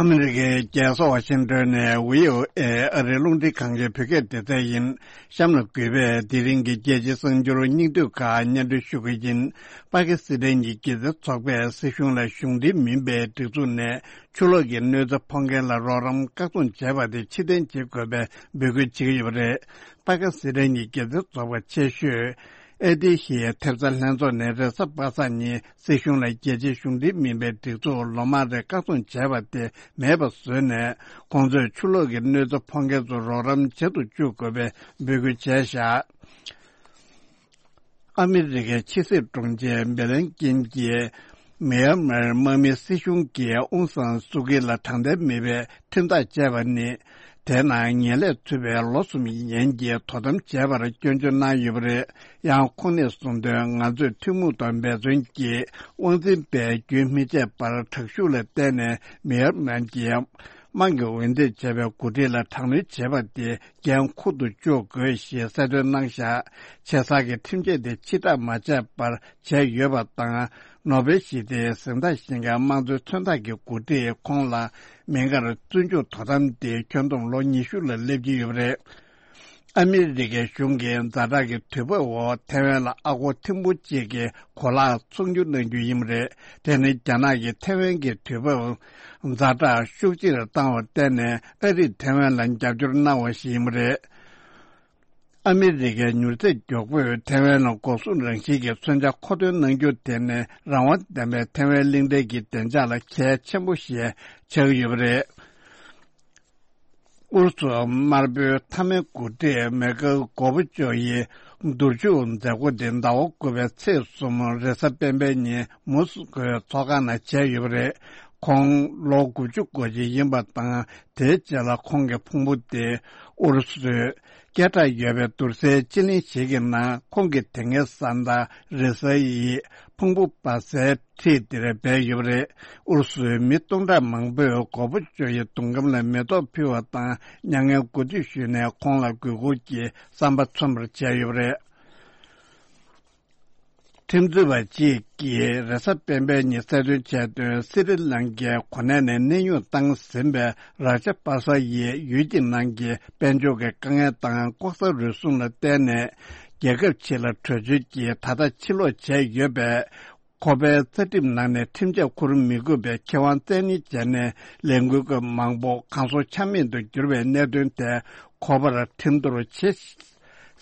ཨ་མི་རི་ཀའི་རྒྱལ་ས་ཝ་ཤིང་ཏོན་ནས་བྷི་ཨོ་ཨེ་ཨ་རིའི་རླུང་འཕྲིན་ཁང་གི་བོད་སྐད་སྡེ་ཚན་ཡིན། གཤམ་ལ་གུས་པས་དེ་རིང་གི་རྒྱལ་སྤྱིའི་གསར་འགྱུར་སྙིང་བསྡུས་ཁག་སྙན་སྒྲོན་ཞུ་གི་ཡིན། པ་ཀི་སི་ཐན་གྱི་སྒྱུ་རྩལ་ཚོགས་པས་སྲིད་གཞུང་ལ་གཞུང་འབྲེལ་མིན་པའི་སྒྲིག་འཛུགས་ནས་ཆུ་ལོག་གི་གནོད་འཚེ་ཕོག་མཁན་ལ་རོགས་རམ་བཀག་སྡོམ་བྱས་པ་དེ་ཕྱིར་འཐེན་བྱེད་དགོས་པའི་འབོད་སྐུལ་བྱེད་ཀྱི་ཡོད་པ་རེད། པ་ཀི་སི་ཐན་གྱི་སྒྱུ་རྩལ་ཚོགས་པ་ཆེ་ཤོས་ཨེ་ཏི་ཤི་ཡའི་ཐེབས་རྩ་ལྷན་ཚོགས་ནས་རེས་གཟའ་པ་སངས་ཉིན་སྲིད་གཞུང་ལ་རྒྱལ་སྤྱིའི་གཞུང་འབྲེལ་མིན་པའི་སྒྲིག་འཛུགས་ལོ་མང་རིང་བཀག་སྡོམ་བྱས་པ་དེ་མེད་པ་བཟོས་ནས། ཁོང་ཚོས་ཆུ་ལོག་གི་གནོད་འཚེ་ཕོག་མཁན་ཚོར་རོགས་རམ་བྱེད་དུ་བཅུག་དགོས་པའི་འབོད་སྐུལ་བྱས་བཞག་ཨ་མི་རི་ཀའི་ཕྱི་སྲིད་དྲུང་ཆེ་བྷི་ལིན་ཀིན་གྱིས་མེ་ཡར་མར་དམག་མིའི་སྲིད་གཞུང་གིས་ཨུང་སང་སུའུ་ཀི་ལ་དྲང་བདེན་མེད་པའི་ཁྲིམས་ཐག་བཅད་པ་ནི། དེའི་ནང་ངན་ལྷད་ཚུད་པའི་ལོ་གསུམ་ཡན་གྱི་དོ་དམ་བྱས་པར་སྐྱོན་བརྗོད་གནང་ཡོད་པ་རེད། ཡང་ཁོང་ནས་གསུངས་དོན། ང་ཚོས་ཐུན་མོང་དང་འབད་བརྩོན་གྱིས་དབང་འཛིན་པས་རྒྱུན་མི་ཆད་པར་དྲག་ཤུགས་ལ་བརྟེན་ནས་མེ་ཡར་མར་གྱི་དམག་གིས་འོས་འདེམས་བྱས་པའི་འགོ་ཁྲིད་ལ་དྲག་གནོན་བྱས་པ་དེ་འགན་འཁུར་དུ་བཅུག་དགོས་ཞེས་གསལ་སྟོན་གནང་བཞག་ཆེ་ས་གི་ཁྲིམས་ཆད་དེ་ཕྱིར་བསྒྲགས་མ་བྱས་པར་བྱས་ཡོད་པ་དང་། ནོ་བེལ་ཞི་བདེའི་གཟེངས་རྟགས་བཞེས་མཁན་དམངས་གཙོའི་མཚོན་རྟགས་ཀྱི་འགོ་ཁྲིད་ཁོང་ལ་མི་འགར་བཙོན་འཇུག་དོ་དམ་དེ་ཁྱོན་བསྡོམས་ལོ་ཉི་ཤུ་ལ་སླེབས་ཀྱི་ཡོད་པ་རེད། ཨ་མི་རི་ཀའི་གཞུང་གིས་ཛ་དྲག་གི་དུས་བབ་འོག་ཐའེ་ཝན་ལ་ཨ་སྒོར་ཐེར་འབུམ་གཅིག་གི་གོ་ལག་ཚོང་སྒྱུར་གནང་རྒྱུ་ཡིན་པ་རེད། དེ་ནི་རྒྱ་ནག་གིས་ཐའེ་ཝན་གྱི་དུས་བབ་ཛ་དྲག་ཤུགས་ཆེར་བཏང་བར་བརྟེན་ནས་ཨ་རིས་ཐའེ་ཝན་ལ་རྒྱབ་སྐྱོར་གནང་བ་ཞིག་ཡིན་པ་རེད། ཨ་མི་རི་ཀའི་མྱུར་ཚད་མགྱོགས་པོས་ཐའེ་ཝན་ལ་འགོག་སྲུང་རང་བཞིན་གྱི་མཚོན་ཆ་མཁོ་འདོན་གནང་རྒྱུ་དེ་ནི་རང་དབང་ལྡན་པའི་ཐའེ་ཝན་གླིང་ཕྲན་གྱི་བདེ་འཇགས་ལ་གལ་ཆེན་པོ་ཞིག་ཆགས་ཀྱི་ཡོད་པ་རེད། ཨུ་རུ་སུ་དམར་པོའི་མཐའ་མའི་འགོ་ཁྲིད་མེ་ཁེལ་གོར་བྷ་ཅོབ་ཡི་བསྡུར་ཞིབ་མཛད་སྒོ་དེ་ཟླ་བ་དགུ་པའི་ཚེས་གསུམ་རེས་གཟའ་སྤེན་པའི་ཉིན་མོ་སི་ཀོའི་ཚོགས་ཁང་ནང་བྱས་ཡོད་པ་རེད། ཁོང་ལོ་དགུ་བཅུ་གོ་གཅིག་ཡིན་པ་དང་། དེའི་རྗེས་ལ་ཁོང་གི་ཕུང་པོ་དེ་ཨུ་རུ་སུའི་སྐད་གྲགས་ཡོད་པའི་བསྡུར་སའི་སྤྱི་གླིང་ཞིག་གི་ནང་ཁོང་གི་དེ་སྔའི་བཟའ་ཟླ་རེས་གཟའ་ཡི་ཕུང་པོ་སྦ་སའི་འཁྲིས་འདིར་སྦས་ཡོད་པ་རེད། ཨུ་རུ་སུའི་མི་སྟོང་ཕྲག་མང་པོས་གོར་བྷ་ཅོབ་ཡི་གདུང་ཁམས་ལ་མེ་ཏོག་ཕུལ་བ་དང་། མྱ་ངན་གུས་འདུད་ཞུས་ནས་ཁོང་ལ་གུས་བཀུར་གྱི་བསམ་པ་མཚོན་པར་བྱས་ཡོད་པ་རེད། ཁྲིམས་རྩོད་པ་གཅིག་གིས་རེས་གཟའ་སྤེན་པའི་ཉིན་གསལ་སྟོན་བྱས་དོན། སི་རི་ལང་ཀའི་གོ་གནས་ནས་གནས་དབྱུང་བཏང་ཟིན་པའི་རཱ་ཇ་པ་ས་ཡིས་ཡུལ་གྱི་ནང་གི་དཔལ་འབྱོར་གྱི་དཀའ་ངལ་དང་ལྐོག་ཟ་རུལ་སུངས་ལ་བརྟེན་ནས་རྒྱལ་ཁབ་ཕྱི་ལ་བྲོས་བྱོལ་གྱིས་ད་ལྟ་ཕྱིར་ལོག་བྱས་ཡོད་པས། ཁོ་པའི་རྩ་ཁྲིམས་ནང་ནས་ཁྲིམས་ཆད་འཁུར་མི་དགོས་པའི་ཁེ་དབང་བཙན་གཉེར་བྱས་ནས་ལས་འགུལ་སྐབས་མང་པོ་གང་སོ་ཆ་མེད་དུ་གྱུར་བའི་གནད་དོན་དེ་ཁོ་པར་ཁྲིམས་གཏོར་བྱེད་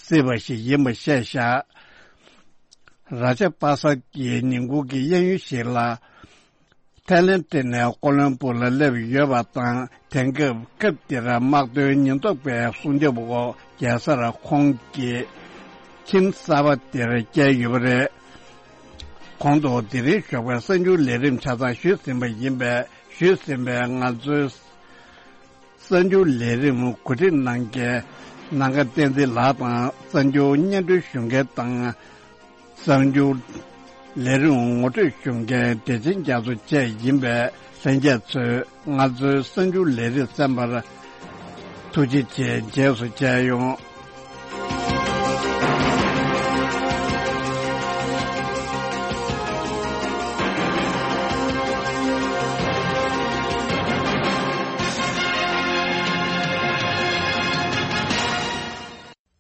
སྲིད་པ་ཞིག་ཡིན་པ་བཤད་བཞག་རཱ་ཇ་པ་ས་ཀྱིས་ཉིན་གུང་གི་གཡས་གཡོན་ཞིག་ལ་ཐའི་ལེན་ཏི་ནས་ཀོ་ལོན་སྦུག་ལ་སླེབས་ཡོད་པ་དང་། དེང་སྐབས་སྐབས་འདིར་དམག་དོན་ཉེན་རྟོག་པའི་སྲུང་སྐྱོབ་འོག་རྒྱལ་སར་ཁོང་གི་ཁྱིམ་གསར་པ་དེར་བསྐྱལ་ཡོད་པ་རེད། གོང་དུ་དེ་རིང་ཞོགས་པའི་གསར་འགྱུར་ལས་རིམ་ཆ་ཚང་ཞུས་ཟིན་པ་ཡིན་པས། ཞུས་ཟིན་པའི་ང་ཚོའི་ གསར་འགྱུར་ལས་རིམ་གོ་སྒྲིག་གནང་མཁན་ནམ་མཁའ་བསྟན་འཛིན་ལགས་དང་། གསར་འགྱུར་སྙན་སྒྲོན་ཞུ་མཁན་དང་། གསར་འགྱུར་ལས་རིམ་ངོ་སྤྲོད་ཞུ་མཁན་བདེ་ཆེན་རྒྱ་མཚོ་བཅས་ཡིན་པས། ལྷན་རྒྱས་ཚོས་ང་ཚོའི་གསར་འགྱུར་ལས་རིམ་གསན་པར་ཐུགས་རྗེ་ཆེ། རྗེས་སུ་མཇལ་ཡོང་།